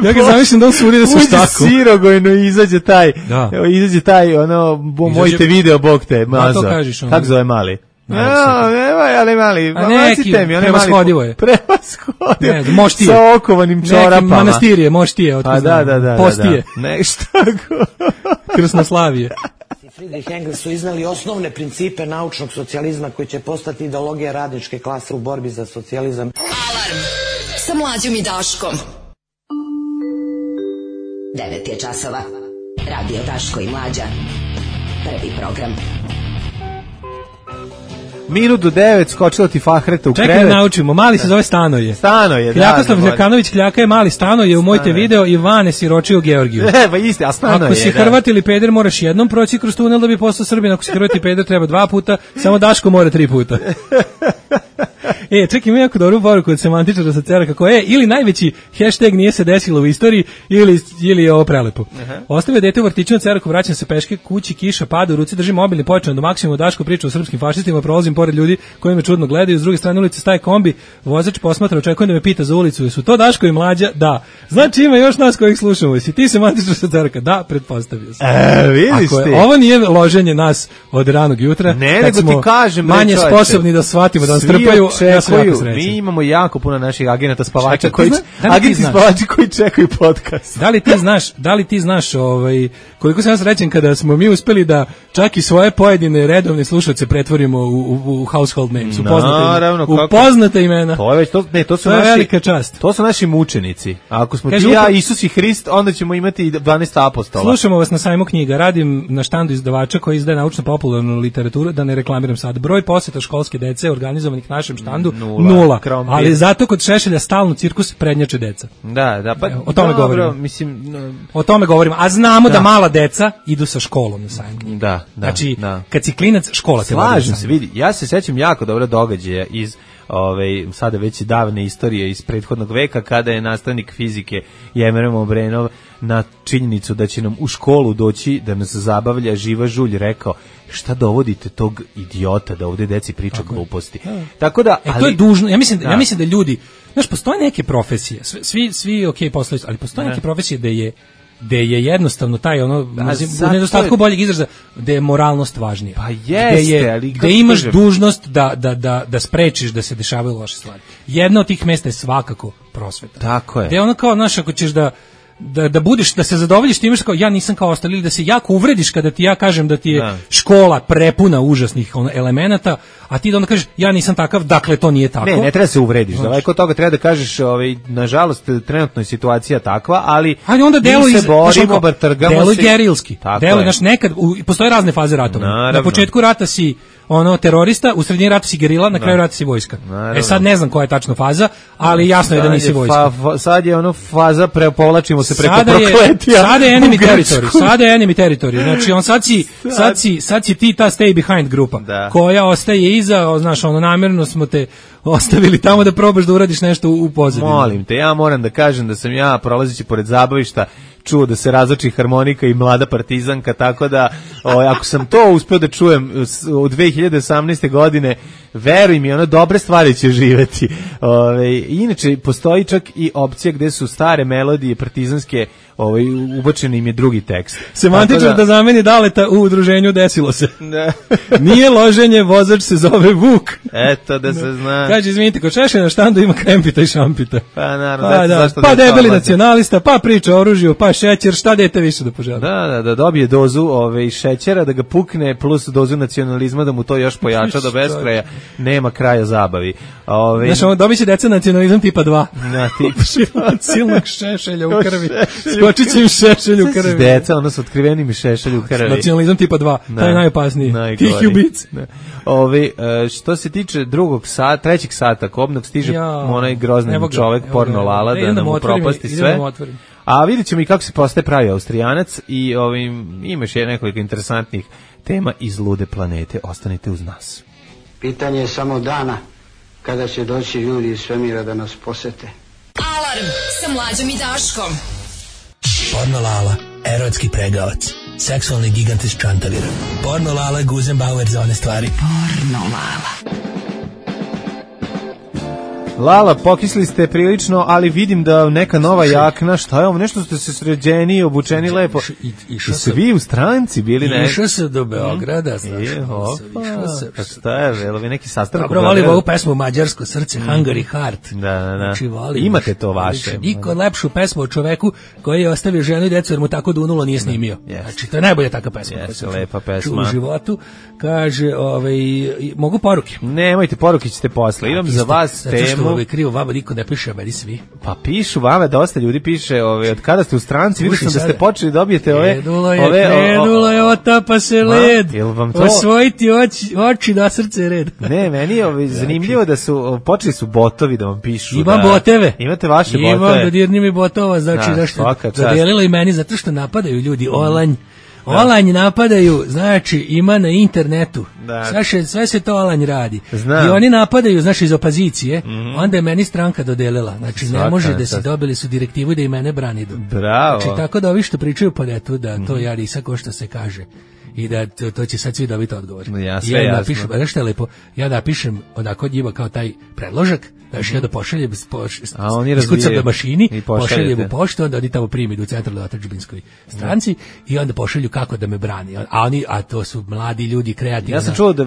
F: Ja ga zamišljam da on suri da se štaku.
E: Uđe sirogojno i izađe taj,
F: da.
E: izađe taj, ono, mojte video, bog te, mazo.
F: To kažeš, ono.
E: Kako zove mali? No, nema, ali mali,
F: a neki, prevashodivo je.
E: Prevashodivo.
F: Ne, moštije.
E: Sa okovanim čorapama.
F: Neki manastirije, moštije.
E: A da, da, da.
F: Postije.
E: Da, da. Nešto tako.
F: Krsnoslavije.
K: Friedrich i Engels su iznali osnovne principe naučnog socijalizma koji će postati ideologija radničke klase u borbi za socijalizam.
G: Alarm sa Mlađom i Daškom. devet je časova. Radio Daško i Mlađa. Prvi program.
E: Minut do devet, skočila ti Fahreta u
F: Čekaj
E: krevet.
F: Čekaj da naučimo, mali se zove Stanoje.
E: Stanoje, da.
F: Kljakoslav Đakanović Kljaka je mali Stanoje, u mojte video Ivane siročio Georgiju.
E: E, pa isti, a Stanoje,
F: ako si
E: da.
F: Hrvat ili peder, moraš jednom proći kroz tunel da bi postao Srbin, ako si Hrvat i peder, treba dva puta, samo Daško mora tri puta. E, čekaj, ima jako dobru poruku od semantičara sa Cera, kako je, ili najveći hashtag nije se desilo u istoriji, ili, ili je ovo prelepo. Uh-huh. Ostavio dete u vrtiću na Ceraku, vraćam se peške, kući, kiša, pada, u ruci držim mobilni, počnem do maksimuma, Daško priča o srpskim fašistima, prolazim pored ljudi koji me čudno gledaju, s druge strane ulice staje kombi, vozač posmatra, očekujem da me pita za ulicu, jesu to Daško i Mlađa? Da. Znači ima još nas kojih slušamo, jesi ti semantičar sa Ceraka? Da, pretpostavio sam.
E: E, vidiš ti.
F: Ovo nije loženje nas od ranog jutra,
E: ne, nego ti kažem,
F: manje čovječe, sposobni da shvatimo, da nas trpaju, ja sam jako srećan.
E: Mi imamo jako puno naših agenata spavača koji da agenti spavača koji čekaju podcast.
F: Da li ti znaš, da li ti znaš ovaj koliko sam ja srećan kada smo mi uspeli da čak i svoje pojedine redovne slušaoce pretvorimo u, u, u household names, u poznate, Naravno, u poznate imena.
E: To je već to, ne, to su
F: to
E: naši
F: velika čast.
E: To su naši mučenici. A ako smo
F: Kažu,
E: ti ja Isus i Hrist, onda ćemo imati dvanaest apostola.
F: Slušamo vas na sajmu knjiga. Radim na štandu izdavača koji izdaje naučno popularnu literaturu, da ne reklamiram sad. Broj poseta školske dece organizovanih našem štandu nula. nula. Ali zato kod Šešelja stalno cirkus prednjače deca.
E: Da, da, pa
F: o tome
E: dobro,
F: govorimo.
E: Mislim, no,
F: o tome govorimo. A znamo da, da mala deca idu sa školom na sajmu.
E: Da, da.
F: Znači,
E: da.
F: kad si klinac, škola te vodi.
E: Slažem se, vidi. Ja se sećam jako dobro događaja iz Ove, sada već davne istorije iz prethodnog veka kada je nastavnik fizike Jemerem Obrenov na činjenicu da će nam u školu doći da nas zabavlja živa žulj rekao šta dovodite tog idiota da ovde deci priča tako gluposti. Ja. Tako da,
F: e,
E: ali,
F: to je dužno. Ja mislim da, ja mislim da ljudi, znaš, postoje neke profesije, svi svi okej okay, postoje, ali postoje ne. neke profesije da je da je jednostavno taj ono u nedostatku je... boljeg izraza da je moralnost važnija.
E: Pa jeste,
F: je,
E: ali
F: da imaš kažem... dužnost da, da, da, da sprečiš da se dešavaju loše stvari. Jedno od tih mesta je svakako prosveta.
E: Tako je.
F: Da je ono kao, znaš, ako ćeš da Da, da budeš, da se zadovoljiš time što kao ja nisam kao ostali, ili da se jako uvrediš kada ti ja kažem da ti je da. škola prepuna užasnih ono, elemenata, a ti da onda kažeš ja nisam takav, dakle to nije tako.
E: Ne, ne treba se uvrediš, daleko od toga treba da kažeš, ovaj, nažalost, trenutno je situacija takva, ali
F: ajde onda delo
E: iz, se borimo, bar trgamo
F: delo se. Gerilski. Delo, znaš, nekad, u, postoje razne faze ratova. Naravno. Na početku rata si ono terorista, u sredini rata si gerila, na kraju rata si vojska. Naravno. E sad ne znam koja je tačno faza, ali jasno sad je da nisi vojska.
E: Fa, fa, sad je ono faza prepovlačimo se preko
F: sada
E: prokletija.
F: Je, sada je enemy territory, sada je enemy territory. Znači on sad si, sad si, sad si ti ta stay behind grupa, da. koja ostaje iza, znaš, ono namjerno smo te ostavili tamo da probaš da uradiš nešto u, u pozadini.
E: Molim te, ja moram da kažem da sam ja prolazeći pored zabavišta čuo da se razlači harmonika i mlada partizanka, tako da o, ako sam to uspeo da čujem u dve hiljade osamnaeste. godine, veruj mi, ono dobre stvari će živeti. Ove, inače, postoji čak i opcija gde su stare melodije partizanske, ovaj, ubačen im je drugi tekst.
F: Semantičar da, da zameni Daleta u udruženju desilo se. Da. Nije loženje, vozač se zove Vuk.
E: Eto da se zna.
F: Kaže, izvinite, kod Šešelja na štandu ima krempita i šampita.
E: Pa naravno,
F: pa, da,
E: zašto
F: pa
E: da
F: debeli nacionalista, pa priča o oružju, pa šećer, šta dete više da poželi?
E: Da, da, da dobije dozu ove, šećera, da ga pukne, plus dozu nacionalizma, da mu to još pojača do beskraja. Nema kraja zabavi. Ove,
F: Znaš, ono dobit će deca nacionalizam tipa dva.
E: Na tipa
F: silnog Šešelja u krvi. Skočit će im Šešelj u krvi.
E: Deca, ono su otkriveni mi Šešelj u krvi.
F: Nacionalizam tipa dva, da, taj je najopasniji. Tih ubic.
E: Ove, što se tiče drugog sata, trećeg sata, kobnog stiže ja, onaj grozni čovek, porno lala, da nam upropasti sve. A vidjet ćemo i kako se postaje pravi Austrijanac i ovim, imaš je nekoliko interesantnih tema iz lude planete. Ostanite uz nas.
L: Pitanje je samo dana kada će doći ljudi iz svemira da nas posete.
G: Alarm sa Mlađom i Daškom.
I: Porno Lala, erotski pregavac, seksualni gigant iz Čantavira. Porno Lala, Guzenbauer za one stvari.
G: Porno Lala.
E: Lala, pokisli ste prilično, ali vidim da neka nova jakna, šta je ovo, nešto ste se sređeni, obučeni lepo. I su vi u stranci bili ne?
F: Išao se do Beograda, znaš.
E: Je, opa, pa šta je, jel vi neki sastanak?
F: Dobro, volim ovu pesmu Mađarsko srce, Hungary Heart.
E: Da, da, da.
F: Znači, volim.
E: Imate to vaše.
F: Niko lepšu pesmu o čoveku koji je ostavio ženu i decu jer mu tako dunulo nije snimio. Znači, to je najbolja taka pesma.
E: Jeste, lepa pesma.
F: U životu, kaže, ovaj, mogu poruke?
E: Nemojte, poruke ćete posle. Imam za vas temu.
F: Ovaj krivo, vama niko ne piše, a meni svi.
E: Pa pišu vama, dosta ljudi piše, ove, od kada ste u stranci, vidio sam da ste počeli dobijete ove...
F: Krenulo je, ove, krenulo je, otapa se led,
E: jel vam to...
F: osvojiti oči, oči na srce red.
E: Ne, meni je ove, zanimljivo da su, počeli su botovi da vam pišu.
F: Imam
E: da,
F: boteve.
E: Imate vaše
F: Imam
E: botove.
F: Imam dodirni mi botova, znači da što zadelilo i meni, zato što napadaju ljudi, olanj. Olanj napadaju, znači ima na internetu. Sve, sve se to olanj radi. Znam. I oni napadaju, znači iz opozicije, mm-hmm. onda je meni stranka dodelila. Znači ne Svaka, može da se dobili su direktivu da i mene brani.
E: Bravo.
F: Znači tako da ovi što pričaju po netu, da to ja nisam ko što se kaže. I da to, to će sad svi dobiti odgovor.
E: Ja, sve
F: ja
E: napišem,
F: znaš što je lepo, ja napišem onako njima kao taj predložak, znači ja da pošaljem iskucam na mašini, pošaljem u poštu, onda oni tamo primi u centralnoj otadžbinskoj stranci i onda pošalju kako da me brani. A oni, a to su mladi ljudi, kreativni.
E: Ja sam čuo da,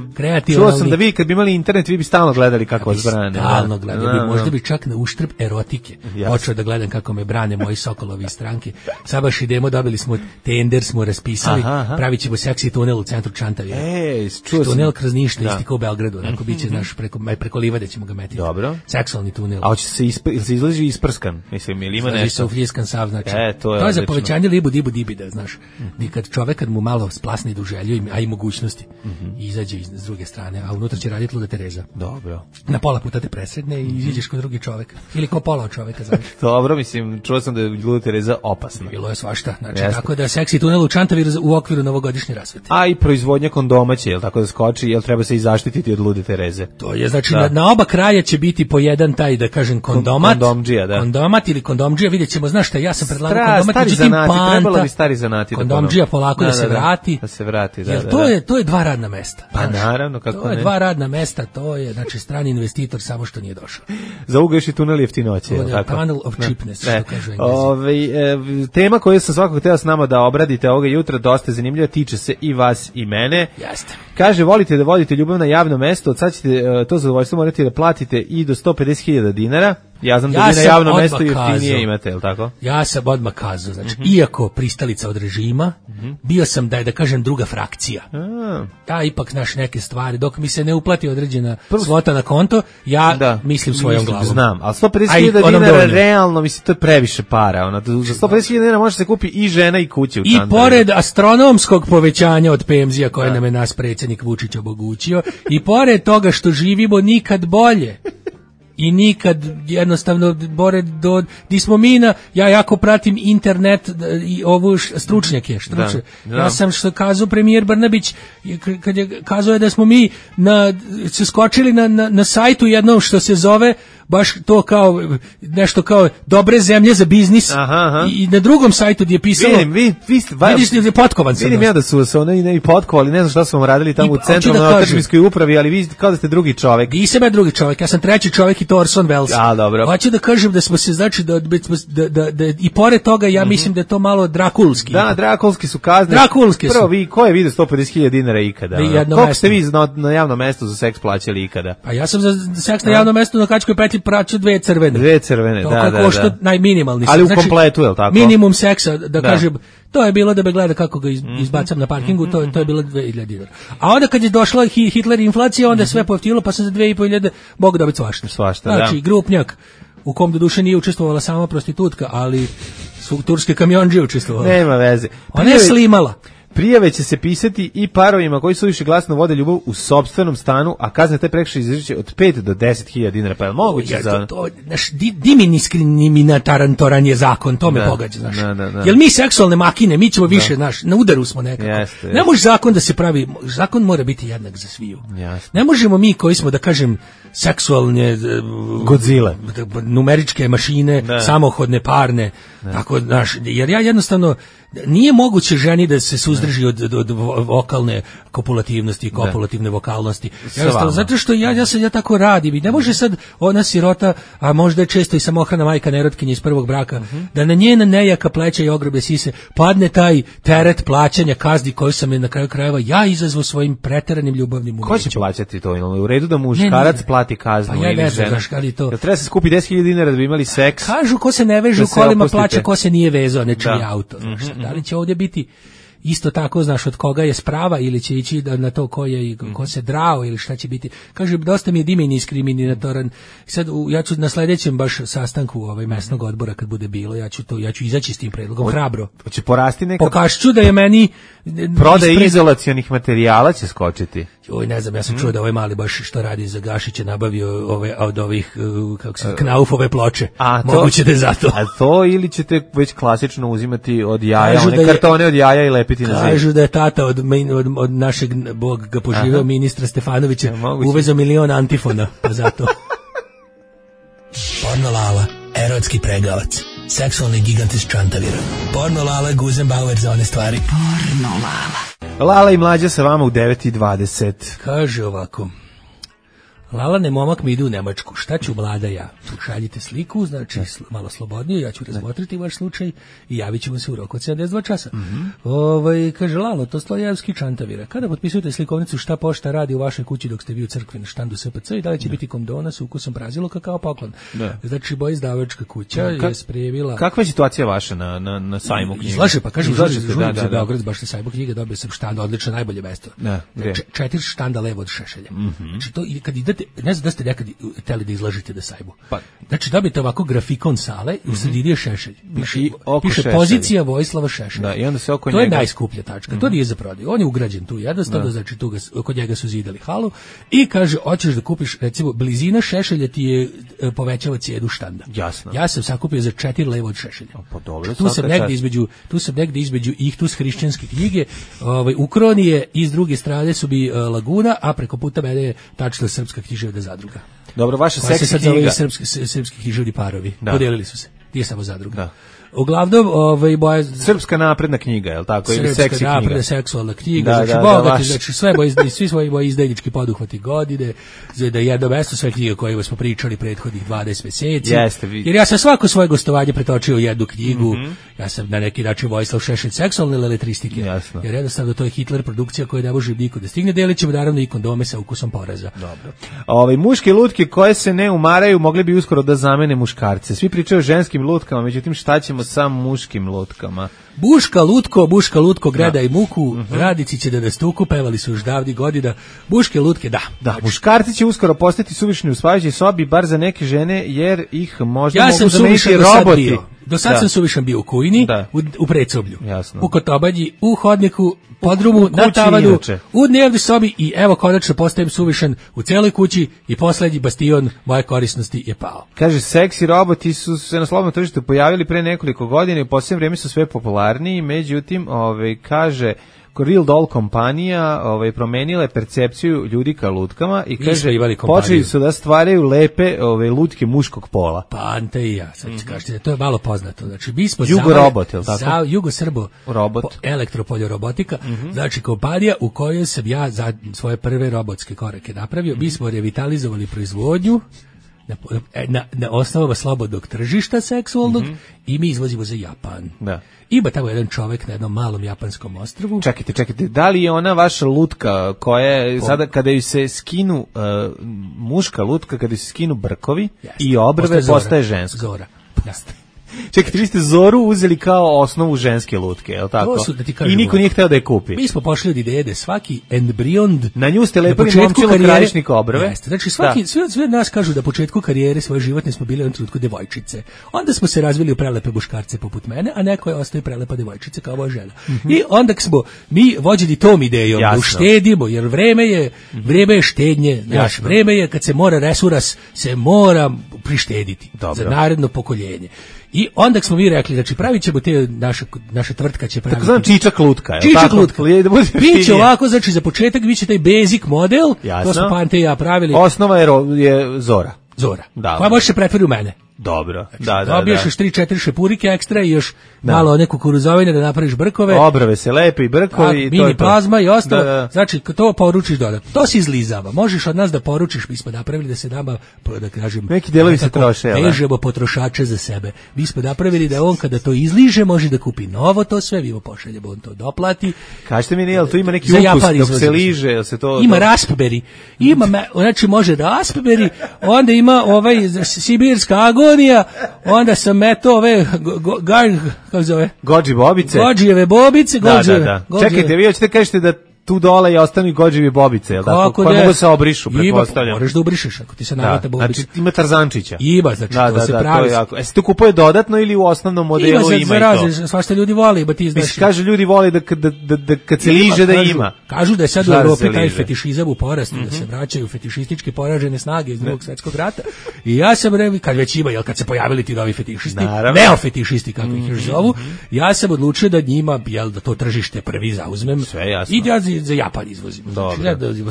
E: čuo sam da vi kad bi imali internet, vi bi stalno gledali kako vas brane.
F: Stalno gledali, bi, možda bi čak na uštrb erotike počeo da gledam kako me brane moji sokolovi iz stranke. Sad baš idemo, dobili smo tender, smo raspisali, pravit ćemo seksi tunel u centru Čantavira.
E: Ej, čuo sam.
F: Tunel kroz Niš, isti kao u Beogradu, onako biće znaš preko preko livade ćemo ga metiti.
E: Dobro.
F: Seksualni tunel.
E: A hoće se ispr, se izlazi isprskan, mislim, ili ima nešto.
F: Se ufljiskan sav, znači.
E: E, to je,
F: to je za povećanje libu dibu dibida, znaš. Mm-hmm. Kad čovek kad mu malo splasne idu želju, a i mogućnosti, mm-hmm. izađe iz s druge strane, a unutra će raditi luda Tereza.
E: Dobro.
F: Na pola puta te presredne i izađeš kod drugi čovek. Ili kao pola od čoveka, znaš.
E: Dobro, mislim, čuo sam da je luda Tereza opasna.
F: Bilo je svašta, znači Jeste. Tako da seksi tunel u Čantaviru u okviru novogodišnje rasvete.
E: A i proizvodnja kondoma će, jel tako da skoči, jel treba se i zaštititi od lude Tereze.
F: To je, znači, na, na oba kraja će biti po jedan taj, da kažem, kondomat.
E: Kondomdžija, da.
F: Kondomat ili kondomdžija, vidjet ćemo, znaš šta, ja sam predlagao kondomat, međutim panta.
E: Trebalo bi stari zanati.
F: Kondomdžija polako da, da, da se vrati.
E: Da se vrati, da,
F: jer
E: da,
F: to
E: da.
F: je, to je dva radna mesta.
E: Pa
F: znaš,
E: naravno, kako
F: to
E: ne.
F: To je dva radna mesta, to je, znači, strani investitor samo što nije došao.
E: Za ugao još i tunel jeftinoće, je li tako?
F: Tunnel of cheapness, što kažu Englezi.
E: Ove, e, tema koju sam svakako htio s nama da obradite ovoga jutra, dosta zanimljiva, tiče se i vas i mene.
F: Jeste.
E: Kaže, volite da vodite ljubav na javno mesto, od sad ćete uh, to zadovoljstvo morate da platite i do sto pedeset hiljada dinara. Ja znam ja da vi na javno mesto jeftinije imate, je li tako?
F: Ja sam odmah kazao, znači, mm-hmm. iako pristalica od režima, mm-hmm. bio sam, da je da kažem, druga frakcija. A. Ja ipak, znaš, neke stvari, dok mi se ne uplati određena Prvo... svota na konto, ja da. mislim svojom glavom.
E: Znam, ali sto pedeset hiljada dinara realno, mislim, to je previše para. Ona, za sto pedeset hiljada dinara može se kupi i žena i kuće u
F: I Čantaviru. Pored astronomskog povećanja od penzija koje da. nam je nas predsjednik Vučić omogućio, i pored toga što živimo nikad bolje, i nikad jednostavno bore do di smo mi na, ja jako pratim internet i ovu stručnjake, stručnjake. Da, da. Ja sam što kazao premijer Brnabić kad je kazao je da smo mi na se skočili na, na, na sajtu jednom što se zove baš to kao nešto kao dobre zemlje za biznis. Aha, aha. I na drugom sajtu gdje je pisalo
E: vidim, vi, vi ste,
F: vidiš da je potkovan sam.
E: Vidim ja da su se oni ne i potkovali, ne znam šta su vam radili tamo I, u centralnoj otadžbinskoj upravi, ali vi kao da ste drugi čovjek.
F: Nisam ja drugi čovjek, ja sam treći čovjek i to Orson Welles.
E: A, dobro.
F: Hoću da kažem da smo se, znači, da, da, da, da i pored toga ja mm-hmm. mislim da je to malo drakulski.
E: Da, drakulski su kazne.
F: Drakulski su.
E: Prvo, vi, ko je vidio sto pedeset hiljada dinara ikada? Koliko ste vi na, na javnom mestu za seks plaćali ikada?
F: Pa ja sam za seks na javnom mestu na Kačkoj petlji plaćao dve crvene.
E: Dve crvene,
F: to
E: da, da,
F: košta
E: da.
F: najminimalni.
E: Ali u
F: znači,
E: kompletu, je li tako?
F: Minimum seksa, da, da kažem, to je bilo da me gleda kako ga iz, izbacam na parkingu, to, to je bilo dve hiljade dinara. A onda kad je došla Hitler inflacija, onda je sve poftilo, pa sam za dve i po hiljade mogu dobiti svašta.
E: Svašta,
F: znači,
E: da.
F: Grupnjak, u kom do duše nije učestvovala sama prostitutka, ali su turske kamionđe učestvovali.
E: Nema veze.
F: Ona je slimala.
E: Prijave će se pisati i parovima koji su više glasno vode ljubav u sopstvenom stanu, a kazne te prekršaj izriče od pet do deset hiljada dinara. Pa je moguće ja, za...
F: To, to, naš di, diminiskrimiminatarantoran je zakon, to me da, pogađa, znaš. Da, da, da. Jel mi seksualne makine, mi ćemo više, znaš, na udaru smo nekako. Jeste, ne može zakon da se pravi, zakon mora biti jednak za sviju. Jasne. Ne možemo mi koji smo, da kažem, seksualne
E: Godzilla,
F: numeričke mašine, da. Samohodne, parne, da. Tako, znaš, jer ja jednostavno nije moguće ženi da se suzdrži od, od, od vokalne kopulativnosti i kopulativne vokalnosti. Ja, zato što ja, ja, sad, ja tako radim i ne može sad ona sirota, a možda je često i samohrana majka nerotkinja iz prvog braka, uh-huh. da na njena nejaka pleća i ogrobe sise padne taj teret plaćanja kazni koju sam je na kraju krajeva ja izazvao svojim preteranim ljubavnim umećem.
E: Ko će plaćati to? U redu da muškarac ne, ne. plati kaznu
F: pa ja
E: ili
F: ne
E: žena?
F: Znaš, ali to...
E: Da treba se skupi deset hiljada dinara da bi imali seks?
F: Kažu ko se ne veže u kolima plaća, ko se nije vezao nečiji auto. Znaš, mm-hmm. Da li će ovdje biti isto tako, znaš, od koga je sprava ili će ići na to ko je, ko se drao ili šta će biti. Kaže, dosta mi je diminiskrimiminatoran. Sad, ja ću na sljedećem baš sastanku ovaj mesnog odbora kad bude bilo, ja ću to, ja ću izaći s tim predlogom o, hrabro.
E: Hoće porasti neka...
F: Pokašću da je meni...
E: Prodaje ispred... izolacionih materijala će skočiti.
F: Oj, ne znam, ja sam mm. čuo da ovaj mali baš što radi za Gašića nabavio ove, od ovih, kako se, Knaufove ploče. A to, moguće da je zato.
E: A to ili ćete već klasično uzimati od jaja, kažu one je, kartone od jaja i lepiti na zid.
F: Kažu da je tata od, od, od našeg, Bog ga poživio, ministra Stefanovića, ja, uvezao milion antifona, pa zato.
I: Porno Lala, erotski pregavac, seksualni gigant iz Čantavira. Porno Lala, Guzenbauer za one stvari.
B: Porno Lala.
E: Lala i Mlađa sa vama u devet i dvadeset.
F: Kaže ovako. Lalane momak mi ide u Nemačku. Šta ću mlada ja? Tu šaljite sliku, znači malo slobodnije, ja ću razmotriti vaš slučaj i javit ćemo se u roku od sedamdeset dva časa. Mm-hmm. Ovaj, kaže Lalo, to Slojevski Čantavira. Kada potpisujete slikovnicu šta pošta radi u vašoj kući dok ste vi u crkvi na štandu S P C i da li će ne. biti kondona sa ukusom braziluka kao poklon? Ne. Znači, boja izdavačka kuća Ka- je spremila...
E: Kakva je situacija vaša na, na, na sajmu knjiga?
F: Izlaže, pa kažem, izlaže se da, da, Beograd, baš na sajmu knjiga, dobio sam štanda, odlično, najbolje mesto.
E: Da,
F: Č- četiri štanda levo od Šešelja. Mm-hmm. Znači, to, kad idete, ne znam da ste nekad hteli da izlažete da sajmu. Pa. Znači, dobijete ovako grafikon sale i u sredini je Šešelj. Piše, piše pozicija Vojislava Šešelja.
E: Da, i onda se oko
F: to
E: njega...
F: je najskuplja tačka. Mm-hmm. To nije za prodaju. On je ugrađen tu jednostavno, da. Znači tu ga, kod njega su zidali halu i kaže, hoćeš da kupiš, recimo, blizina Šešelja ti je e, povećava cijenu štanda.
E: Jasno.
F: Ja sam sakupio za četiri levo od Šešelja.
E: Pa dobro,
F: tu sam negde između, tu sam negde između Ihtus hrišćanske knjige, ovaj, u Kronije i s druge strane su bi uh, Laguna, a preko puta mene je tačno Srpska književna zadruga.
E: Dobro, vaša seksi
F: sad
E: knjiga.
F: Srpski, srpski književni parovi. Da. Podelili su se. Nije samo zadruga. Da. Uglavnom, ovaj boja
E: Srpska napredna knjiga, je l' tako, ili seksi knjiga? Srpska napredna seksualna knjiga,
F: da, znači da, bogati, da, znači sve boji, svi svoji boji izdajnički poduhvati godine, da jedno mesto sve knjige koje smo pričali prethodnih dvadeset mjeseci.
E: Jeste, vi.
F: Jer ja sam svako svoje gostovanje pretočio u jednu knjigu. Mm-hmm. Ja sam na neki način Vojislav Šešelj seksualne leletristike.
E: Jasno.
F: Jer jednostavno to je Hitler produkcija koja ne može niko da stigne. Delit ćemo naravno i kondome sa ukusom poreza.
E: Dobro. Ove muške lutke koje se ne umaraju mogli bi uskoro da zamene muškarce. Svi pričaju o ženskim lutkama, međutim šta ćemo sa muškim lutkama?
F: Buška lutko, buška lutko, greda i muku, mm-hmm. radnici će da nas tuku, pevali su još davnih godina. Buške lutke, da.
E: Da, muškarci će uskoro postati suvišni u spavajućoj sobi, bar za neke žene, jer ih možda
F: ja
E: mogu zameniti roboti.
F: Do sad
E: da.
F: sam suvišan bio u kujni,
E: da.
F: u, u predsoblju,
E: jasno.
F: u kotobanji, u hodniku, podrumu,
E: u
F: na tavanu,
E: inače.
F: u dnevnoj sobi i evo konačno postajem suvišan u celoj kući i poslednji bastion moje korisnosti je pao.
E: Kaže, seksi roboti su se na slobodnom tržištu pojavili pre nekoliko godina i u posljednje vrijeme su sve popularniji, međutim, ovaj, kaže, Real Doll kompanija ovaj, promenila je percepciju ljudi ka lutkama i kaže, počeli su da stvaraju lepe ove, lutke muškog pola.
F: Pa ante i ja, sad ću mm-hmm. kažete, to je malo poznato. Znači, mi smo
E: Jugo robot, je li tako?
F: Za, Jugo Srbo
E: robot.
F: Po, elektropoljorobotika,
E: mm-hmm.
F: znači kompanija u kojoj sam ja za svoje prve robotske korake napravio, mi smo revitalizovali proizvodnju na, na, na osnovama slobodnog tržišta seksualnog mm-hmm. i mi izvozimo za Japan.
E: Da.
F: Ima tamo jedan čovek na jednom malom japanskom ostrvu.
E: Čekajte, čekajte, da li je ona vaša lutka koja je, sada kada ju se skinu, uh, muška lutka, kada ju se skinu brkovi Jeste. I obrve, postaje, postaje ženska?
F: Zora. Jeste.
E: Čekajte, vi ste Zoru uzeli kao osnovu ženske lutke, je li tako?
F: To su, da ti kažem,
E: i niko nije hteo da je kupi.
F: Mi smo pošli od ideje da svaki embrion...
E: Na nju ste lepili momčilo krajišnika obrve.
F: Jeste, znači svaki, sve, sve nas kažu da početku karijere svoje životne smo bili u jednom trenutku devojčice. Onda smo se razvili u prelepe muškarce poput mene, a neko je ostao prelepa devojčica kao moja žena. Mm-hmm. I onda smo mi vođeni tom idejom da uštedimo, jer vreme je, vreme je štednje, znaš, vreme je kad se mora resuras, se mora prištediti. Dobro. Za naredno pokoljenje. I onda smo mi rekli, znači pravit ćemo te, naša, naša tvrtka će praviti.
E: Tako znam čičak lutka. Je
F: čičak lutka. Biće ovako, znači za početak biće taj basic model,
E: jasno.
F: To smo Pante i ja pravili.
E: Osnova je, je Zora.
F: Zora,
E: da,
F: koja može se pretvoriti u mene.
E: Dobro,
F: znači,
E: da, da,
F: dobiješ
E: da.
F: još tri četiri šepurike ekstra i još da. Malo one kukuruzovine da napraviš brkove.
E: Obrve se lepe i brkovi.
F: A, mini plazma i ostalo.
E: Da, da.
F: Znači, to poručiš dodatno. To se izlizava. Možeš od nas da poručiš, mi smo napravili da se nama, da kažem,
E: neki delovi se troše.
F: Vežemo potrošače za sebe. Mi smo napravili da on kada to izliže može da kupi novo to sve, mi mu pošaljemo, on to doplati.
E: Kažete mi, jel tu ima neki ukus dok se liže? Jel se to,
F: ima raspberry. Ima, znači može raspberry, onda ima ovaj sibirska agonija, onda sam eto ove gar, kako zove?
E: Gođi bobice.
F: Gođijeve bobice, gođijeve.
E: Da, da, da. Čekajte, vi hoćete kažete da tu dole i ostanu i gođevi bobice, jel tako? Koje mogu se obrišu, pretpostavljam.
F: Moraš da obrišeš ako ti se navata bobica.
E: Znači ima Tarzančića.
F: Ima, znači da, to da, se
E: da,
F: pravi.
E: To je jako. E se to kupuje dodatno ili u osnovnom modelu ima,
F: ima i to? Ima, svašta ljudi voli, ba ti znaš.
E: Mislim, kaže ljudi voli da, da, da, da kad se liže da ima.
F: Kažu da je sad u Evropi taj fetišizam u porastu, da se vraćaju fetišistički poražene snage iz Drugog svjetskog rata. I ja sam rekao, kad već ima, jel kad se pojavili ti novi fetišisti, neofetišisti kako ih još zovu, ja sam odlučio da njima, jel da to tržište prvi zauzmem.
E: Sve jasno.
F: I ja za Japan izvozim. Znači,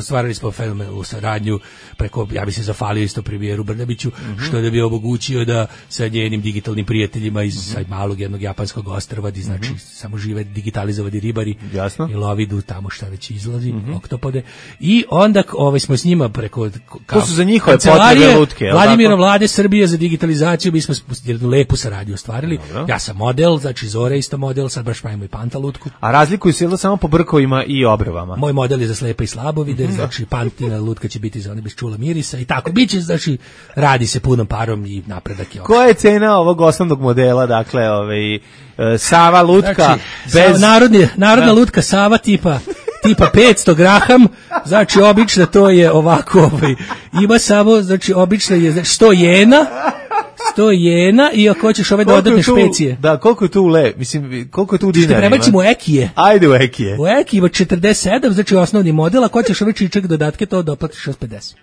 F: stvarali smo u saradnju preko, ja bi se zafalio isto premijeru Brnabiću, mm-hmm. što da bi omogućio da sa njenim digitalnim prijateljima iz mm-hmm. malog jednog japanskog ostrva, di znači mm-hmm. samo žive digitalizovani ribari
E: jasno.
F: I lovidu tamo šta već izlazi, mm-hmm. oktopode. I onda ovaj, smo s njima preko
E: to su za njihove potrebe lutke.
F: Vladimira Vlade Srbije za digitalizaciju, mi smo jednu lepu saradnju ostvarili. Dobro. Ja sam model, znači Zora isto model, sad baš pravimo i Panta lutku.
E: A razlikuju se samo po brkovima i obrvama?
F: Moj model je za slepe i slabovide, mm-hmm. znači Pantina lutka će biti za one bez čula mirisa i tako. Biće, znači, radi se punom parom i napredak je.
E: Koja je cena ovog osnovnog modela, dakle, ovaj, Sava lutka?
F: Znači,
E: bez...
F: narodni, narodna da. Lutka Sava tipa tipa petsto graham, znači obična to je ovako, ovaj, ima samo, znači obična je znači, sto jena, sto jena i ako hoćeš ove dodatne tu, špecije.
E: Da, koliko je tu le, mislim, koliko je tu dinarima?
F: Što prebacimo u ekije.
E: Ajde u ekije.
F: U ekije ima četrdeset sedam, znači osnovni model, ako hoćeš ove čičak dodatke, to doplatiš šezdeset pedeset.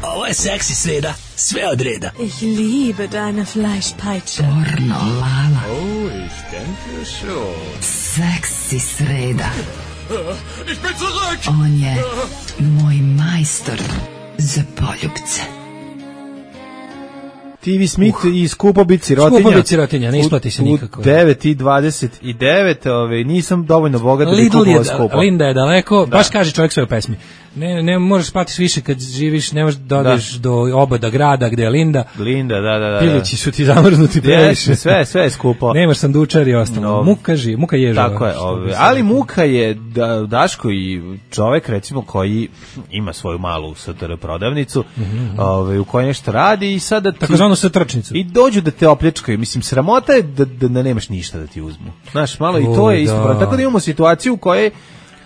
I: Ovo je seksi sreda, sve od reda.
M: Ich liebe deine Fleischpeitsche.
B: Pornolala.
N: Oh, ich denke schon.
B: Seksi sreda.
N: Ich bin zurück!
B: On je moj majstor za poljubce.
E: T V Smith uh. i skupo bit sirotinja.
F: Skupo bit sirotinja, ne isplati se nikako.
E: U devet i dvadeset devet, ove, nisam dovoljno bogat da bi kupovao skupo.
F: Linda je daleko, da. Baš kaže čovjek svoje pesmi. Ne, ne možeš spati više kad živiš, ne možeš da odeš do obada grada gde je Linda.
E: Linda, da, da, da.
F: Pilići su ti zamrznuti previše.
E: Sve, sve je skupo.
F: Nemaš sandučar i ostalo. No. Muka ži, muka ježava.
E: Tako je, ove, ali muka je da, Daško i čovek recimo koji ima svoju malu S T R prodavnicu, mm-hmm. ove, u kojoj nešto radi i sada ti...
F: Takozvanu satrčnicu.
E: I dođu da te opljačkaju. Mislim, sramota je da, da, da nemaš ništa da ti uzmu. Znaš, malo o, i to je isto. Da. Tako da imamo situaciju u kojoj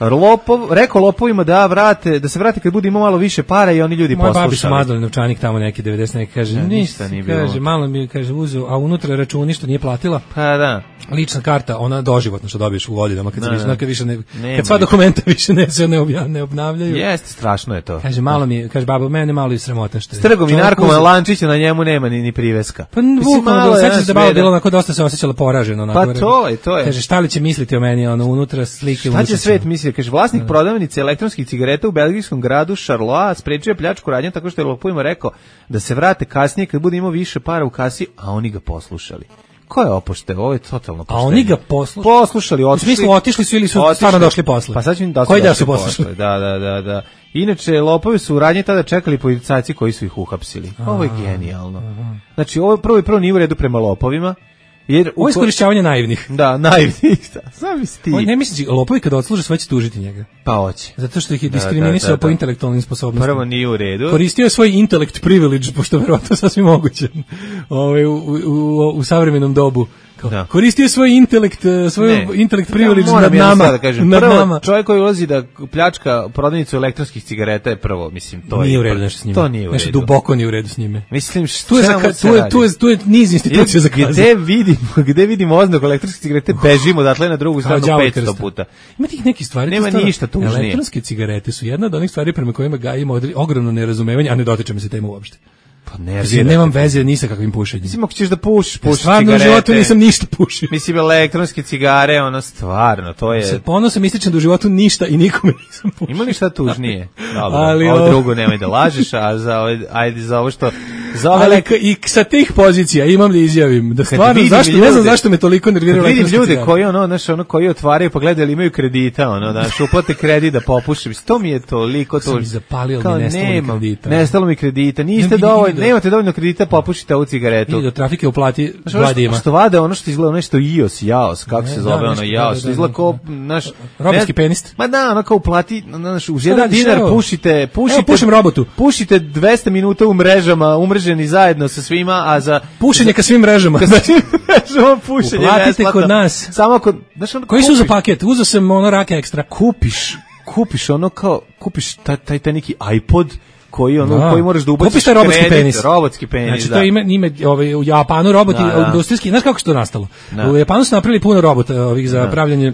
E: Lopov, rekao lopovima da vrate, da se vrate kad bude imao malo više para i oni ljudi
F: Moja
E: poslušali.
F: Moja babi su mazali novčanik tamo neki devedeset neki, kaže,
E: ja,
F: ništa nije bilo. Kaže, malo mi kaže, uzeo, a unutra računi što nije platila.
E: Pa da.
F: Lična karta, ona doživotno što dobiješ u godinama, kad,
E: da,
F: se više, kad, više ne,
E: Nema
F: kad sva dokumenta više ne, se ne, obja, ne obnavljaju.
E: Jeste, strašno je to.
F: Kaže, malo mi, kaže, baba, mene malo i sramota što je.
E: Strgom i narkoman Lančića, na njemu nema ni, ni priveska.
F: Pa bukvalno, sećaš da baba bilo onako dosta se osjećala poraženo. Onako,
E: pa to je, to je.
F: Kaže, šta li će misliti o meni, ono, unutra slike.
E: Šta će svet misliti? Kaže, vlasnik da. prodavnice elektronskih cigareta u belgijskom gradu Charleroi sprečio pljačku radnje tako što je lopovima rekao da se vrate kasnije kad bude imao više para u kasi, a oni ga poslušali. Ko je opošte? Ovo je totalno poštenje.
F: A oni ga poslušali?
E: Poslušali, otišli.
F: U smislu, otišli su ili su otišli. Stvarno došli posle?
E: Pa sad ću im da su
F: Koji
E: došli
F: da su poslušali?
E: Da, da, da, da. Inače, lopovi su u radnji tada čekali policajci koji su ih uhapsili. Ovo je genijalno. Znači, ovo prvo i prvo nije u redu prema lopovima. Jer
F: ovo je iskorišćavanje naivnih.
E: Da, naivnih. Zamisli ti.
F: Ne misliš, lopovi kada odsluže sve će tužiti njega.
E: Pa hoće.
F: Zato što ih je diskriminisao da, da, da, po intelektualnim sposobnostima.
E: Prvo nije u redu.
F: Koristio je svoj intellect privilege, pošto verovatno sasvim moguće ovaj, u, u, u, u savremenom dobu. Da. Koristio svoj intelekt, svoj intelekt privilege ja, nad nama.
E: Da kažem.
F: Nad
E: prvo,
F: nama.
E: Čovjek koji ulazi da pljačka prodavnicu elektronskih cigareta je prvo, mislim, to
F: nije
E: je...
F: u redu nešto s njime.
E: To nije u redu.
F: Nešto duboko nije u redu s njime.
E: Mislim, što
F: tu je, za, tu je, tu je, tu je niz institucija za kaznu.
E: Gde vidimo, gde vidimo oznaku elektronske cigarete, bežimo odatle na drugu stranu petsto puta.
F: Ima tih nekih stvari.
E: Nema ništa tužnije.
F: Elektronske cigarete su jedna od onih stvari prema kojima ga ima ogromno nerazumevanje, a ne dotiče me se tema uopšte.
E: Pa ne,
F: ja nemam veze ni sa kakvim pušenjem.
E: Mislim, ako ćeš da pušiš, pušiš
F: stvarno
E: cigarete.
F: Stvarno u životu nisam ništa pušio.
E: Mislim, elektronske cigare, ono, stvarno, to je...
F: Se ponosam ističem da u životu ništa i nikome nisam pušio.
E: Ima li šta tužnije? Dobro, ali ovo drugo nemoj da lažeš, a za ovo, ajde, za ovo što... Za ovo
F: ali ka, i sa tih pozicija imam da izjavim, da stvarno, zašto, ljude, ne znam zašto me toliko nerviraju elektronske
E: cigare. Vidim ljude
F: cigare.
E: koji, ono, znaš, ono, koji otvaraju, pa gledaju, imaju kredita, ono, znaš, uplate kredit da popuše. To mi je toliko to.
F: Sam mi zapalio, ali nestalo mi kredita.
E: Nestalo mi kredita, niste dovoljno, nemate dovoljno kredita, popušite ovu cigaretu.
F: Idi do trafike uplati dva dima.
E: Što vade ono što izgleda nešto ios, jaos, kako se zove ono jaos, što izgleda kao naš
F: robotski penist.
E: Ma da, ono kao uplati, znaš, uz jedan dinar pušite, pušite.
F: Evo pušim robotu.
E: Pušite dvesta minuta u mrežama, umreženi zajedno sa svima, a za
F: pušenje ka svim mrežama.
E: Ka svim mrežama pušenje.
F: Uplatite kod nas.
E: Samo kod, znaš, ono,
F: koji su za paket? Uzeo sam ono rake ekstra.
E: Kupiš, kupiš ono kao, kupiš taj taj, taj neki iPod koji ono
F: da.
E: koji moraš da ubaciš
F: Kupiš taj robotski
E: kredit,
F: penis.
E: Robotski penis,
F: znači,
E: da.
F: to ime, ime ovaj, u Japanu roboti,
E: da, da.
F: industrijski, znaš kako se to nastalo?
E: Da.
F: U Japanu su napravili puno robota ovih za da. pravljanje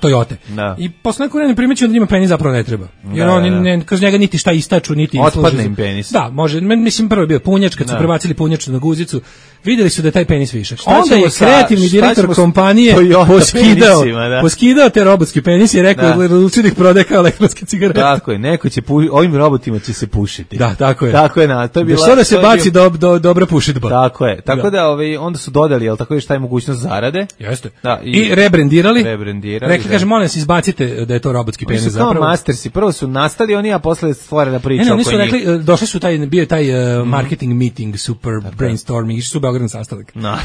F: Toyote.
E: Da.
F: I posle neko vremena primećuju da njima penis zapravo ne treba. Jer
E: da,
F: oni
E: da.
F: ne, kroz njega niti šta istaču, niti
E: otpadne im penis.
F: Da, može, mislim prvo je bio punjač, kad su
E: da.
F: prebacili punjaču na guzicu, videli su da je taj penis višak.
E: Šta
F: Onda je kreativni
E: sa,
F: direktor kompanije poskidao, da. poskidao te robotski penis i rekao da odlučio da ih prodaje kao elektronske cigarete.
E: Tako je, neko će pu, ovim robotima će se pušiti.
F: Da, tako je.
E: Tako je, na, to je bila.
F: Da, da se baci bio... do, do, dobra pušidba.
E: Tako je. Tako da, da ovaj, onda su dodali, jel tako je šta je mogućnost zarade?
F: Jeste.
E: Da,
F: i, I rebrendirali.
E: Rebrendirali.
F: Rekli, kaže, molim vas, izbacite da je to robotski penis zapravo.
E: Kao mastersi, prvo su nastali oni, a posle stvorena priča.
F: Ne, ne, oni su rekli, došli su taj, bio taj uh, marketing meeting, super brainstorming, išli su u Beograd na sastanak.
E: No.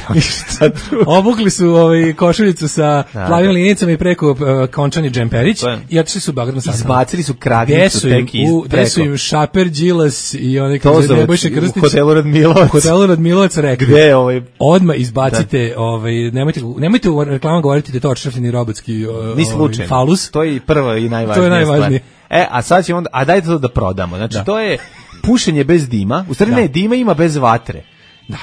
F: Obukli su ovaj košuljicu sa plavim linicama i preko uh, končani džemperić i otišli su u Beograd na sastanak.
E: Izbacili su kragnicu tek iz preko.
F: Gde su im Šaper, Đilas i onaj
E: kaže
F: Nebojša Krstić.
E: U hotelu Radmilovac.
F: U hotelu Radmilovac rekli.
E: Gde ovaj?
F: Odmah izbacite, da. ovaj, nemojte, nemojte u reklamama govoriti da je to odšrafljeni robotski ovaj, falus.
E: To je prvo i najvažnije.
F: To je najvažnije.
E: E, a sad ćemo onda, a dajte to da prodamo. Znači,
F: da.
E: to je pušenje bez dima. U stvari
F: da.
E: ne, dima ima bez vatre.
F: Da.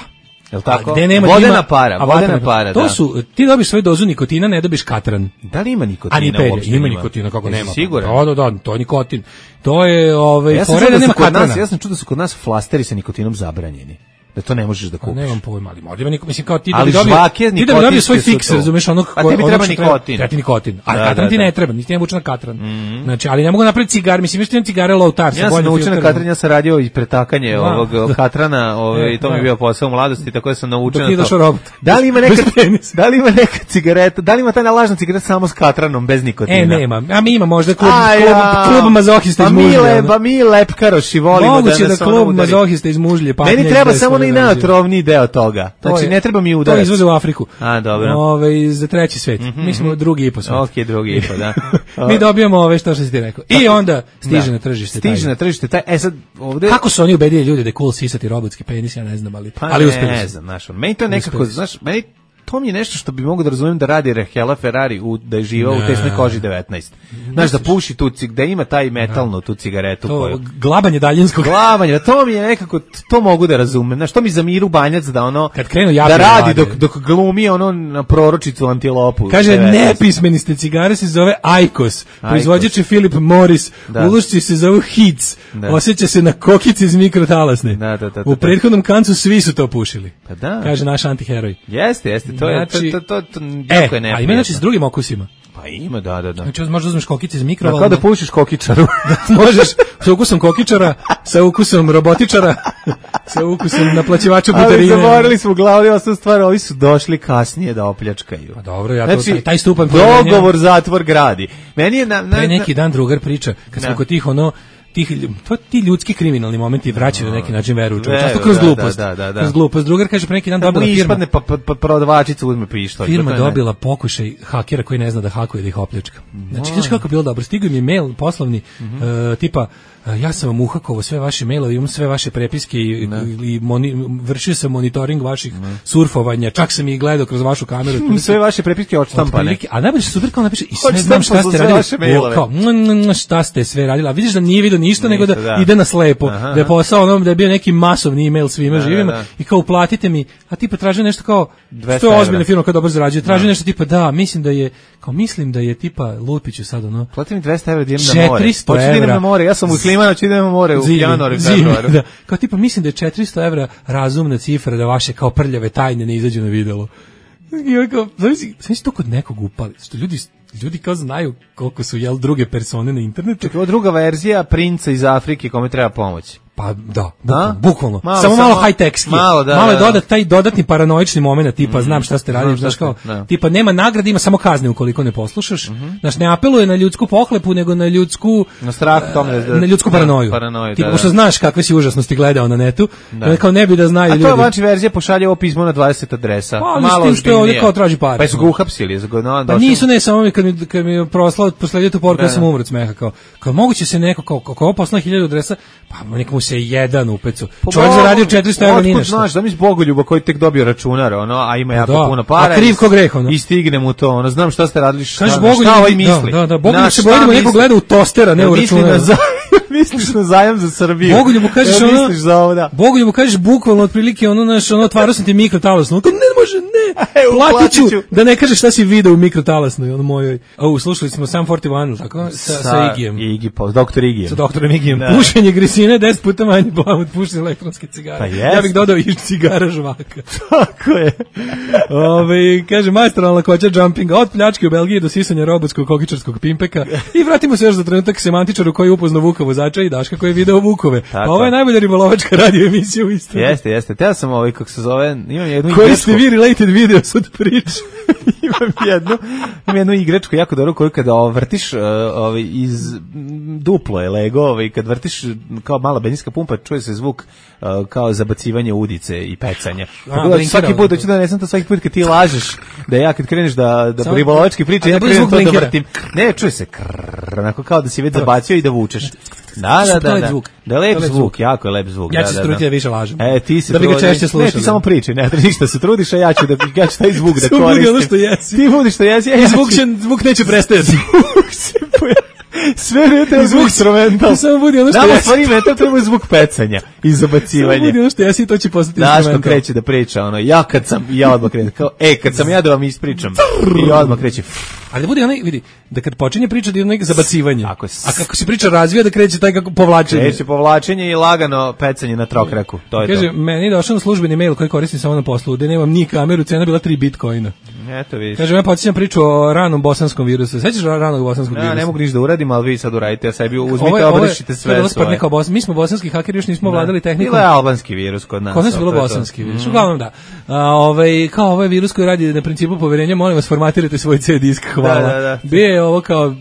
E: Jel tako?
F: A gde nema
E: vodena
F: dima,
E: para,
F: a
E: vodena para,
F: to
E: da.
F: su, ti dobiš svoju dozu nikotina, ne dobiš katran.
E: Da li ima nikotina?
F: A ni pelje,
E: uopšte
F: ima
E: ima
F: nikotina, kako
E: Jesi
F: nema.
E: Siguran?
F: Da, da, da, to je nikotin. To je, ovaj,
E: ja sam
F: fore da nema katrana.
E: Nas, ja sam čuo da su kod nas flasteri sa nikotinom zabranjeni. Da to ne možeš da kupiš.
F: A nemam pojma, ali možda ima niko, mislim kao ti da
E: ali
F: bi dobio, ti da bi dobio svoj fiks,
E: to.
F: razumeš, onog
E: a tebi treba nikotin.
F: Treba ti nikotin. A
E: da,
F: katran
E: da,
F: ti
E: da.
F: ne treba, niti ne vuče na katran. Mm-hmm. Znači, ali ne mogu napraviti cigar, mislim, još ti imam cigare low tar.
E: Ja sam naučio na katran, ja sam radio i pretakanje
F: da.
E: ovog katrana, ovaj, to mi je bio posao u mladosti, tako da sam naučio na to.
F: Robot.
E: Da li ima neka, da li ima neka cigareta, da li ima ta lažna cigareta samo s katranom, bez nikotina?
F: E, nema. A mi ima možda klub, klub, klub mazohista iz Mužlje.
E: Pa mi, ba mi lepkaroši volimo da nas
F: moguće da klub mazohista iz Mužlje.
E: Meni treba samo na najotrovniji deo toga. Znači, ne treba mi udarac.
F: To izvoze u Afriku.
E: A, dobro.
F: Ove, za treći svet.
E: Mm-hmm.
F: Mi smo drugi i po svet.
E: Ok, drugi i po, da.
F: Mi dobijamo ove što što si ti rekao. I onda stiže da. na tržište.
E: Stiže taj. na tržište. Taj, e sad, ovde...
F: Kako su oni ubedili ljude da je cool sisati robotski penis, ja ne znam, ali,
E: pa
F: ali
E: ne,
F: uspeli
E: ne znam, znaš, meni to nekako, znaš, meni to mi je nešto što bi mogu da razumem da radi Rahela Ferrari u, da je živao u tesnoj koži devetnaest. Znaš, da puši tu cig, da ima taj metalnu tu cigaretu.
F: To,
E: koju...
F: glabanje daljinskog.
E: Glabanje, to mi je nekako, to mogu da razumem. Znaš, to mi za Miru Banjac da ono,
F: kad krenu
E: da radi dok, dok glumi ono na proročicu antilopu.
F: Kaže, nepismeni ste, cigare se zove Aikos, proizvođač je Philip Morris, da. Ulošci se zovu Hits, da. Osjeća se na kokici iz mikrotalasne.
E: Da, da, da,
F: u prethodnom kancu svi su to pušili.
E: Pa da.
F: Kaže naš antiheroj.
E: Jeste, jeste, to je,
F: znači,
E: to, to, to, to,
F: e,
E: jako je neprijatno.
F: A ima znači s drugim okusima.
E: Pa ima, da, da, da.
F: Znači, možda uzmeš kokice iz mikrovalne.
E: Kao da pušiš kokičaru.
F: Da, možeš sa ukusom kokičara, sa ukusom robotičara, sa ukusom naplaćivača putarine.
E: Ali zaborili smo u glavi ostavu stvar, ovi su došli kasnije da opljačkaju.
F: Pa dobro, ja to, znači, taj, taj stupan
E: dogovor zatvor gradi. Meni je na, na,
F: pre neki dan drugar priča, kad smo kod tih ono, tih, to ti ljudski kriminalni momenti vraćaju na neki način veru u čovječanstvo kroz glupost.
E: Da, da, da.
F: Kroz glupost. Drugar kaže pre neki dan dobila firma.
E: Ispadne pa, pa, pa prodavačica uzme pištolj.
F: Firma dobila pokušaj hakera koji ne zna da hakuje da ih opljačka. Znači, znaš kako je bilo dobro. Stigao mi je mail poslovni, mm-hmm. uh, tipa, uh, ja sam vam uhakovao sve vaše mailove, imam sve vaše prepiske i, i moni, vršio sam monitoring vaših ne. surfovanja, čak sam ih gledao kroz vašu kameru.
E: Sve vaše prepiske odštampane.
F: A najbolje super kao napiše, i sve znam šta ste radili. Kao, šta ste sve radili. A vidiš da nije vidio ništa, nego da, da ide na slepo. Aha, da je posao ono, da je bio neki masovni email svima da, živima da, da. I kao uplatite mi, a tipa traže nešto kao, to je ozbiljna firma koja dobro zarađuje, traže da. nešto tipa da, mislim da je, kao mislim da je tipa Lupiću sad ono.
E: Plati mi dvesta evra da idem na more. četiristo evra. Hoću da idem na more, ja sam u Klimanu, ću idem na more u januaru i februaru. Da.
F: Kao tipa mislim da je četiristo evra razumna cifra da vaše kao prljave tajne ne izađu na videlo. I kao, znači, znači to kod nekog upali, što ljudi ljudi kao znaju koliko su jel druge persone na internetu.
E: Čekaj, ovo druga verzija princa iz Afrike kome treba pomoć.
F: Pa da, bukvalno. bukvalno. Malo, samo malo high-techski.
E: Malo, da,
F: malo je
E: da,
F: dodat taj dodatni paranoični moment, tipa mm-hmm. znam šta ste radili, znaš kao, da. tipa nema nagrade, ima samo kazne ukoliko ne poslušaš. Mm-hmm. Znaš, ne apeluje na ljudsku pohlepu, nego na ljudsku
E: na strah tome da,
F: na ljudsku paranoju.
E: paranoju
F: tipa,
E: da,
F: pošto
E: da.
F: znaš kakve si užasnosti gledao na netu, da. kao ne bi da znaju ljudi.
E: A to je vanči verzija pošalje ovo pismo na dvadeset adresa.
F: Pa, malo s tim što je ovdje kao traži pare.
E: Pa su ga uhapsili. No,
F: pa nisu, ne, samo kad mi, kad mi proslao posledio tu poruku, ja sam umro od smeha, kao, kao moguće se neko, kao, kao ovo poslao hiljadu adresa, pa nekomu se jedan upecu. Čovjek zaradio četiristo evra ni nešto.
E: Znaš, da mi s Bogoljuba koji tek dobio računar, ono, a ima jako da. puno para.
F: A kriv ko greh, ono.
E: I stigne mu to, ono, znam šta ste radili, šta,
F: Kaži,
E: šta,
F: Bogoljub,
E: šta ovaj misli.
F: Da, da, da, Bogoljub se boji da mu neko gleda u tostera, ne u računar.
E: Misliš na zajam za Srbiju.
F: Bogoljubu kažeš
E: ja,
F: ono,
E: misliš za ovo, da.
F: Bogoljubu kažeš bukvalno otprilike ono, naš, ono, otvarao sam ti mikrotalasnu. Ne može, ne, platit ću da ne kažeš šta si video u mikrotalasnoj, ono mojoj. O, slušali smo Sam četrdeset jedan, tako? Sa, sa, sa Igijem.
E: Igi, pa, doktor Igijem.
F: Sa doktorom Igijem. Da. Pušenje grisine, deset puta manje blavo od pušenja elektronske cigare.
E: Pa
F: ja bih dodao i cigara žvaka.
E: Tako je.
F: Ove, kaže, majstoralna lakoća jumpinga od pljačke u Belgiji do sisanja robotskog kokičarskog pimpeka. I vratimo se još za trenutak semantičaru koji je upoznao Vuka vozača i Daška koji je video Vukove. Tako. Pa ovo je najbolja ribolovačka radio emisija u istoriji.
E: Jeste, jeste. Teo sam ovaj, kako se zove, imam jednu
F: koji ste vi related videos od priče.
E: imam jednu, imam jednu igračku jako dobro koju kada vrtiš uh, ovaj, iz duplo je Lego, ovaj, kad vrtiš kao mala benzinska pumpa, čuje se zvuk uh, kao zabacivanje udice i pecanja. Tako da svaki put, hoću da ne znam to svaki put kad ti lažeš, da ja kad kreneš da, da ribolovački priče, ja krenem to da vrtim. Ne, čuje se krrrr, onako kao da si već zabacio i da vučeš. Da, da, da, da.
F: Zvuk.
E: Da je lep zvuk, zvuk, jako je lep zvuk.
F: Ja ću
E: da,
F: se truditi da više lažem.
E: E, ti se
F: da bi ga češće slušao.
E: Ne, ti samo priči, ne treba ništa se trudiš, a ja ću da ja ću taj zvuk da
F: koristim.
E: Zvuk
F: je ono što jesi.
E: Ti budiš što jesi.
F: I zvuk, će, zvuk neće prestajati.
E: Zvuk se sve metal zvuk instrumental.
F: Samo budi ono što jesi.
E: Nama stvari metal treba zvuk pecanja i zabacivanja.
F: Samo budi ono što jesi, to će postati instrumental.
E: Daško kreće da priča, ono, ja kad sam, ja odmah krenem, kao, e, kad sam ja da vam ispričam, i odmah kreće.
F: Ali da bude onaj, vidi, da kad počinje priča da je onaj zabacivanje, a kako se priča razvija da kreće taj kako povlačenje.
E: Kreće povlačenje i lagano pecanje na trokraku, to je
F: kaže,
E: to.
F: meni je došao na službeni mail koji koristim samo na poslu, gde nemam ni kameru, cena bila tri bitcoina.
E: Eto vidiš.
F: Kaže, ja podsjećam priču o ranom bosanskom virusu. Sećaš ranog bosanskog virusa?
E: Ja ne mogu ništa da uradim, ali vi sad uradite, ja sebi uzmite, obrišite sve svoje.
F: Bos, mi smo bosanski hakeri, još nismo vladali tehnikom.
E: Bilo je albanski virus kod nas.
F: Kod nas je bilo bosanski virus. Uglavnom da. A, ovaj, kao ovaj virus koji radi na principu poverenja, molim vas, formatirajte svoj C D disk, hvala.
E: Da, da, da.
F: Bio je ovo kao,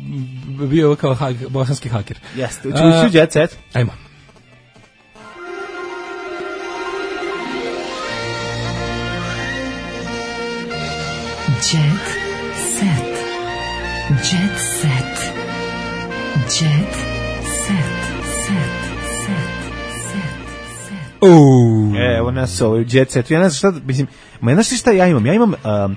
F: bio je ovo kao hak, bosanski haker.
E: Jeste, uči uči jet set.
F: Ajmo.
B: Jet set. Jet set. Jet set. Set. Set. Set. Set.
F: Uuu.
E: E, evo nas ovo, Jet Set. Ja ne znam šta, mislim, ma znaš šta ja imam? Ja imam, um,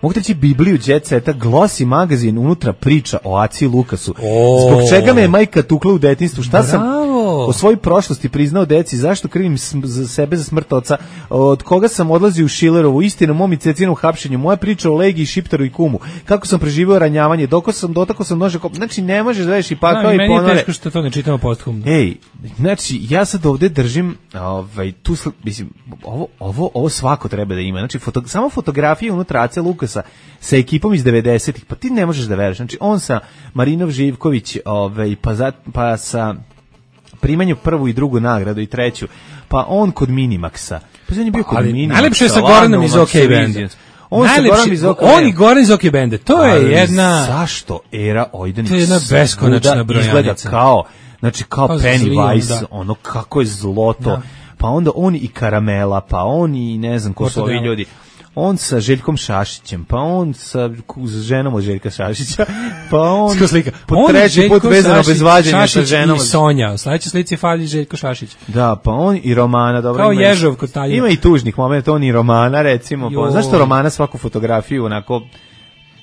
E: mogu reći Bibliju Jet Seta, Glossy magazin, unutra priča o Aci Lukasu.
F: O.
E: Zbog čega me je majka tukla u detinjstvu? Šta
F: Bravo.
E: sam o svojoj prošlosti priznao deci? Zašto krivim za sebe za smrt oca? Od koga sam odlazio u Šilerovu? Istina, mom i Cecinom hapšenju. Moja priča o Legiji, Šiptaru i Kumu. Kako sam preživio ranjavanje? Doko sam, dotako sam nože. Znači, ne možeš da veš i pakao i ponore.
F: Meni je teško što to ne čitamo posthumno.
E: Ej, znači, ja sad ovde držim, ovaj, tu, mislim, ovo, ovo, ovo svako treba da ima. Znači, foto, samo fotografije unutra Ace Lukasa sa ekipom iz devedesetih, pa ti ne možeš da veruješ. Znači, on sa Marinov Živković, ovaj, pa, za, pa sa primanju prvu i drugu nagradu i treću, pa on kod Minimaxa. Pa on je bio kod
F: ali
E: Minimaxa.
F: Najlepše je sa Goranom iz OK Banda. On, iz OK on i Goran iz OK Banda. To je ali jedna...
E: Zašto era Ojdanić
F: to je jedna beskonačna brojanica.
E: Izgleda kao, znači kao
F: pa
E: Pennywise,
F: da.
E: ono kako je zloto.
F: Da.
E: Pa onda on i Karamela, pa on i ne znam ko su ovi ljudi. On sa Željkom Šašićem, pa on sa ženom od Željka Šašića, pa on po
F: on
E: treći put vezano bez vađenja sa ženom.
F: I Sonja, u sledećoj slici fali Željko Šašić.
E: Da, pa on i Romana, dobro.
F: Kao Ježov kod Taljina.
E: Ima i tužnih momenta, on i Romana, recimo. Pa, zašto Romana svaku fotografiju onako...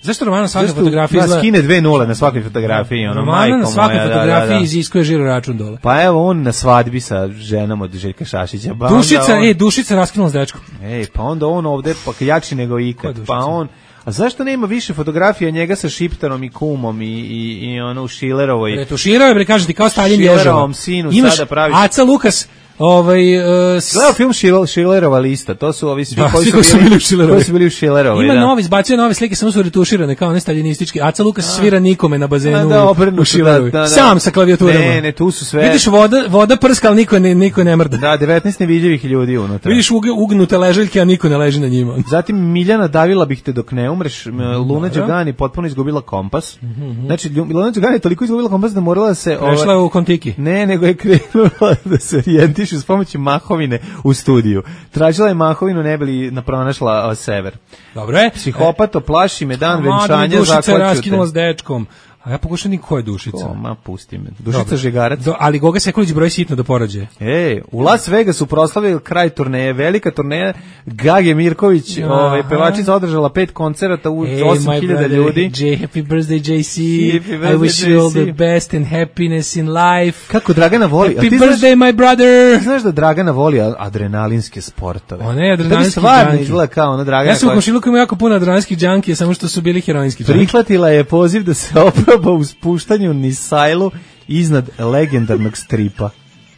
F: Zašto Romana svaka fotografija
E: izgleda... skine dve nule na svakoj fotografiji, ono,
F: Romana
E: majko
F: na svakoj
E: moja,
F: fotografiji
E: da, da, da.
F: iziskuje žiro račun dole.
E: Pa evo on na svadbi sa ženom od Željka Šašića. Pa
F: Dušica,
E: on...
F: ej, Dušica raskinula s dečkom.
E: Ej, pa onda on ovde pa jači nego ikad. Pa on, a zašto nema više fotografija njega sa Šiptarom i Kumom i, i, i ono u Šilerovoj?
F: Retuširao je, bre, kažem ti, kao Stalin Ježova.
E: Šilerovom sinu
F: imaš
E: sada praviš.
F: Aca Lukas, ovaj... Uh, s...
E: Gledao film Šil, Šilerova lista, to su ovi svi
F: da,
E: koji,
F: koji
E: su, bili,
F: su bili u
E: koji su bili u Šilerovoj.
F: Ima
E: da.
F: novi, izbacio nove slike, samo su retuširane, kao ne staljinistički. Aca Lukas
E: a.
F: svira nikome na bazenu
E: da,
F: u Šilerovoj. Da, da, da. Sam sa klavijaturama.
E: Ne, ne, tu su sve...
F: Vidiš, voda, voda prska, ali niko ne, niko ne mrda.
E: Da, devetnaest nevidljivih ljudi unutra.
F: Vidiš ugnute leželjke, a niko ne leži na njima.
E: Zatim Miljana davila bih te dok ne umreš. Luna Đugani potpuno izgubila kompas. Mm -hmm. Znači, Luna Đugani je toliko izgubila kompas da morala se...
F: Prešla ova... u Kontiki.
E: Ne, nego je krenula da se orijentiše s pomoću mahovine u studiju. Tražila je mahovinu, ne bili napronašla sever.
F: Dobro je.
E: Psihopato, plaši me dan venčanja,
F: zakoću te. Dušica
E: raskinula
F: s dečkom. A ja pokušam ni ko je Dušica.
E: Ko, ma pusti me. Dušica Dobre. Žegarac.
F: Do, ali Goga Sekulić broji sitno do porođaje.
E: Ej, u Las Vegasu proslavili kraj turneje, velika turneja. Gage Mirković, ovaj pevačica održala pet koncerata u hey, osam hiljada ljudi.
F: J, happy birthday J C. Birthday, I wish you all the best and happiness in life.
E: Kako Dragana voli.
F: Happy birthday znaš, my brother.
E: Znaš da Dragana voli adrenalinske sportove.
F: Ona je adrenalinski
E: džanki. Izgleda kao ona Dragana.
F: Ja sam u komšiluku imao jako puno adrenalinskih džankija, samo što su bili heroinski džanki.
E: Prihvatila je poziv da se oproba u spuštanju Nisajlu iznad legendarnog stripa.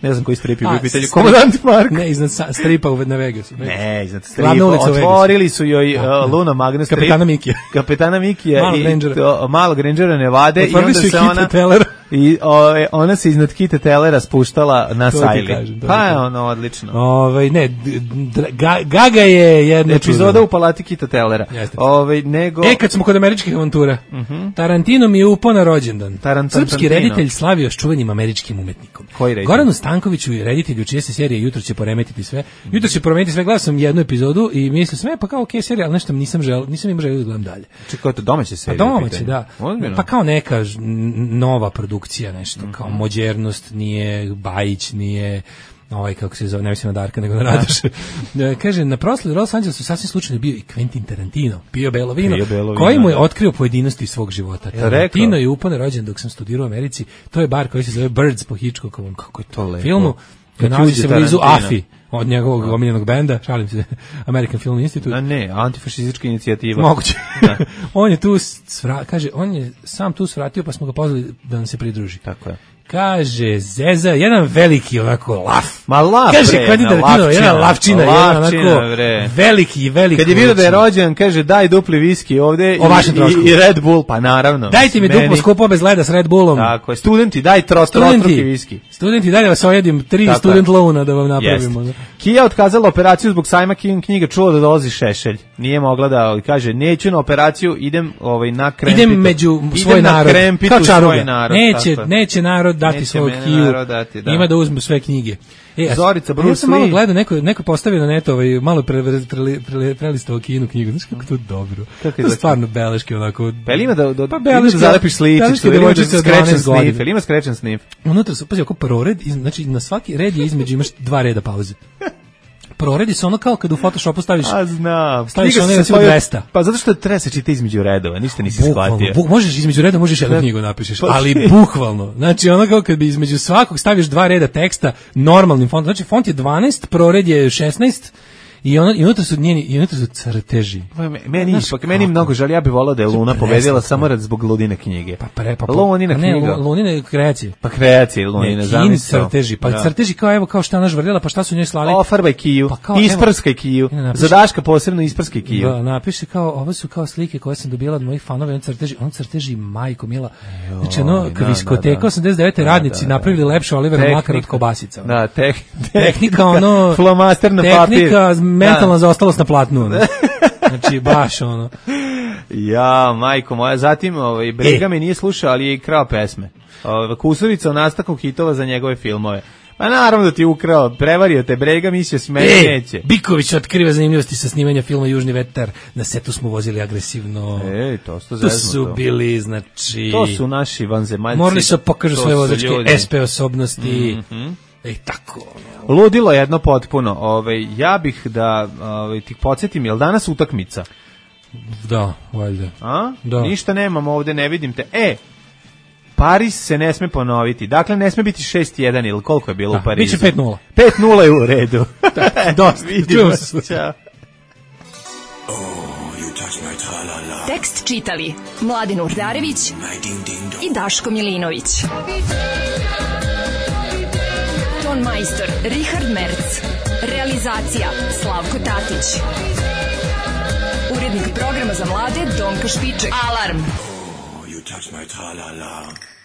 E: Ne znam koji strip je bio pitanje. Komandant Marko.
F: Ne, iznad stripa na Vegasu.
E: Ne, iznad stripa. Otvorili su joj uh, Luna Magna strip.
F: Kapetana Mikija.
E: Kapetana Mikija
F: Malog
E: i
F: Rangera.
E: To, malog Rangera Nevade.
F: Otvorili
E: i onda
F: su
E: se
F: i
E: ona...
F: Telera.
E: I o, ona se iznad Kite Telera spuštala na Sajli.
F: Kažem,
E: pa je ono odlično.
F: Ove, ne, ga, Gaga je jedna
E: epizoda
F: čuda.
E: U palati Kita Telera. Ove, nego...
F: E, kad smo kod američkih avantura, uh -huh. Tarantino mi je upao na rođendan.
E: Tarantan,
F: Srpski reditelj slavio s čuvenim američkim umetnikom.
E: Koji reditelj?
F: Goranu Stankoviću je reditelj čije se serije Jutro će poremetiti sve. Jutro će poremetiti sve, gledao sam jednu epizodu i mislio sam, e, pa kao okej okay, serija, ali nešto nisam želeo, nisam imao želeo da gledam dalje.
E: Čekaj, to domaća serija?
F: Pa domaća, da. Ozbiljno? Pa kao neka nova produkcija, nešto, mm -hmm. kao modernost, nije Bajić, nije ovaj, kako se zove, ne mislim na Darka, nego na Radoša. Kaže, na proslavi Los Angelesu sasvim slučajno bio i Quentin Tarantino, Pio Belo vino, Pio Belo vino koji mu je otkrio pojedinosti svog života. Ja, Tarantino je upane rođen dok sam studirao u Americi, to je bar koji se zove Birds po Hitchcockovom, kako je to lepo. Filmu, koji nalazi se blizu Afi, od njegovog no. omiljenog benda, šalim se, American Film Institute.
E: A ne, antifašistička inicijativa.
F: Moguće. On je tu, svra, kaže, on je sam tu svratio, pa smo ga pozvali da nam se pridruži.
E: Tako je.
F: Kaže, Zeza, jedan veliki onako laf.
E: Ma laf,
F: kaže,
E: bre,
F: Quentin Tarantino, jedna lavčina, jedan onako
E: bre.
F: veliki, veliki.
E: Kad je vidio da je rođen, kaže, daj dupli viski ovde i, i Red Bull, pa naravno.
F: Dajte mi meni. Duplo skupo bez leda s Red Bullom.
E: Tako je, studenti, daj trostruki viski.
F: Studenti, daj da vas ojedim, tri tako student louna da vam napravimo. Jest.
E: Kia otkazala operaciju zbog sajma knjiga, čuo da dolazi Šešelj. Nije mogla da, kaže, neću na operaciju, idem ovaj, na krempitu.
F: Idem među svoj narod.
E: Kao svoj narod.
F: Neće, neće narod dati svog Kiju.
E: Dati, da.
F: Ima da uzmu sve knjige. E,
E: Zorica, Bruce Lee.
F: Ja sam malo gledao, neko, neko postavio na netu ovaj, malo pre, pre, pre, pre, prelistao Kinu knjigu. Znaš kako to dobro?
E: Kako je
F: to je stvarno beleške, onako...
E: Pa ima da, da,
F: pa beleške,
E: da zalepiš sličicu, ili ima da skrečen snif, ili ima skrečen snif.
F: Unutra su, pazi, oko prored, znači na svaki red je između imaš dva reda pauze. Proredi se ono kao kad u Photoshopu staviš.
E: A znam.
F: Staviš ono recimo dvesta.
E: Pa zato što treba se čita između redova, ništa nisi shvatio.
F: Bu, možeš između redova, možeš jednu knjigu napišeš, ali bukvalno. Znači ono kao kad bi između svakog staviš dva reda teksta normalnim fontom. Znači font je dvanaest, prored je šesnaest. I ono i unutra su njeni i unutra su crteži.
E: Meni ipak meni mnogo žal, ja bih voleo da je Luna pobedila samo rad zbog Ludine knjige.
F: Pa pre pa
E: Lunina knjiga.
F: Ne, Lunine kreacije.
E: Pa kreacije Lunine,
F: zamisli crteži, pa da. Crteži kao evo kao šta ona žvrljala, pa šta su njoj slali?
E: Ofarbaj kiju, pa isprskaj kiju. Za Daška posebno isprskaj kiju.
F: Da, napiše kao ovo su kao slike koje sam dobila od mojih fanova, on crteži, on crteži majko mila. Znači ono diskoteka osamdeset devete radnici napravili lepše Olivera Mlakara od kobasica.
E: Da,
F: tehnika ono
E: flomaster na papir.
F: Mentalna zaostalost na platnu. Ono. Znači, baš ono.
E: Ja, majko moja. Zatim, ovaj, Brega e. me nije slušao, ali je i krao pesme. Ovaj, Kusurica o nastanku hitova za njegove filmove. Pa naravno da ti je ukrao, prevario te Brega, mislio si meni
F: e,
E: neće.
F: Biković otkriva zanimljivosti sa snimanja filma Južni vetar. Na setu smo vozili agresivno.
E: Ej, to su
F: to su bili, znači...
E: To su naši vanzemaljci.
F: Morali su pokažu svoje vozačke S P osobnosti.
E: Mm-hmm.
F: Ej, tako.
E: Ludilo jedno potpuno. Ove, ja bih da ove, ti podsjetim, je li danas utakmica?
F: Da, valjda.
E: A?
F: Da.
E: Ništa nemam ovde, ne vidim te. E, Paris se ne sme ponoviti. Dakle, ne sme biti šest jedan ili koliko je bilo
F: da,
E: u Parizu?
F: Biće pet nula.
E: pet nula je u redu.
F: Da, dosta.
E: Vidimo se. Ćao.
G: Tekst čitali Mladin Urdarević i Daško Milinović. Ton majstor Richard Merc. Realizacija Slavko Tatić. Urednik programa za mlade Donka Špiček. Alarm!
N: You touch my tra-la-la.